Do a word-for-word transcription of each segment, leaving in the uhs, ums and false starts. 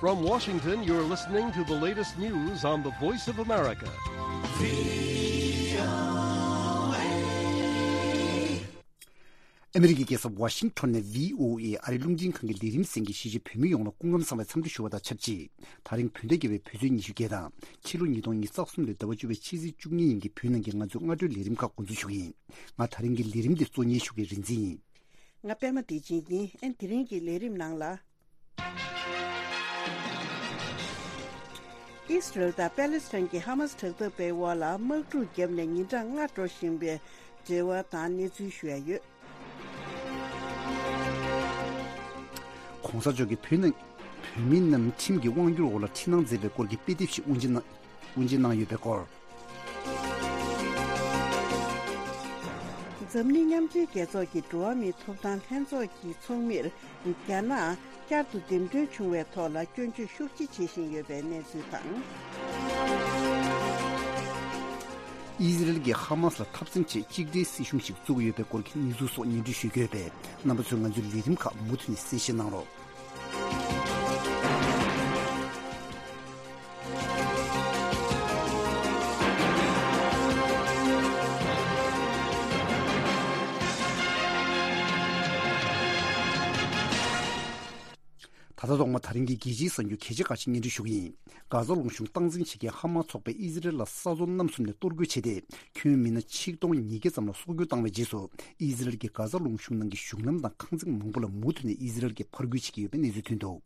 From Washington, you're listening to the latest news on the Voice of America. ཨ་མི་རི་ཀའི་རྒྱལ་ས་ཝ་ཤིང་ཊོན་ནས་བྷི་ཨོ་ཨེ་ཨ་རིའི་རླུང་འཕྲིན་ཁང་གི་ལས་རིམ་གསན་མཁན་གཞིས་བྱེས་བོད་མི་ཡོངས་ལ་སྐུ་ཁམས་བཟང་བའི་འཚམས་འདྲི་ཞུ་བ་དང་ཆབས་ཅིག་དེ་རིང་བོད་ཟླ་བརྒྱད་པའི་བོད་ཚེས་ཉི་ཤུ་བརྒྱད་དང་ཕྱི་ལོ་ཉིས་སྟོང་ཉི་ཤུ་རྩ་གསུམ་ལོའི་ཟླ་བ་བཅུ་པའི་ཕྱི་ཚེས་བཅུ་གཉིས་ཉིན་གྱི་བོད་ནང་གི་ང་ཚོའི་སྔ་དྲོའི་ལས་རིམ་ཁག་འགོ་འཛུགས་ཞུ་གི་ཡིན། ང་དེ་རིང་གི་ལས་རིམ་འདི་གཙོ་གཉེར་ཞུ་མཁན་རིག་འཛིན་ཡིན། ང་པད་མ་བདེ་ཆེན་ཡིན། ཨན་དེ་རིང་གི་ལས་རིམ་ནང་ལ། ཨིས་རལ་དང་པེ་ལེ་སི་ཐན་གྱི་ཧ་མ་སི་དྲག་འཐབ་པའི་དབར་ལ་དམག་འཁྲུག་བརྒྱབ་ནས་ཉིན་གྲངས་ལྔ་འགྲོ་བཞིན་པའི་འབྲེལ་བ་དང་གནས་ཚུལ་ཞུ་ཡ་ཡོད། གོང་ས་མཆོག་གིས་བོད་ནང་བོད་མི་རྣམས་ཁྲིམས་ཀྱི་དབང་སྒྱུར་འོག་ལ་འཁྲིད་གནང་མཛད་པའི་སྐོར་གྱི་དཔེ་དེབ་ཞིག་དབུ་འབྱེད་གནང་། དབུ་འབྱེད་གནང་ཡོད་པའི་སྐོར། འཛམ་གླིང་མཉམ་འབྲེལ་རྒྱལ་ཚོགས་ཀྱི་འགྲོ་བ་མིའི་ཐོབ་ཐང་ལྷན་ཚོགས་ཀྱི་ཚོགས་མིར་རྒྱ་ནག་བསྐྱར་དུ་འདེམས་ཐོན་བྱུང་བའི་ཐོག་ལ་སྐྱོན་བརྗོད་ཤུགས་ཆེ་བྱེད་བཞིན་ཡོད་པའི་གནས་ཚུལ་དང་། ཨི་ཟི་རལ་གྱིས་ཧ་མ་སི་ལ་འཐབ་འཛིང་ཆེད་གཅིག་སྒྲིལ་སྲིད་གཞུང་ཞིག་བཙུགས་ཡོད་པའི་སྐོར་གྱི་གནས་ཚུལ་སོགས་སྙན་སྒྲོན་ཞུས་ཡོད་པས། རྣམ་པ་ཚོས་ང་ཚོའི་ལས་རིམ་ཁག་མུ་མཐུད་ནས་གསན་བཞེས་གནང་རོགས། ད་ལྟ་ཐོག་མ་དེ་རིང་གི་རྒྱལ་སྤྱིའི་གསར་འགྱུར་གལ་ཆེ་ཁག་ཅིག་སྙན་སྒྲོན་ཞུ་གི་ཡིན། གྷ་ཟ་ལུང་གཤོང་སྟངས་འཛིན་བྱེད་མཁན་ཧ་མ་སི་ཚོགས་པས་ཨི་ཟི་རལ་ལ་ས་མཚོ་གནམ་གསུམ་ནས་གཏོར་རྒོལ་བྱས་ཏེ། ཁྱོན་མི་སྣ་ཆིག་སྟོང་ཉིས་བརྒྱ་ཙམ་ལ་སྲོག་སྐྱོན་བཏང་བའི་རྗེས་སུ། ཨི་ཟི་རལ་གྱིས་གྷ་ཟ་ལུང་གཤོང་ནང་གི་གཞུང་ལམ་དང་ཁང་བརྩེགས་མང་པོ་ལ་མུ་མཐུད་ནས་ཨི་ཟི་རལ་གྱིས་ཕར་རྒོལ་བྱེད་ཀྱི་ཡོད་པའི་གནས་ཚུལ་ཐོན་འདུག་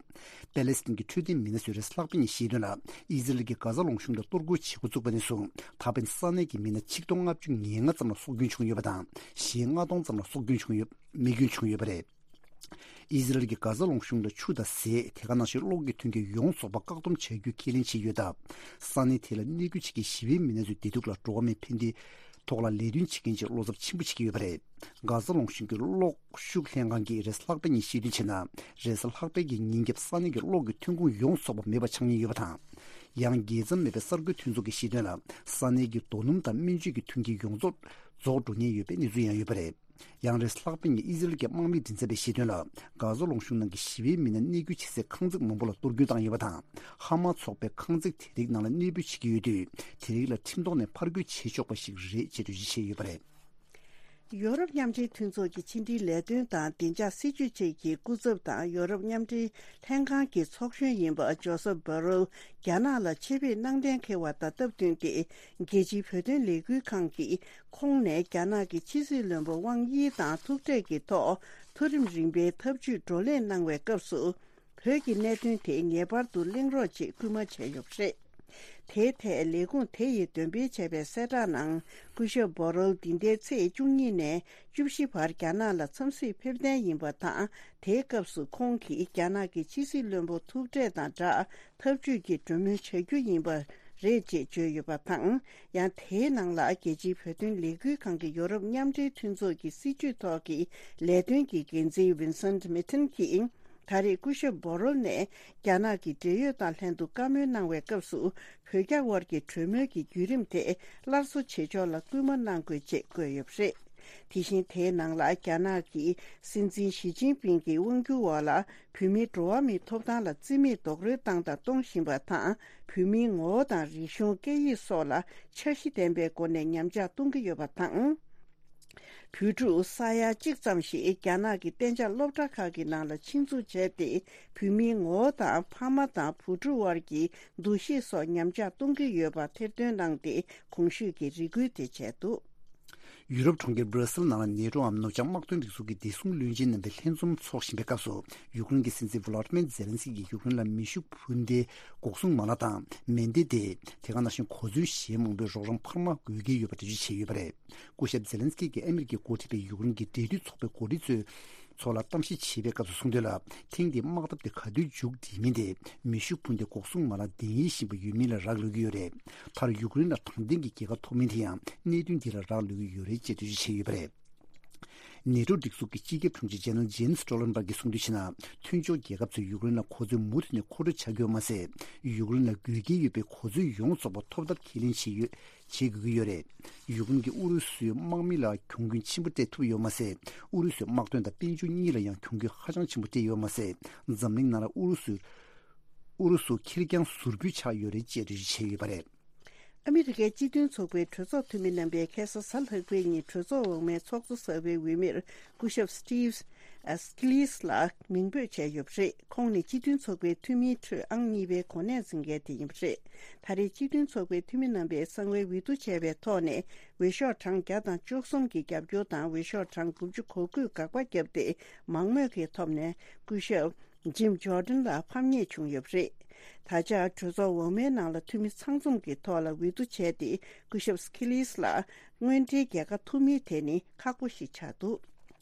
པེ་ལེ་སི་ཐན་གྱི་འཕྲོད་བསྟེན་མི་སྣ་ཚོས་རེས་གཟའ་ལྷག་པའི་ཉིན་བཤད་དོན་ལ། ཨི་ཟི་རལ་གྱིས་གྷ་ཟ་ལུང་གཤོང་ལ་གཏོར་རྒོལ་བྱེད་འགོ་བཙུགས་པ་ནས་བཟུང་ད་ཕན་ས་གནས་ཀྱི་མི་སྣ་ཆིག་སྟོང་ལྔ་བཅུ་ང་ལྔ་ཙམ་ལ་སྲོག་སྐྱོན་བྱུང་ཡོད་པ་དང་། གཞན་ལྔ་སྟོང་ཙམ་ལ་སྲོག་སྐྱོན་བྱུང་ཡོད། རྨས་སྐྱོན་བྱུང་ཡོད་པ་རེད། ཨི་ཟི་རལ་གྱིས་གྷ་ཟ་ལུང་གཤོང་ལ་ཆུ་དང་ཟས། དེ་ག་ནང་བཞིན་གློག་གི་མཐུན་རྐྱེན་ཡོངས་རྫོགས་པ་བཀག་སྡོམ་བྱ་རྒྱུའི་ཁས་ལེན་བྱས་ཡོད་སྟབས། ས་གནས་དེ་ལ་གནས་སྡོད་བྱེད་མཁན་ཞི་བའི་མི་སྣ་ཚོའི་བདེ་སྡུག་ལ་འགྲོ་བ་མིའི་ཕན་བདེའི་ཐོག་ལ་ལས་དོན་བྱེད་མཁན་ཚོས་བློ་འཚབ་ཆེན་པོ་བྱེད་ཀྱི་ཡོད་པ་རེད། གྷ་ཟ་ལུང་གཤོང་གི་གློག་ཤུགས་ལྷན་ཁང་གིས་རེས་གཟའ་ལྷག་པའི་ཉིན་བཤད་དོན་བྱས་ན། རེས་གཟའ་ལྷག་པའི་གི་ཉིན་རྒྱབ་ས་གནས་ཀྱི་གློག་གི་ཐོན་ཁུངས་ཡོངས་རྫོགས་པ་མེད་པ་ཆགས་ཉེན་ཡོད་པ་དང་། ཡང་རྒྱལ་མཚམས་མེད་པའི་གསར་འགོད་མཐུན་ཚོགས་ཀྱིས་བཤད་དོན་ལ། ས་གནས་ཀྱི་རྡོ་སྣུམ་དང་སྨན་བཅོས་ཀྱི་མཐུན་རྐྱེན་ཡོངས་རྫོགས་རྫོགས་འགྲོ་ཉེན་ཡོད་པའི་གནས་ཚུལ་ཡང་ཡོད་པ་རེད། ཡང་རེས་ལྷག་པའི་ཉིན་ཨི་ཟི་རལ་གྱི་དམག་མིའི་མགྲིན་ཚབ་པས་བཤད་དོན་ལ། གྷ་ཟ་ལུང་གཤོང་ནང་གི་ཞི་བའི་མི་སྣ་གནས་སྡོད་བྱེད་སའི་ཁང་བརྩེགས་མང་པོ་ལ་གཏོར་རྒོལ་བཏང་ཡོད་པ་དང་། ཧ་མ་སི་ཚོགས་པས་ཁང་བརྩེགས་དེ་རིགས་ནང་ལ་གནས་སྤོས་བྱེད་ཀྱི་ཡོད་དུས། དེ་རིགས་ལ་ཁྲིམས་ཐོག་ནས་ཕར་རྒོལ་བྱེད་ཆོག་པ་ཞིག་རེད་ཅེས་འགྲེལ་བརྗོད་བྱས་ཡོད་པ་རེད། ཡོ་རོབ་མཉམ་འབྲེལ་མཐུན་ཚོགས་ཀྱི་ཕྱི་འབྲེལ་ལས་དོན་དང་བདེ་འཇགས་སྲིད་ཇུས་ཅན་གྱི་སྐུ་ཚབ་དང་ཡོ་རོབ་མཉམ་འབྲེལ་ལྷན་ཁང་གི་ཚོགས་གཞོན་ཡིན་པ་ཇོ་སེབ་བྷོ་རེལ་རྒྱ་ནག་ལ་ཆེད་ཕེབས་གནང་གཏན་འཁེལ་བ་དང་སྟབས་བསྟུན་ཏེ། རྒྱལ་སྤྱིའི་བོད་དོན་ལས་འགུལ་ཁང་གི་ཁོངས་ནས་རྒྱ་ནག་གི་ཕྱི་སྲིད་བློན་པོ་ཝང་དབྱི་དང་ཐུག་འཕྲད་ཀྱི་ཐོག་མཐོ་རིམ་རིམ་པའི་ཐབས་ཇུས་བགྲོ་གླེང་གནང་བའི་སྐབས་སུ། བོད་ཀྱི་གནད་དོན་དེ་ངེས་པར་དུ་གླེང་རོགས་ཅེས་སྐུལ་མ་བྱས་ཡོད་པ་རེད། དེའི་ཐད་ལས་ཁུངས་དེ་ཡིས་འདོན་སྤེལ་བྱས་པའི་གསལ་བསྒྲགས་ནང་། སྐུ་ཞབས་བྷོ་རེལ་འདི་ཟླའི་ཚེས་བཅུ་གཉིས་ནས་བཅུ་བཞི་བར་རྒྱ་ནག་ལ་འཚམས་གཟིགས་ཕེབས་གཏན་ཡིན་པ་དང་། དེའི་སྐབས་སུ་ཁོང་གིས་རྒྱ་ནག་གི་ཕྱི་སྲིད་བློན་པོ་ཐུག་འཕྲད་དང་སྦྲགས་འཐབ་ཇུས་ཀྱི་གྲོས་མོལ་བྱ་རྒྱུ་ཡིན་པ་རེད་ཅེས་བརྗོད་ཡོད་པ་དང་། ཡང་དེའི་ནང་ལ་རྒྱལ་སྤྱིའི་བོད་དོན་ལས་འགུལ་ཁང་གི་ཡོ་རོབ་མཉམ་འབྲེལ་མཐུན་ཚོགས་ཀྱི་སྲིད་བྱུས་ཐོག་གི་ལས་དོན་གྱི་འགན་འཛིན་ཝིན་སེན་མི་ཐིན་གྱིས། ད་རེས་སྐུ་ཞབས་བྷོ་རེལ་ནས་རྒྱ་ནག་གི་འབྲེལ་ཡོད་དང་ལྷན་དུ་བཀའ་མོལ་གནང་བའི་སྐབས་སུ། བོད་རྒྱ་དབར་གྱི་གྲོས་མོལ་གྱི་བརྒྱུད་རིམ་དེ་སླར་གསོ་བྱེད་ཕྱོགས་ལ་སྐུལ་མ་གནང་དགོས་ཅེས་བཀོད་ཡོད་པ་རེད། དེ་བཞིན་དེའི་ནང་ལ་རྒྱ་ནག་གི་སྲིད་འཛིན་ཞི་ཅིན་ཕིང་གི་དབང་སྒྱུར་འོག་ལ་བོད་མིའི་འགྲོ་བ་མིའི་ཐོབ་ཐང་ལ་བརྩི་མེད་རྡོག་རོལ་བཏང་དང་གཏོང་བཞིན་པ་དང་། བོད་མིའི་ངོ་བོ་དང་རིག་གཞུང་སྐད་ཡིག་སོགས་ལ་འཆར་གཞི་ལྡན་པའི་སྒོ་ནས་ཉམས་ཆག་གཏོང་གི་ཡོད་པ་དང་། བོད་ཕྲུག་ས་ཡ་གཅིག་ཙམ་ཞིག་རྒྱ་ནག་གི་གཏན་འཇགས་སློབ་གྲྭ་ཁག་གི་ནང་ལ་ཆེད་འཛུགས་བྱས་ཏེ། བོད་མིའི་ངོ་བོ་དང་ཕ་མ་དང་བུ་ཕྲུག་དབར་གྱི་འདུ་ཤེས་སོགས་ཉམས་ཆག་གཏོང་གི་ཡོད་པ་ཐེར་འདོན་གནང་སྟེ། གོང་ཞུས་ཀྱི་རེ་སྐུལ་དེ་བྱས་འདུག་ཡུ་རོབ་གྲོང་ཁྱེར་སྦྲ་སིལ་ནང་ལ་ནེ་ཊོའམ་ནུབ་བྱང་དམག་དོན་སྒྲིག་འཛུགས་ཀྱི་བདེ་སྲུང་བློན་ཆེན་རྣམ་པའི་ལྷན་འཛོམས་འཚོགས་བཞིན་པའི་སྐབས་སུ། ཡུཀ་རེན་གྱི་སྲིད་འཛིན་ཝུ་ལ་ཏི་མེར་ཛེ་ལན་སི་ཀིས་ཡུཀ་རེན་ལ་མེ་ཤུགས་འཕུར་མདེལ་འགོག་སྲུང་མ་ལག་དང་མེ་མདེའུ་སྟེ། དེ་ག་ནང་བཞིན་གོ་མཚོན་གཞན་མང་པོའི་རོགས་རམ་འཕར་མ་དགོས་ཀྱི་ཡོད་པ་འགྲེལ་བརྗོད་བྱས་ཡོད་པ་རེད། སྐུ་ཞབས་ཛེ་ལན་སི་ཀི་གིས་ཨ་མི་རི་ཀས་འགོ་ཁྲིད་པའི་ཡུཀ་རེན་གྱི་འབྲེལ་མཐུད་ཚོགས་པའི་འགོ་ཁྲིད་ཚོའི་ཚོགས་ལ་གཏམ་བཤད་བྱེད་པའི་སྐབས་སུ་གསུངས་དོན་ལ། ཐེངས་འདིའི་དམག་འཐབ་དེ་ག་དུས་མཇུག་སྒྲིལ་མིན་དེ་མེ་ཤུགས་འཕུར་མདེལ་འགོག་སྲུང་མ་ལག་གདན་འདྲེན་བཞིན་པ་ཡོད་མིན་ལ་རག་ལུས་ཀྱི་ཡོད་རེད། མཐར་ཡུཀ་རེན་ལ་དྲང་བདེན་གྱི་རྒྱལ་ཁ་ཐོབ་མིན་དེ་ཡང་གནད་དོན་འདི་ལ་རག་ལུས་ཀྱི་ཡོད་རེད་ཅེས་འགྲེལ་བརྗོད་བྱས་ཡོད་པ་རེད། ནེ་ཊོ་སྒྲིག་འཛུགས་ཀྱི་སྤྱི་ཁྱབ་དྲུང་ཆེ་ཇེ་ནེ་རལ་ཇེན་སི་སྟོལ་ཊེན་བྷག་གིས་གསུངས་དོན་བྱས་ན། མཐུན་ཕྱོགས་རྒྱལ་ཁབ་ཚོས་ཡུཀ་རེན་ལ་གོ་མཚོན་མུ་མཐུད་ནས་མཁོ་སྤྲོད་བྱ་དགོས་པ་མ་ཟད། ཡུཀ་རེན་ལ་དགོས་གལ་ཡོད་པའི་གོ་མཚོན་ཡོངས་རྫོགས་པ་ཐོབ་ཐབས་ཁས་ལེན་བྱེད་ཡོད། བྱེད་དགོས་ཀྱི་ཡོད་རེད། ཡུཀ་རེན་གྱིས་ཨུ་རུ་སུའི་དམག་མི་ལ་གྱོང་གུན་ཆེན་པོ་སྤྲད་ཐུབ་ཡོད་མ་ཟད། ཨུ་རུ་སུའི་དམག་དོན་དང་དཔལ་འབྱོར་གཉིས་ལ་ཡང་གྱོང་གུན་ཧ་ཅང་ཆེན་པོ་སྤྲད་ཡོད་མ་ཟད། འཛམ་གླིང་ནང་ལ་ཨུ་རུ་སུའི་ ཨུ་རུ་སུ་ཁེར་རྐྱང་ཟུར་ཕུད་ཆགས་ཡོད་རེད་ཅེས་འགྲེལ་བརྗོད་བྱས་ཡོད་པ་རེད། ཨ་མི་རི་ཀའི་སྤྱི་མཐུན་ཚོགས་པའི་གྲོས་ཚོགས་འཐུས་མི་རྣམ་པས་ཁ་སང་གཟའ་ལྷག་པའི་ཉིན་གྲོས་ཚོགས་འོག་མའི་ཚོགས་གཙོ་གསར་པའི་འོས་མིར་སྐུ་ཞབས་Steve Scalise ལ་མིང་འབོད་བྱས་ཡོད་པ་རེད། ཁོང་ནི་སྤྱི་མཐུན་ཚོགས་པའི་འཐུས་མིའི་ཁྲོད་ཨང་གཉིས་པའི་གོ་གནས་འཛིན་མཁན་དེ་ཡིན་པ་རེད། ད་རེས་སྤྱི་མཐུན་ཚོགས་པའི་འཐུས་མི་རྣམ་པས་གསང་བའི་འོས་བསྡུ་བྱས་པའི་ཐོག་ནས་འོས་ཤོག་གྲངས་བརྒྱ་དང་བཅུ་གསུམ་གྱི་རྒྱབ་སྐྱོར་དང་འོས་ཤོག་གྲངས་དགུ་བཅུ་གོ་དགུས་དགག་པ་བརྒྱབ་སྟེ་མང་མོས་ཀྱི་ཐོག་ནས་སྐུ་ཞབས་Jim Jordan ལ་ཕམ་ཉེས་བྱུང་ཡོད་པ་རེད། ད་ཆ་གྲོས་ཚོགས་འོག་མའི་ནང་ལ་འཐུས་མི་ཚང་འཛོམས་ཀྱི་ཐོག་ལ་འོས་བསྡུ་བྱས་ཏེ་སྐུ་ཞབས་Scalise ལ་དངོས་འབྲེལ་རྒྱལ་ཁ་ཐོབ་མིན་དེ་ནི་ཁག་པོ་ཞིག་ཆགས་འདུག་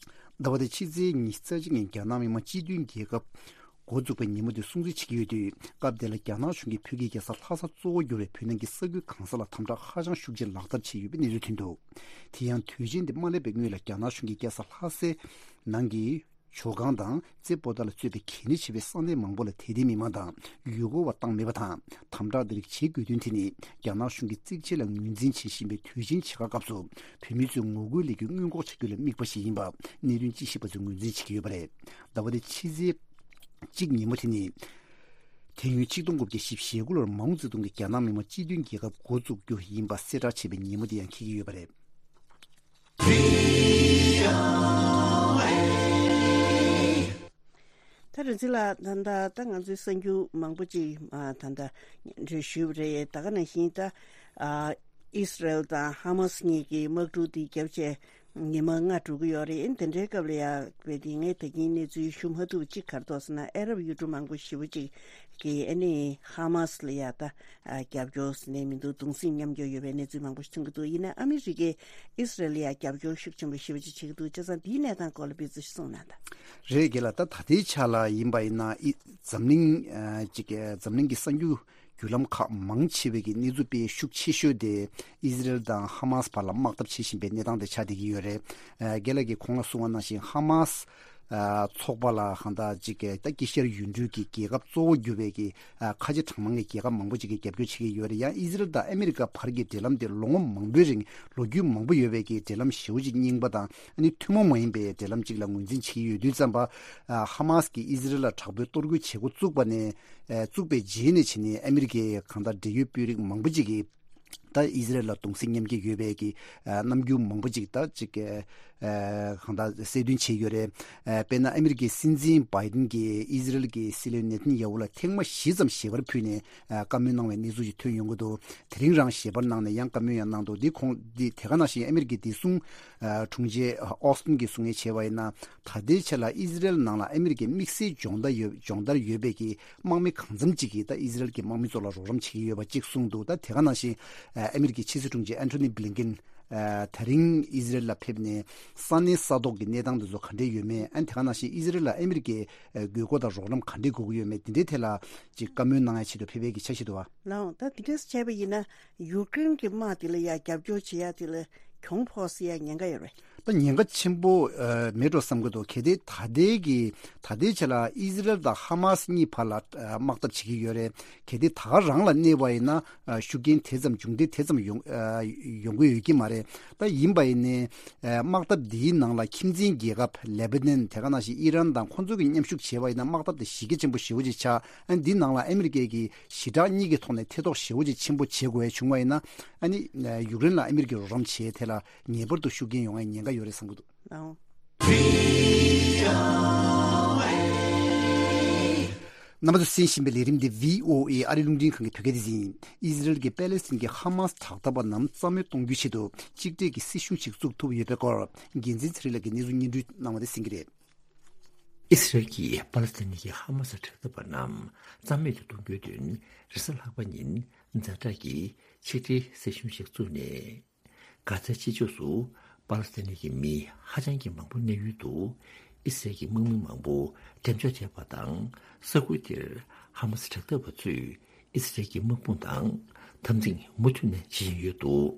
ཟླ་བ་འདིའི་ཕྱི་ཚེས་ཉི་ཤུ་རྩ་གཅིག་ཉིན་རྒྱ་ནག་མི་དམངས་སྤྱི་མཐུན་རྒྱལ་ཁབ་འགོ་འཛུགས་པའི་ཉིན་མོ་དེ་སྲུང་བརྩི་བྱེད་ཀྱི་ཡོད་དུས། སྐབས་དེ་ལ་རྒྱ་ནག་གཞུང་གིས་བོད་ཀྱི་རྒྱལ་ས་ལྷ་ས་གཙོ་བོ་གྱུར་བའི་བོད་ནང་གི་ས་ཁུལ་གང་ས་ལ་དམ་དྲག་ཧ་ཅང་ཤུགས་ཆེ་ལག་བསྟར་བྱས་ཡོད་པའི་གནས་ཚུལ་ཐོན་འདུག་དེ་ཡང་དུས་ཆེན་དེ་མ་སླེབས་པའི་སྔོན་ལ་རྒྱ་ནག་གཞུང་གིས་རྒྱལ་ས་ལྷ་སའི་ནང་གི་ཇོ་ཁང་དང་རྩེ་པོ་ཏཱ་ལ་གཙོས་པའི་གལ་གནད་ཆེ་བའི་ས་གནས་མང་པོ་ལ་དད་ལྡན་མི་མང་དང་ཡུལ་སྐོར་བ་བཏང་མེད་པ་དང་། དམ་དྲག་འདི་རིགས་བྱེད་དགོས་དོན་དེ་ནི་རྒྱ་ནག་གཞུང་གིས་གཙིགས་ཆེ་ལ་ངོས་འཛིན་བྱེད་བཞིན་པའི་དུས་ཆེན་ཆེ་ཁག་སྐབས་སུ་བོད་མི་ཚོའི་ངོ་རྒོལ་ལས་འགུལ་སྔོན་འགོག་བྱ་རྒྱུ་ལ་དམིགས་པ་ཞིག་ཡིན་པ་གནད་དོན་དཔྱད་ཞིབ་པ་ཚོས་ངོས་འཛིན་བྱེད་ཀྱི་ཡོད་པ་རེད། ཟླ་བ་འདིའི་ཕྱི་ཚེས་གཅིག་ཉིན་མོ་དེ་ནི། དེ་ཡུན་ཆིག་སྟོང་དགུ་བརྒྱ་བཞི་བཅུ་ཞེ་དགུ་ལོར་མའོ་ཙེ་ཏུང་གིས་རྒྱ་ནག་མི་དམངས་སྤྱི་མཐུན་རྒྱལ་ཁབ་འགོ་བཙུགས་རྒྱུ་ཡིན་པ་གསལ་བསྒྲགས་བྱས་པའི་ཉིན་མོ་དེ་ཡང་འཁེལ་གྱི་ཡོད་པ་རེད། ད་རེས་འདི་ལ་ད་ལྟ་ད་ང་ཚོའི་གསར་འགྱུར་མང་པོ་ཅིག་ཨ་ད་ལྟ་སྙན་སྒྲོན་ཞུས་པ་རེད། ད་ག་ནང་བཞིན་ད་ཨ་ཨི་སི་རལ་དང་ཧ་མ་སི་གཉིས་ཀྱི་དམག་འཁྲུག་འདི་བརྒྱབ་བྱས་ཉི་མ་ལྔ་འགྲོ་གི་ཡོད་རེད། དེ་འདྲའི་སྐབས་ལ་ཡ་བས་དེ་ངས་ད་གིན་གནས་ཚུལ་ཞུ་མ་ཐུབ་ཅིག་ག་རེ་འདུག་ཟེར་ན། ཨ་རབ་ཡུལ་གྲུ་མང་པོ་ཞེ་པོ་ཅིག་གིས་ཨ་ནི་ཧ་མ་སི་ལ་ཡ་ད་ཨ་རྒྱབ་སྐྱོར་ཟེར་ནས་མི་འདུག་གདུང་སེམས་མཉམ་སྐྱེད་ཡོད་པའི་གནས་ཚུལ་མང་པོ་ཞིག་ཐོན་གྱི་འདུག་ཡིན་ན་ཨ་མི་རི་ཀས་ཨི་སི་རལ་ལ་ཡ་རྒྱབ་སྐྱོར་ཤུགས་ཆེན་པོ་ཞེ་པོ་ཅིག་བྱེད་ཀྱི་འདུག་བྱས་ཙང་འདིའི་གནས་སྟངས་སྐོར་ལ་ཕེབས་ཚུལ་ཞིག་གསུངས་གནང་དང་། རེད། རྒན་ལགས། ད་ད་ལྟའི་ཆ་ལ་ཡིན་པ་ཡིན་ན་ཨི་འཛམ་གླིང་ཨ་ཅིག་འཛམ་གླིང་གི་གསར་འགྱུར་བརྒྱུད་ལམ་ཁག་མང་ཆེ་བའི་གི་གནས་ཚུལ་སྤེལ་ཤུགས་ཆེ་ཤོས་དེ་ཨི་ཟི་རལ་དང་ཧ་མ་སི་བར་ལ་དམག་འཐབ་བྱེད་བཞིན་པའི་གནས་སྟངས་དེ་ཆགས་བསྡད་ཀྱི་ཡོད་རེད། ཨ་རྒན་ལགས་ཀྱིས་གོང་ལ་གསུངས་པ་ནང་བཞིན་ཧ་མ་སི་ཨ་ཚོགས་པ་ལ་གང་ལྟར་ཅིག་གི་ད་དཀྱིལ་ཤར་ཡུལ་གྲུའི་གི་རྒྱལ་ཁབ་གཙོ་བོ་གྱུར་བའི་གི་ཨ་ཁ་ཆེ་གྲངས་མང་གི་རྒྱལ་ཁབ་མང་པོ་ཅིག་གིས་རྒྱབ་སྐྱོར་བྱེད་ཀྱི་ཡོད་རེད། ཡང་ཨི་ཟི་རལ་དང་ཨ་མི་རི་ཀ་བར་གྱི་འབྲེལ་ལམ་དེ་ལོ་ངོ་མང་པོའི་རིང་ལོ་རྒྱུས་མང་པོ་ཡོད་པའི་གི་འབྲེལ་ལམ་ཞེ་པོ་ཅིག་རྙིང་པ་དང་ཨ་ནི་ཐུན་མོང་མ་ཡིན་པའི་འབྲེལ་ལམ་ཅིག་ལ་ངོས་འཛིན་བྱེད་ཀྱི་ཡོད་དུས་ཙམ་པ། ཨ་ཧ་མ་སི་གིས་ཨི་ཟི་རལ་ལ་དྲག་པོའི་གཏོར་རྒོལ་བྱེད་འགོ་བཙུགས་པ་ནས་ཨ་བཙུགས་པའི་རྗེས་ནས་བྱས་ནས་ཨ་མི་རི་ཀའི་གང་ལྟར་འབྲེལ་ཡོད་དཔོན་རིགས་མང་པོ་ཅིག་གིས་ད་ཨི་ཟི་རལ་ལ་གདུང་སེམས་མཉམ་སྐྱེད་ཡོད་པའི་གི་ཨ་རྣམ་འགྱུར་མང་པོ་ཅིག་ད་ཅིག་ཨ་གང་ལྟར་གསལ་སྟོན་བྱས་ཡོད་རེད། ཨ་དཔེར་ན་ཨ་མི་རི་ཀའི་སྲིད་འཛིན་བྷའི་ཏིན་གྱིས་ཨི་ཟི་རལ་གྱི་སྲིད་བློན་ནེ་ཐན་ཡ་ཧུ་ལ་ཐེངས་མ་བཞི་ཙམ་ཞལ་པར་ཕུལ་ནས་ཨ་བཀའ་མོལ་གནང་བའི་གནས་ཚུལ་ཞིག་ཐོན་ཡོང་གི་འདུག་དེ་རིང་རང་ཞལ་པར་གནང་ནས་ཡང་བཀའ་མོལ་ཡང་གནང་འདུག་འདི་ཁོང་འདི་དེ་ག་ནང་བཞིན་ཨ་མི་རི་ཀའི་བདེ་སྲུང་ཨ་དྲུང་ཆེ་ཨོ་སི་ཏིན་གྱིས་གསུང་ཡས་བྱས་པ་ཡིན་ན། ད་ལྟའི་ཆ་ལ་ཨི་ཟི་རལ་ནང་ལ་ཨ་མི་རི་ཀའི་དམིགས་བསལ་སྦྱོང་བརྡར་ཡོད་སྦྱོང་བརྡར་ཡོད་པའི་གི་དམག་མི་གང་འཚམ་ཅིག་གིས་ད་ཨི་ཟི་རལ་གྱི་དམག་མི་ཚོ་ལ་རོགས་རམ་བྱེད་ཀྱི་ཡོད་པ་གཅིག་གསུངས་འདུག་ད་དེ་ག་ནང་བཞིན་ཨ་མི་རི་ཀའི་ཕྱི་སྲིད་དྲུང་ཆེ་ཨན་ཐོ་ནི་བྷི་ལིན་ཀིན་ཨ་དེ་རིང་ཨི་ཟི་རལ་ལ་ཕེབས་ནས་ས་གནས་ས་ཐོག་གི་གནས་སྟངས་དེ་ཚོ་ག་འདྲས་ཡོད་མེད། ཨ་ནི་དེ་ག་ནང་བཞིན་ཨི་ཟི་རལ་ལ་ཨ་མི་རི་ཀའི་ཨ་དགོས་མཁོ་དང་རོགས་རམ་ག་འདྲས་དགོས་ཀྱི་ཡོད་མེད་དེ་འདྲའི་ཐད་ལ་ཅིག་བཀའ་མོལ་གནང་ཡ་ཆེད་དུ་ཕེབས་པའི་གི་འཆར་གཞི་འདུག་བ། ལགས་འོང་། ད་དེ་འདྲས་བྱས་པ་ཡིན་ན་ཡུཀ་རེན་གྱི་དམག་དེ་ལ་ཡ་རྒྱབ་སྐྱོར་བྱེད་ཡ་དེ་ལ་གྱོང་ཕོག་སྲིད་ཡ་ཉེན་ཁ་ཡོད་རེད། ད་ཉེན་ཁ་ཆེན་པོ་ཨ་མེད་འགྲོ་བསམ་གྱི་འདུག་གལ་ཏེ་ད་ལྟའི་གི་ད་ལྟའི་ཆ་ལ་ཨི་ཟི་རལ་དང་ཧ་མ་སི་གཉིས་བར་ལ་ཨ་དམག་འཐབ་བྱེད་ཀྱི་ཡོད་རེད། གལ་ཏེ་ད་ག་རང་ལ་གནས་པ་ཡིན་ན་ཨ་ཤུགས་རྐྱེན་དེ་ཙམ་མཇུག་འབྲས་དེ་ཙམ་ཡོང་ཨ་ཡོང་གི་ཡོད་ཀྱི་མ་རེད། ད་ཡིན་པ་ཡིན་ནའི་ཨ་དམག་འཐབ་འདིའི་ནང་ལ་ཁྱིམ་མཚེས་རྒྱལ་ཁབ་ལེ་བྷ་ནན་དེ་ག་ནང་བཞིན་ཨི་རན་དང་ཁོང་ཚོ་གི་མཉམ་ཞུགས་བྱས་པ་ཡིན་ན་དམག་འཐབ་དེ་གཞི་རྒྱ་ཆེན་པོ་ཞེ་པོ་ཅིག་ཆགས། ཨ་འདི་ནང་ལ་ཨ་མི་རི་ཀའི་གི་ཞི་དྲག་གཉིས་ཀྱི་ཐོག་ནས་ཐེ་གཏོགས་ཞེ་པོ་ཅིག་ཆེན་པོ་བྱེད་དགོས་ཡ་བྱུང་བ་ཡིན་ན། ཨ་ནི་ཡུཀ་རེན་ལ་ཨ་མི་རི་ཀས་རོགས་རམ་བྱེད་ཡའི་ཐད་ལ་ངེས་པར་དུ་ཤུགས་རྐྱེན་ཡོང་ཡའི་ཉེན་ཁ་ཡོད་རེད་བསམ་གྱི་འདུག་ཨང་། རྣམ་པ་ཚོ་གསན་བཞིན་པའི་ལས་རིམ་འདི་བྷི་ཨོ་ཨེ་ཨ་རིའི་རླུང་འཕྲིན་ཁང་གི་བོད་སྐད་སྡེ་ཚན་ཡིན། ཨི་ཟི་རལ་གྱིས་པེ་ལེ་སི་ཐན་གྱི་ཧ་མ་སི་དྲག་འཐབ་པ་རྣམས་རྩ་མེད་གཏོང་རྒྱུའི་ཆེད་དུ་གཅིག་སྒྲིལ་གྱི་སྲིད་གཞུང་ཞིག་བཙུགས་ཐུབ་ཡོད་པའི་སྐོར་འགན་འཛིན་ཚེ་རིང་ལགས་ཀྱིས་གནས་ཚུལ་སྙན་སྒྲོན་གནང་བ་དེ་གསན་གྱི་རེད། ཨི་སི་རལ་གྱིས་པ་ལི་སི་ཐན་གྱི་ཧ་མ་སི་དྲག་འཐབ་པ་རྣམས་རྩ་མེད་དུ་གཏོང་རྒྱུའི་དོན་རེས་གཟའ་ལྷག་པ་ཉིན་ཛ་དྲག་གི་ཆིག་སྒྲིལ་སྲིད་གཞུང་ཞིག་བཙུགས་ནས། གྷ་ཛའི་ཕྱི་ཕྱོགས་སུ་པ་ལི་སི་ཐན་གྱི་མི་ཧ་ཅང་གི་མང་པོ་གནས་ཡུལ་དུ་ཨི་སི་རལ་གྱི་དམག་མི་མང་པོ་འགྲེམས་འཇོག་བྱས་པ་དང་། ས་ཁུལ་དེར་ཧ་མ་སི་དྲག་འཐབ་པ་ཚོས་ཨི་སི་རལ་གྱི་དམག་དཔུང་དང་འཐབ་འཛིང་མུ་མཐུད་ནས་བྱེད་བཞིན་ཡོད་འདུག་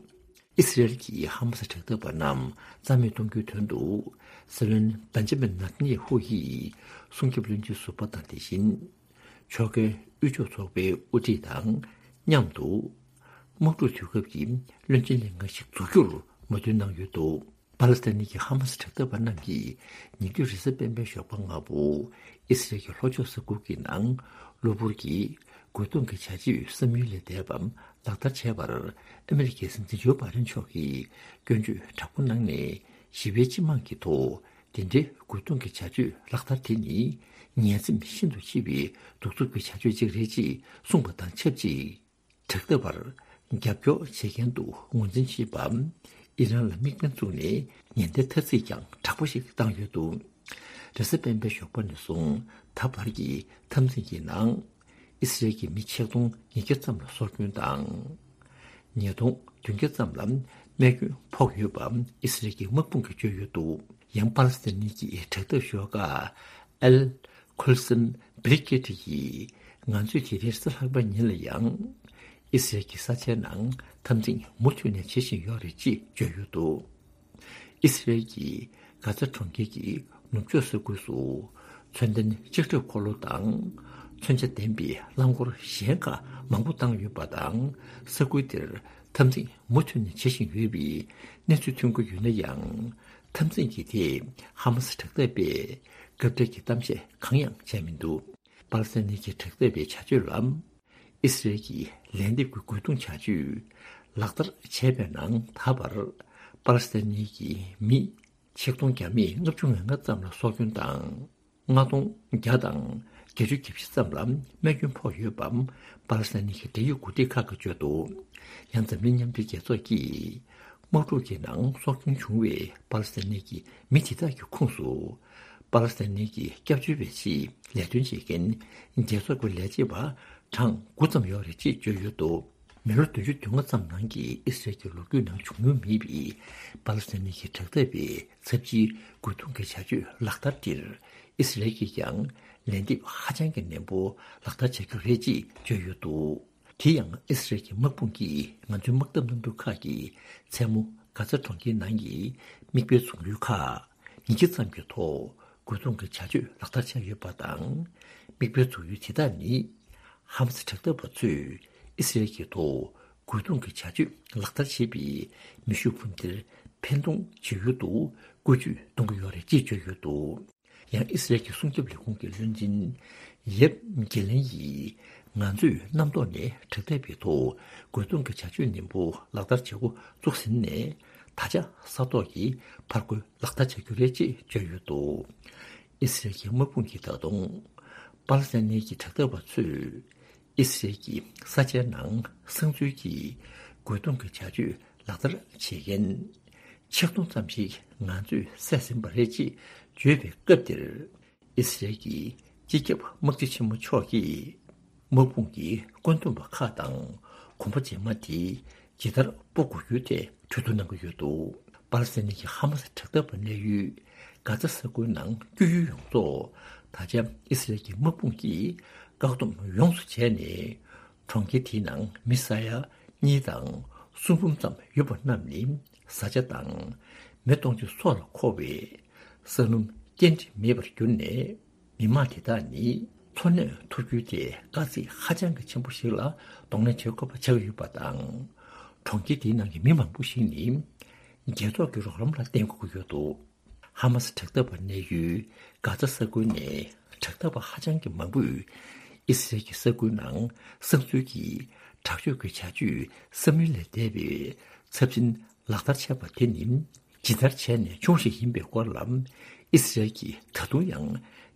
ཨི་སི་རལ་གྱིས་ཧ་མ་སི་དྲག་འཐབ་པ་རྣམས་རྩ་མེད་གཏོང་རྒྱུའི་དོན་དུ་སྲིད་བློན་བེན་ཇ་མིན་ནེ་ཐན་ཡ་ཧུ་ཡིས་སྲུང་སྐྱོབ་བློན་ཆེན་ཟུར་པ་དང་དེ་བཞིན་ཕྱོགས་འགལ་དབུས་ཕྱོགས་ཚོགས་པའི་དབུ་ཁྲིད་དང་མཉམ་དུ་དམག་འཁྲུག་དུས་སྐབས་ཀྱི་བློན་ཆེན་ལྷན་ཁང་ཞིག་འཛུགས་རྒྱུར་མོས་མཐུན་གནང་ཡོད་འདུག་པ་ལི་སི་ཐན་གྱི་ཧ་མ་སི་དྲག་འཐབ་པ་རྣམས་ཀྱིས་ཉེ་དུས་རེས་གཟའ་སྤེན་པའི་ཞོགས་པ་སྔ་པོ་ཨི་སི་རལ་གྱི་ལྷོ་ཕྱོགས་ས་ཁུལ་གྱི་ནང་ གློ་བུར་གྱི་རྒོལ་རྡུང་གི་བྱ་སྤྱོད་བསམ་ཡུལ་ལས་འདས་པ་ལག་བསྟར་བྱས་པར། ཨ་མི་རི་ཀའི་སྲིད་འཛིན་ཇོ་བྷའི་ཌེན་མཆོག་གིས་སྐྱོན་བརྗོད་དྲག་པོ་གནང་ནས། ཞི་བའི་སྤྱི་དམངས་ཀྱི་ཐོག་དེ་འདྲའི་རྒོལ་རྡུང་གི་བྱ་སྤྱོད་ལག་བསྟར་དེ་ནི། ངན་སེམས་ཤིན་ཏུ་ཆེ་བའི་གདུག་རྩུབ་ཀྱི་བྱ་སྤྱོད་ཅིག་རེད་ཅེས་གསུངས་པ་དང་ཆབས་ཅིག་དྲག་འཐབ་པར་རྒྱབ་སྐྱོར་བྱེད་མཁན་དུ་ངོས་འཛིན་བྱེད་པ། ཨི་རན་ལ་དམིགས་འབེན་བཙུགས་ནས་ཉེན་བརྡའི་ཐ་ཚིག་ཀྱང་དྲག་པོ་ཞིག་བཏང་ཡོད་འདུག་རེས་གཟའ་སྤེན་པའི་ཞོགས་པ་ནས་བཟུང་ད་བར་གྱི་འཐབ་འཛིང་གི་ནང་། ཨི་སི་རེལ་གྱི་མི་ཆིག་སྟོང་ཉིས་བརྒྱ་ཙམ་ལ་སྲོག་སྐྱོན་དང་། ཉིས་སྟོང་བདུན་བརྒྱ་ཙམ་ལ་རྨས་སྐྱོན་ཕོག་ཡོད་པ་ཨི་སི་རེལ་གྱི་དམག་དཔུང་གིས་བརྗོད་ཡོད་འདུག་ཡང་པ་ལི་སི་ཐན་གྱི་དྲག་འཐབ་ཤོག་ཁག་ཨལ་ཁུལ་སན་བྷི་རི་གེ་ཌི་ཡིས། ང་ཚོས་དེ་རིང་གཟའ་ལྷག་པའི་ཉིན་ལ་ཡང་། ཨི་སི་རེལ་གྱི་ས་ཆའི་ནང་འཐབ་འཛིང་མུ་མཐུད་ནས་བྱེད་བཞིན་ཡོད་རེད་ཅེས་བརྗོད་ཡོད་འདུག་ཨི་སི་རེལ་གྱིས་གྷ་ཛ་གྲོང་ཁྱེར་གྱི་ནུབ་ཕྱོགས་ས་ཁུལ་སུ། མཚོན་ལྡན་ལྕགས་ཁྲབ་འཁོར་ལོ་དང་མཚོན་ཆ་ལྡན་པའི་རླངས་འཁོར་གཞན་ཁག་མང་པོ་བཏང་ཡོད་པ་དང་། ས་ཁུལ་དེར་འཐབ་འཛིང་མུ་མཐུད་ནས་བྱེད་བཞིན་ཡོད་པའི་གནས་ཚུལ་ཐོན་གྱི་ཡོད་ན་ཡང་། འཐབ་འཛིང་གི་ཐད་ཧ་མ་སི་དྲག་འཐབ་པས་སྐབས་འཕྲལ་གྱི་གཏམ་བཤད་གང་ཡང་བྱས་མི་འདུག་པ་ལི་སི་ཐན་གྱི་དྲག་འཐབ་པའི་བྱ་སྤྱོད་ལ། ཨི་སི་རེལ་གྱི་ལན་འདེབས་ཀྱི་རྒོལ་རྡུང་བྱ་སྤྱོད་ལག་བསྟར་བྱས་པའི་ནང་ད་བར་པ་ལི་སི་ཐན་གྱི་མི་ཆིག་སྟོང་བརྒྱ་མེད་ལྔ་བཅུ་ང་ལྔ་ཙམ་ལ་སྲོག་སྐྱོན་དང་། ལྔ་སྟོང་བརྒྱ་དང་བརྒྱད་ཅུ་གྱ་བཞི་ཙམ་ལ་རྨས་སྐྱོན་ཕོག་ཡོད་པ་པ་ལི་སི་ཐན་གྱི་འབྲེལ་ཡོད་འགོ་ཁྲིད་ཁག་གིས་བརྗོད་འདུག་ཡང་འཛམ་གླིང་མཉམ་འབྲེལ་རྒྱལ་ཚོགས་ཀྱིས། དམག་འཁྲུག་གི་ནང་སྲོག་སྐྱོན་བྱུང་བའི་པ་ལི་སི་ཐན་གྱི་མི་དེ་དག་གི་ཁོངས་སུ། པ་ལི་སི་ཐན་གྱི་སྐྱབས་བཅོལ་བའི་ཆེད་ལས་དོན་བྱེད་མཁན་རྒྱལ་ཚོགས་ཀྱི་ལས་བྱེད་པ་གྲངས་དགུ་ཙམ་ཡོད་རེད་ཅེས་བརྗོད་ཡོད་འདུག་མི་ལོ་བདུན་ཅུ་དོན་ལྔ་ཙམ་ནང་གི་ཨི་སི་རེལ་གྱི་ལོ་རྒྱུས་ནང་བྱུང་མྱོང་མེད་པའི་པ་ལི་སི་ཐན་གྱི་དྲག་འཐབ་པའི་ཚབས་ཆེའི་རྒོལ་རྡུང་གི་བྱ་སྤྱོད་ལག་བསྟར་དེར་ཨི་སི་རེལ་གྱིས་ཀྱང་ལན་འདེབས་ཧ་ཅང་གི་ནན་པོ་ལག་བསྟར་བྱ་རྒྱུ་རེད་ཅེས་བརྗོད་ཡོད་འདུག་དེ་ཡང་ཨི་སི་རེལ་གྱི་དམག་དཔུང་གིས་ང་ཚོའི་དམག་འཐབ་གནམ་གྲུ་ཁག་གིས་མཚན་མོ་གྷ་ཛ་གྲོང་ཁྱེར་ནང་གི་མིག་དཔེའི་འཛུགས་ཡུལ་ཁག་ཉིས་བརྒྱ་ཙམ་གྱི་ཐོག་རྒོལ་རྡུང་གི་བྱ་སྤྱོད་ལག་བསྟར་བྱས་ཡོད་པ་དང་། མིག་དཔེའི་འཛུགས་ཡུལ་དེ་དག་ནི་ཧ་མ་སི་དྲག་འཐབ་པ་ཚོས་ཨི་སི་རེལ་གྱི་ཐོག་རྒོལ་རྡུང་གི་བྱ་སྤྱོད་ལག་བསྟར་བྱེད་པའི་མེ་ཤུགས་འཕུར་མདེལ་འཕེན་གཏོང་བྱེད་ཡུལ་དུ་བཀོལ་སྤྱོད་གཏོང་གི་ཡོད་རེད་ཅེས་བརྗོད་ཡོད་འདུག་ཡང་ཨི་སི་རེལ་གྱི་སྲུང་སྐྱོབ་ལས་ཁུངས་ཀྱི་བློན་ཆེན་ཡེབ་གེ་ལན་ཡིས། ང་ཚོས་གནམ་ཐོག་ནས་དྲག་འཐབ་པའི་ཐོག་རྒོལ་རྡུང་གི་བྱ་སྤྱོད་ནན་པོ་ལག་བསྟར་བྱེད་འགོ་བཙུགས་ཟིན་ནས། ད་ཆ་ས་ཐོག་གི་ཕར་རྒོལ་ལག་བསྟར་བྱ་རྒྱུ་རེད་ཅེས་བརྗོད་ཡོད་འདུག་ཨི་སི་རེལ་གྱི་དམག་དཔུང་གིས་ད་དུང་པ་ལི་སི་ཐན་གྱི་དྲག་འཐབ་པ་ཚོས། ཨི་སི་རེལ་གྱི་ས་ཆའི་ནང་གསང་འཛུལ་གྱིས་རྒོལ་རྡུང་གི་བྱ་སྤྱོད་ལག་བསྟར་བྱེད་མཁན་ཆིག་སྟོང་ཙམ་ཞིག་ང་ཚོས་བསད་ཟིན་པ་རེད་ཅེས་བརྗོད་པའི་སྐབས་དེར། ཨི་སི་རེལ་གྱི་སྤྱི་ཁྱབ་དམག་སྤྱི་ཆེན་མོ་མཆོག་གིས་དམག་དཔུང་གི་བཀོད་འདོམས་པ་ཁག་དང་གོམ་པ་རྗེས་མ་དེ་ཇི་ལྟར་སྤོ་དགོས་རྒྱུ་དེ་གྲོས་བསྡུར་གནང་གི་ཡོད་འདུག་པ་ལི་སི་ཐན་གྱི་ཧ་མ་སི་དྲག་འཐབ་པ་གནས་ཡུལ་གྷ་ཛ་ས་ཁུལ་ནང་སྐྱོད་ཡུལ་ཡོངས་རྫོགས་ད་ཆ་ཨི་སི་རེལ་གྱི་དམག་དཔུང་གིས་བཀག་སྡོམ་ཡོངས་སུ་བྱས་ནས། གྲོང་ཁྱེར་དེའི་ནང་མི་ས་ཡ་གཉིས་དང་སུམ་འབུམ་ཙམ་ཡོད་པ་རྣམས་ནི་བཟའ་བཅའ་དང་མེ་གཏོང་ཆས་སོགས་ལ་མཁོ་བའི་ས་སྣུམ་སྐྱེལ་འདྲེན་མེད་པར་གྱུར་ནས། མི་མང་དེ་དག་ནི་འཚོ་གནས་ཐུབ་རྒྱུའི་ཐད་དཀའ་ཚེགས་ཧ་ཅང་གི་ཆེན་པོ་ཞིག་ལ་གདོང་ལེན་བྱེད་དགོས་པ་ཆགས་ཡོད་པ་དང་། གྲོང་ཁྱེར་དེའི་ནང་གི་མི་མང་པོ་ཞིག་ནི་རྒྱལ་ཚོགས་ཀྱི་རོགས་རམ་ལ་བརྟེན་དགོས་ཀྱི་ཡོད་འདུག་ཧ་མ་སི་དྲག་འཐབ་པ་གནས་ཡུལ་གྷ་ཛ་ས་ཁུལ་ནས་དྲག་འཐབ་པ་ཧ་ཅང་གི་མང་པོས་ཨི་སི་རེལ་གྱི་ས་ཁུལ་ནང་གསང་འཛུལ་གྱིས་དྲག་སྤྱོད་ཀྱི་བྱ་སྤྱོད་བསམ་ཡུལ་ལས་འདས་པའི་ཚབས་ཆེན་ལག་བསྟར་བྱས་པ་དེ་ནི་ཇི་ལྟར་བྱས་ནས་བྱུང་ཞིག་ཡིན་པའི་སྐོར་ལ་ཨི་སི་རེལ་གྱིས་ད་དུང་ཡང་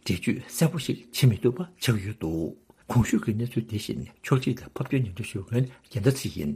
འགྲེལ་བརྗོད་གསལ་པོ་ཞིག་བྱེད་མི་ཐུབ་པ་ཆགས་ཡོད་འདུག་གོང་ཞུས་ཀྱི་གནས་ཚུལ་དེ་བཞིན་ཕྱོགས་སྒྲིག་དང་ཕབ་སྒྱུར་སྙན་སྒྲོན་ཞུ་མཁན་རྒྱལ་མཚན་ཚེ་ཡིན།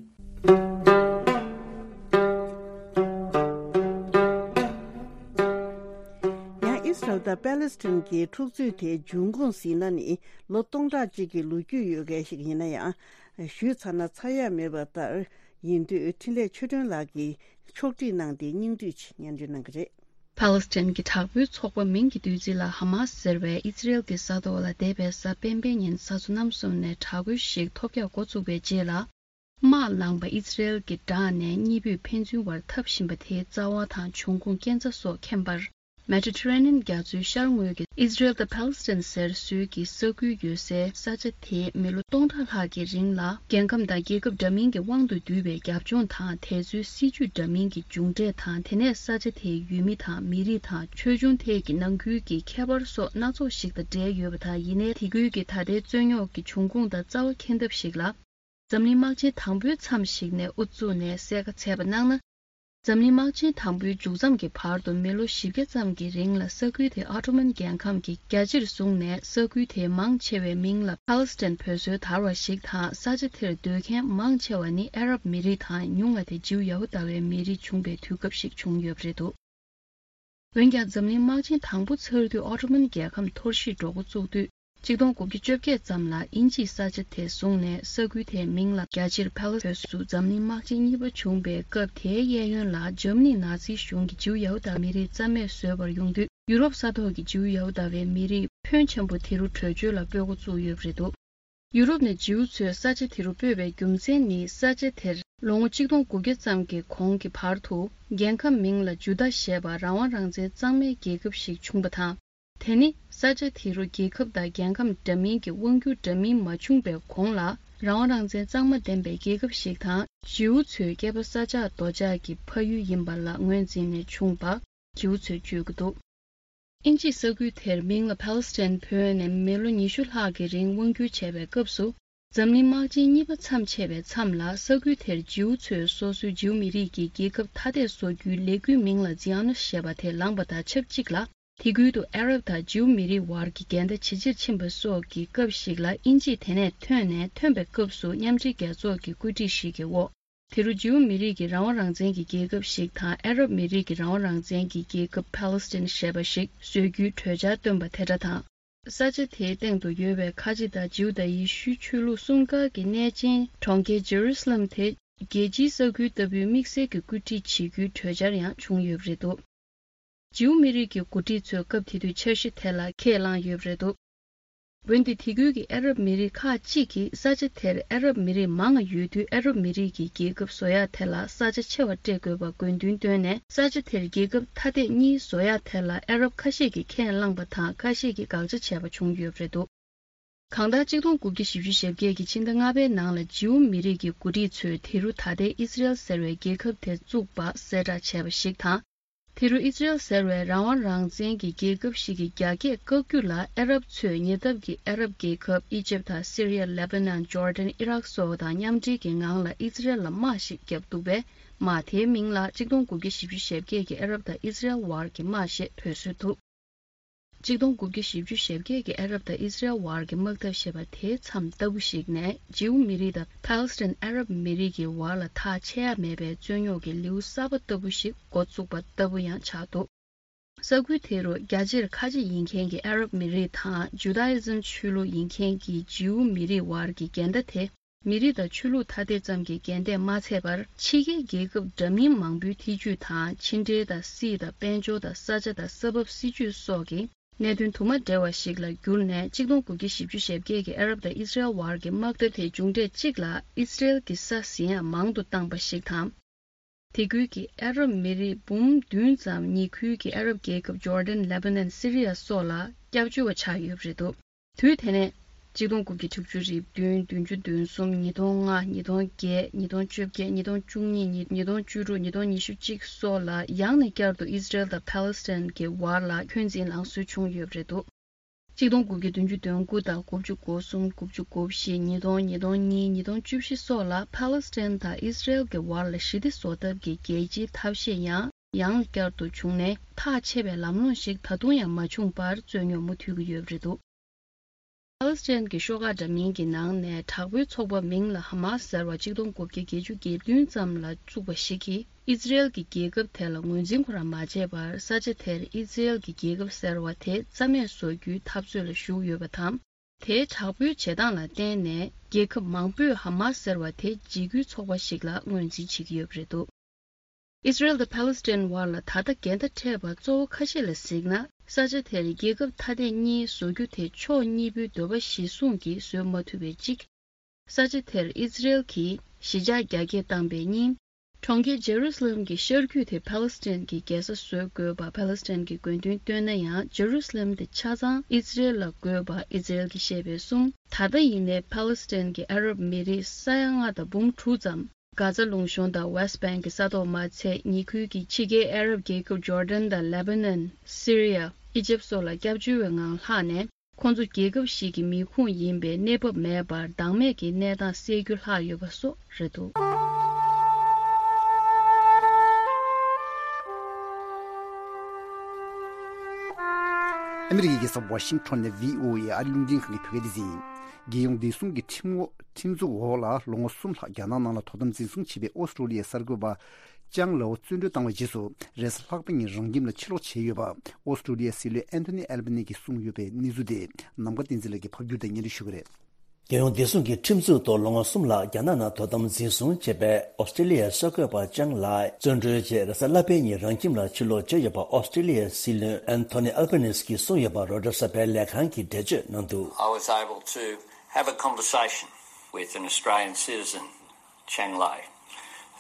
ཡང་ཨི་སི་རལ་དང་པེ་ལེ་སི་ཐན་གྱི་འཁྲུག་རྩོད་དེ་འབྱུང་ཁུངས་ཟིན་ན་ནི་ལོ་སྟོང་ཕྲག་གཅིག་གི་ལོ་རྒྱུས་ཡོད་མཁན་ཞིག་ཡིན་ན་ཡང་། ཞུས་ཚར་ན་ཚར་ཡ་མེད་པ་ལྟར་ཡིན་དུས། འཕྲིན་ལས་ཆོས་སྒྲོན་ལགས་ཀྱིས་ཕྱོགས་སྒྲིག་གནང་སྟེ་སྙིང་བསྡུས་ཤིག་སྙན་སྒྲོན་གནང་གི་རེད། ཕཱ་ལེ་སི་ཐན་གྱི་དྲག་པོའི་ཚོགས་པ་མིང་གི་བསྡུས་ཚིག་ལ་ཧ་མ་སི་ཟེར་བས་ཨི་ཛི་རེལ་གྱི་ས་ཐོག་ལ་འདས་པའི་གཟའ་སྤེན་པའི་ཉིན་གཟའ་མཚོ་གནམ་གསུམ་ནས་དྲག་རྒོལ་ཞིག་ཐོལ་རྒྱག་འགོ་བཙུགས་པའི་རྗེས་ལ། དམག་ལངས་པ་ཨི་ཛི་རེལ་གྱི་དྲག་ནས་གཉིས་པོས་ཕན་ཚུན་བར་འཐབ་བཞིན་པ་དེའི་རྩ་བ་དང་འབྱུང་ཁུངས་རྐྱེན་རྩ་སོགས་མཁྱེན་པར། Mediterranean རྒྱ་མཚོའི་ཤར་ངོས་ཀྱི་Israel དང་Palestine ཟེར་སྲོལ་གྱི་ས་ཁུལ་ཡོད་སའི་ས་ཆ་དེའི་མི་ལོ་སྟོང་ཕྲག་ལྷག་གི་རིང་ལ་རྒྱལ་ཁམས་དང་རྒྱལ་ཁབ་འདྲ་མིན་གྱི་དབང་དུ་བསྡུས་པའི་རྒྱབ་ལྗོངས་དང་དེ་ཚོའི་སྲིད་ཇུས་འདྲ་མིན་གྱི་མཇུག་འབྲས་དང་། དེ་ནས་ས་ཆ་དེའི་ཡུལ་མི་དང་མི་རིགས་དང་ཆོས་འབྱུང་ཐད་ཀྱི་ནང་ཁུལ་གྱི་ཁྱད་པར་སོགས་སྣ་ཚོགས་ཤིག་དང་འབྲེལ་ཡོད་པ་དང་། ཡིན་ནའི་དེ་ཁུལ་གྱི་ད་ལྟའི་རྩོད་རྙོག་གི་འབྱུང་ཁུངས་དང་རྩ་བ་འཁེལ་འཐབ་ཞིག་ལ། འཛམ་གླིང་དམག་ཆེན་དང་པོའི་མཚམས་ཤིག་ནས་དབུ་བཙུགས་ནས་གསལ་ཁ་འཚལ་བ་གནང་ན། འཛམ་གླིང་དམག་ཆེན་དང་པོའི་མཇུག་མཚམས་ཀྱི་བར་དུ་མི་ལོ་བཞི་བརྒྱ་ཙམ་གྱི་རིང་ལ་ས་ཁུལ་དེ་ཨོ་ཏོ་མན་རྒྱལ་ཁམས་ཀྱིས་རྒྱ་ཆེར་བཟུང་ནས། ས་ཁུལ་དེའི་མང་ཆེ་བའི་མིང་ལ་ཕཱ་ལེ་སི་ཐན་བོད་སྲོལ་དར་བ་ཞིག་དང་། ས་ཆ་དེར་སྡོད་མཁན་མང་ཆེ་བ་ནི་ཨ་རབ་མི་རིགས་དང་། ཉུང་བ་དེ་ཇིའུ་ཡ་ཧུ་དཱ་བའི་མི་རིགས་བྱུང་པའི་དུས་སྐབས་ཤིག་བྱུང་ཡོད་པ་རེད་འདུག་འོན་ཀྱང་། འཛམ་གླིང་དམག་ཆེན་དང་པོ་ཚར་དུས་ཨོ་ཏོ་མན་རྒྱལ་ཁམས་འཐོར་ཞིག་འགྲོ་འགོ་བཙུགས་དུས། ཆིག་སྟོང་དགུ་བརྒྱ་བཅོ་བརྒྱད་ཙམ་ལ་དབྱིན་ཇིས་ས་ཆ་དེ་བཟུང་ནས། ས་ཁུལ་དེའི་མིང་ལ་རྒྱ་ཆེར་ཕཱ་ལེ་སི་ཐན། འཛམ་གླིང་དམག་ཆེན་གཉིས་པ་བྱུང་པའི་སྐབས་དེའི་གཡས་གཡོན་ལ་འཇར་མ་ནི་ནཱ་ཛི་གཞུང་གིས་ཇིའུ་ཡ་ཧུ་དཱ་མི་རིགས་རྩ་མེད་བཟོས་པར་ཡོང་དུས། ཡུ་རོབ་ས་ཐོག་གི་ཇིའུ་ཡ་ཧུ་དཱ་བའི་མི་རིགས་ཕོན་ཆེན་པོ་དེ་རུ་བྲོས་བྱོལ་ལ་སྤོ་འགོ་བཙུགས་ཡོད་པ་རེད་འདུག་ཡུ་རོབ་ནས་ཇིའུ་ཚོས་ས་ཆ་དེ་རུ་སྤོས་པའི་རྒྱུ་མཚན་ནི། ས་ཆ་དེར་ལོ་ངོ་ཆིག་སྟོང་དགུ་བརྒྱ་ཙམ་གྱི་གོང་གི་བར་དུ་རྒྱལ་ཁམས་མིང་ལ་ཇུ་དཱ་ཞེས་པ་རང་དབང་རང་བཙན་གཙང་མའི་རྒྱལ་ཁབ་ཞིག་བྱུང་བ་དང་། དེ་ནི་ས་ཆ་དེ་རུ་རྒྱལ་ཁབ་དང་རྒྱལ་ཁམས་འདྲ་མིན་གྱི་དབང་སྒྱུར་འདྲ་མིན་མ་བྱུང་པའི་གོང་ལ། རང་དབང་རང་བཙན་གཙང་མ་ལྡན་པའི་རྒྱལ་ཁབ་ཞིག་དང་། ཇིའུ་ཚོའི་སྐྱེས་པ་ས་ཆགས་རྡོ་ཆགས་ཀྱི་ཕ་ཡུལ་ཡིན་པ་ལ་ངོས་འཛིན་ནས་བྱུང་བ། ཇིའུ་ཚོས་བརྗོད་ཀྱི་འདུག་དབྱིན་ཇིས་ས་ཁུལ་དེར་མིང་ལ་ཕཱ་ལེ་སི་ཐན་བོས་ནས་མི་ལོ་ཉི་ཤུ་ལྷག་གི་རིང་དབང་སྒྱུར་བྱས་པའི་སྐབས་སུ། འཛམ་གླིང་དམག་ཆེན་གཉིས་པ་མཚམས་ཆད་པའི་མཚམས་ལ། ས་ཁུལ་དེར་ཇིའུ་ཚོས་སོ་སོའི་ཇིའུ་མི་རིགས་ཀྱི་རྒྱལ་ཁབ་ཐ་དད་བཟོ་རྒྱུའི་ལས་འགུལ་མིང་ལ་ཛི་ཨོ་ནི་སི་ཞེས་པ་དེ་ལངས་པ་དང་ཆབས་ཅིག་ལ། དེ་ཁུལ་དུ་ཨ་རབ་དང་ཇིའུ་མི་རིགས་བར་གྱི་འགལ་ཟླ་ཇེ་ཆེར་ཕྱིན་པ་སོགས་ཀྱི་སྐབས་ཤིག་ལ། དབྱིན་ཇིས་དེ་ནས་ཐོན་ནས། ཐོན་པའི་སྐབས་སུ་མཉམ་འབྲེལ་རྒྱལ་ཚོགས་ཀྱི་བཀོད་སྒྲིག་ཞིག་གི་འོག་དེ་རུ་ཇིའུ་མི་རིགས་ཀྱི་རང་དབང་རང་བཙན་གྱི་རྒྱལ་ཁབ་ཞིག་དང་། ཨ་རབ་མི་རིགས་ཀྱི་རང་དབང་རང་བཙན་གྱི་རྒྱལ་ཁབ་ཕཱ་ལེ་སི་ཐན་ཞེས་པ་ཞིག་བཟོ་རྒྱུའི་གྲོས་འཆར་བཏོན་པ་དེ་འདྲ་དང་། ས་ཆ་དེའི་སྟེང་དུ་ཡོད་པའི་ཁ་ཆེ་དང་ཇིའུ་དང་ཡེ་ཤུའི་ཆོས་ལུགས་གསུམ་ཀ་གི་གནས་ཆེན་གྲོང་ཁྱེར་ཇེ་རུ་སི་ལམ་དེ་རྒྱལ་སྤྱིའི་ས་ཁུལ་ལྟ་བུའི་དམིགས་བསལ་གྱི་བཀོད་སྒྲིག་བྱེད་རྒྱུའི་གྲོས་འཆར་ཡང་བྱུང་ཡོད་པ་རེད་འདུག་ཇིའུ་མི་རིགས་ཀྱི་འགོ་ཁྲིད་ཚོས་སྐབས་དེ་དུས་འཆར་གཞི་དེ་ལ་ཁས་བླངས་ཡོད་པ་རེད་འདུག་འོན་ཏེ། དེ་ཁུལ་གྱི་ཨ་རབ་མི་རིགས་ཁག་ཅིག་གིས་ས་ཆ་དེར་ཨ་རབ་མི་རིགས་མང་བ་ཡོད་དུས། ཨ་རབ་མི་རིགས་ཀྱི་རྒྱལ་ཁབ་བཟོ་ཡག་དེ་ལ་ས་ཆ་ཆེ་བ་སྤྲད་དགོས་པ་དགོས་འདུན་བཏོན་ནས། ས་ཆ་དེར་རྒྱལ་ཁབ་ཐ་དད་གཉིས་བཟོ་ཡག་དེ་ལ་ཨ་རབ་ཁ་ཤས་ཀྱིས་ཁས་བླངས་པ་དང་། ཁ་ཤས་ཀྱིས་དགག་བྱ་བྱས་པ་བྱུང་ཡོད་པ་རེད་འདུག་གང་ལྟར། ཆིག་སྟོང་དགུ་བརྒྱ་བཞི་བཅུ་ཞེ་བརྒྱད་ཀྱི་ཕྱི་ཟླ་ལྔ་པའི་ནང་ལ་ཇིའུ་མི་རིགས་ཀྱི་འགོ་ཁྲིད་ཚོས་དེ་རུ་ད་ལྟའི་ཨི་སི་རེལ་ཟེར་བའི་རྒྱལ་ཁབ་དེ་བཙུགས་པ་གསལ་བསྒྲགས་བྱས་པ་ཞིག་དང་། དེ་རུ་ཨི་སི་རེལ་ཟེར་བའི་རང་དབང་རང་བཙན་གྱི་རྒྱལ་ཁབ་ཞིག་གི་རྒྱ་སྐྱེད་བཀག་རྒྱུ་ལ་ཨ་རབ་ཚོས་ཉེ་འདབས་ཀྱི་ཨ་རབ་རྒྱལ་ཁབ་ཨི་ཇིབ་དང་སི་རི་ཡ། ལེ་བྷ་ནན། ཇོར་ཌན། ཨི་རག་སོགས་དང་མཉམ་འབྲེལ་གྱི་ངང་ལ་ཨི་སི་རེལ་ལ་དམག་ཞིག་བརྒྱབ་འདུག་པས། དམག་དེའི་མིང་ལ་ཆིག་སྟོང་དགུ་བརྒྱ་བཞི་བཅུ་ཞེ་བརྒྱད་ཀྱི་ཨ་རབ་དང་ཨི་སི་རེལ་བར་གྱི་དམག་ཞེས་འབོད་སྲོལ་འདུག་ཆིག་སྟོང་དགུ་བརྒྱ་བཞི་བཅུ་ཞེ་བརྒྱད་ཀྱི་ཨ་རབ་དང་ཨི་སི་རེལ་བར་གྱི་དམག་འཐབ་ཞེས་པ་དེའི་མཚམས་ལྟ་བུ་ཞིག་ནས། ཇིའུ་མི་རིགས་དང་ཕཱ་ལེ་སི་ཐན་ཨ་རབ་མི་རིགས་ཀྱི་བར་ལ་ཐག་ཆད་ཡ་མེད་པའི་རྩོད་རྙོག་གི་ལེའུ་གསར་པ་ལྟ་བུ་ཞིག་འགོ་བཙུགས་པ་ལྟ་བུ་ཡང་ཆགས་འདུག་ས་ཁུལ་དེ་རུ་རྒྱ་ཆེར་ཁ་ཆེ་ཡིན་མཁན་གྱི་ཨ་རབ་མི་རིགས་དང་། ཇུ་དཱ་ཨི་ཛམ་ཆོས་ལུགས་ཡིན་མཁན་གྱི་ཇིའུ་མི་རིགས་བར་གྱི་འགལ་ཟླ་དེ། མི་རིགས་དང་ཆོས་ལུགས་ཐ་དད་ཙམ་གྱི་འགལ་ཟླས་མ་ཚད་པར། ཕྱི་རྒྱལ་རྒྱལ་ཁབ་འདྲ་མིན་མང་པོའི་ཐེ་ཇུས་དང་། ཕྱི་འབྲེལ་དང་། སྲིད་དང་། དཔལ་འབྱོར་དང་། ས་ཆ་དང་། ས་བབ། སྲིད་ཇུས་སོགས་ཀྱི་གནད་དོན་དུ་མ་འབྲེལ་བ་ཞིག་ལ་གྱུར་ནས། ཆིག་སྟོང་དགུ་བརྒྱ་བཞི་བཅུ་ཞེ་བརྒྱད་ཀྱི་ཨ་རབ་དང་ཨི་སི་རེལ་བར་གྱི་དམག་འཐབ་དེའི་མཇུག་འབྲས་གཅིག་ལ་ཨི་སི་རེལ་གྱིས་ས་ཟིན་ཡང་མང་དུ་བཏང་པ་ཞིག་དང་། དེ་ཁུལ་གྱི་ཨ་རབ་མི་རིགས་འབུམ་བདུན་ཙམ་ཉེ་ཁུལ་གྱི་ཨ་རབ་རྒྱལ་ཁབ་ཇོར་ཌན། ལེ་བྷ་ནན། སི་རི་ཡ་སོགས་ལ་སྐྱབས་བཅོལ་བ་ཆགས་ཡོད་པ་རེད་འདུག་དུས་དེ་ནས་ཆིག་སྟོང་དགུ་བརྒྱ་དྲུག་ཅུ་རེ་བདུན། བདུན་ཅུ་དོན་གསུམ། ཉིས་སྟོང་ལྔ། ཉིས་སྟོང་བརྒྱད། ཉིས་སྟོང་བཅོ་བརྒྱད། ཉིས་སྟོང་བཅུ་གཉིས། ཉིས་སྟོང་བཅུ་དྲུག། ཉིས་སྟོང་ཉི་ཤུ་གཅིག་སོགས་ལ་ཡང་ནས་བསྐྱར་དུ་ཨི་སི་རེལ་དང་ཕཱ་ལེ་སི་ཐན་གྱི་བར་ལ་འཁོན་འཛིན་ལངས་སྲོལ་བྱུང་ཡོད་པ་རེད་འདུག་ཆིག་སྟོང་དགུ་བརྒྱ་བདུན་ཅུ་དོན་དགུ་དང་། དགུ་བཅུ་གོ་གསུམ། དགུ་བཅུ་གོ་བཞི། ཉིས་སྟོང་། ཉིས་སྟོང་གཉིས། ཉིས་སྟོང་བཅུ་བཞི་སོགས་ལ་ཕཱ་ལེ་སི་ཐན་དང་ཨི་སི་རེལ་གྱི་བར་ལ་ཞི་བདེ་བཟོ་ཐབས་ཀྱི་རྒྱལ་སྤྱིའི་ཐབས་ཤེས་ཡང་ཡང་བསྐྱར་དུ་བྱུང་ནས། ཐག་ཆད་པའི་ལམ་ལྷོང་ཞིག་ད་དུང་ཡང་མ་བྱུང་བར་རྩོད་རྙོག་མུ་མཐུད་ཀྱི་ཡོད་པ་རེད་འདུག་ཕཱ་ལེ་སི་ཐན་གྱི་ཤོག་ཁག་འདྲ་མིན་གྱི་ནང་ནས་དྲག་པོའི་ཚོགས་པ་མིང་ལ་ཧ་མ་སི་ཟེར་བ་ཆིག་སྟོང་དགུ་བརྒྱ་བརྒྱད་ཅུ་གྱ་བདུན་ཙམ་ལ་བཙུགས་པ་ཞིག་གིས། ཨི་ཛི་རེལ་གྱི་རྒྱལ་ཁབ་དེ་ལ་ངོས་འཛིན་ཁོ་རང་མ་བྱས་པར། ས་ཆ་དེར་ཨི་ཛི་རེལ་གྱི་རྒྱལ་ཁབ་ཟེར་བ་དེ་རྩ་མེད་བཟོ་རྒྱུའི་འཐབ་རྩོད་ལ་ཞུགས་ཡོད་པ་དང་། དེའི་དྲག་པོའི་བྱེད་སྟངས་ལ་བརྟེན་ནས། རྒྱལ་ཁབ་མང་པོས་ཧ་མ་སི་ཟེར་བ་དེ་འཇིགས་སྐུལ་ཚོགས་པ་ཞིག་ལ་ངོས་འཛིན་བྱེད་ཀྱི་ཡོད་པ་རེད་འདུག་ཨི་ཛི་རེལ་དང་ཕཱ་ལེ་སི་ཐན་བར་ལ་ད་ལྟ་འགལ་ཟླ་འཕྲད་པ་གཙོ་བོ་ཁ་ཤས་ལ་གཟིགས་ན། ས་ཆ་དེར་རྒྱལ་ཁབ་ཐ་དད་གཉིས་བཟོ་རྒྱུ་དེ་ཕྱོགས་གཉིས་པོའི་འདོད་པ་གཞིར་བཟུང་གིས་བཟོས་མ་ཐུབ་པའི་གཅིག་ས་ཆ་དེར་ཨི་ཛི་རེལ་གྱིས་གཞིས་ཆགས་རྒྱ་སྐྱེད་བཏང་པའི་གཉིས། གྲོང་ཁྱེར་ཇེ་རུ་སི་ལེམ་གྱི་ཤར་རྒྱུད་དེ་ཕཱ་ལེ་སི་ཐན་གྱི་རྒྱལ་ས་བཟོ་དགོས་པ་ཕཱ་ལེ་སི་ཐན་གྱི་དགོས་འདུན་བཏོན་ན་ཡང་། ཇེ་རུ་སི་ལེམ་དེ་ཆ་ཚང་ཨི་ཛི་རེལ་ལ་དགོས་པ་ཨི་ཛི་རེལ་གྱིས་བཤད་པའི་གསུང་། ད་ལྟ་ཡིན་ནའི་ཕཱ་ལེ་སི་ཐན་གྱི་ཨ་རབ་མི་རིགས་ས་ཡ་ལྔ་དང་འབུམ་དྲུག་ཙམ། གྷ་ཛ་ལུང་གཤོང་དང་ཝེ་སི་ཊི་བེང་གི་ས་ཐོག་མ་ཚད། ཉེ་ཁུལ་གྱི་ཕྱི་རྒྱལ་ཨ་རབ་རྒྱལ་ཁབ་ཇོར་ཌན་དང་ལེ་བྷ་ནན། སི་རི་ཡ། ཨི་ཇེབ་སོགས་ལ་སྐྱབས་བཅོལ་བའི་ངང་ལྷག་ནས། ཁོང་ཚོ་རྒྱལ་ཁབ་ཞིག་གི་མི་ཁུངས་ཡིན་པའི་གནས་བབ་མེད་པར་བདག་མེད་ཀྱི་གནས་སྟངས་སེལ་རྒྱུ་ལྷག་ཡོད་པ་སོགས་རེད་འདུག། ཨ་མི་རི་ཀའི་རྒྱལ་ས་ཝ་ཤིང་ཊོན་ནས་བྷི་ཨོ་ཨེ་ཨ་རིའི་རླུང་འཕྲིན་ཁང་གི་བོད་སྐད་སྡེ་ཚན་ཡིན། རྒྱལ་ཡོངས་བདེ་སྲུང་གི་ཁྲིམས་འོག་ཁྲིམས་འཛུགས་འོག་ལ་ལོ་ངོ་གསུམ་ལྷག་རྒྱ་ནག་ནང་ལ་དོ་དམ་འཛིན་བཟུང་བྱས་པའི་ཨོ་སི་ཀྲོ་ལི་ཡའི་གསར་འགོད་པ་ཅང་ལའོ་བཙོན་གྲོལ་བཏང་བའི་རྗེས་སུ། རེས་གཟའ་ལྷག་པ་ཉིན་རང་ཁྱིམ་ལ་ཕྱིར་ལོག་བྱས་ཡོད་པ་ཨོ་སི་ཀྲོ་ལི་ཡའི་སྲིད་བློན་ཨན་ཐོ་ནི་ཨལ་བྷ་ནི་གིས་གསུངས་ཡོད་པའི་གནས་ཚུལ་དེ་ནམ་མཁའ་བསྟན་འཛིན་ལགས་ཀྱིས་ཕབ་སྒྱུར་དང་སྙན་སྒྲོན་ཞུ་གི་རེད། རྒྱལ་ཡོངས་བདེ་སྲུང་གི་ཁྲིམས་འཛུགས་ཐོག་ལོ་ངོ་གསུམ་ལྷག་རྒྱ་ནག་ནང་དོ་དམ་འཛིན་བཟུང་བྱས་པའི་ཨོ་སི་ཀྲོ་ལི་ཡའི་གསར་འགོད་པ་ཅང་ལའི་བཙོན་གྲོལ་རྗེས་རེས་གཟའ་ལྷག་པའི་ཉིན་རང་ཁྱིམ་ལ་ཕྱིར་ལོག་བྱས་ཡོད་པ་ཨོ་སི་ཀྲོ་ལི་ཡའི་སྲིད་བློན་ཨན་ཐོ་ནི་ཨལ་བྷ་ནིས་ཀྱིས་གསུངས་ཡོད་པ་རོའི་ཊར་གསར་པའི་ལས་ཁང་གིས་འགྲེལ་བརྗོད་གནང་འདུག། I was able to have a conversation with an Australian citizen, Chang Lai,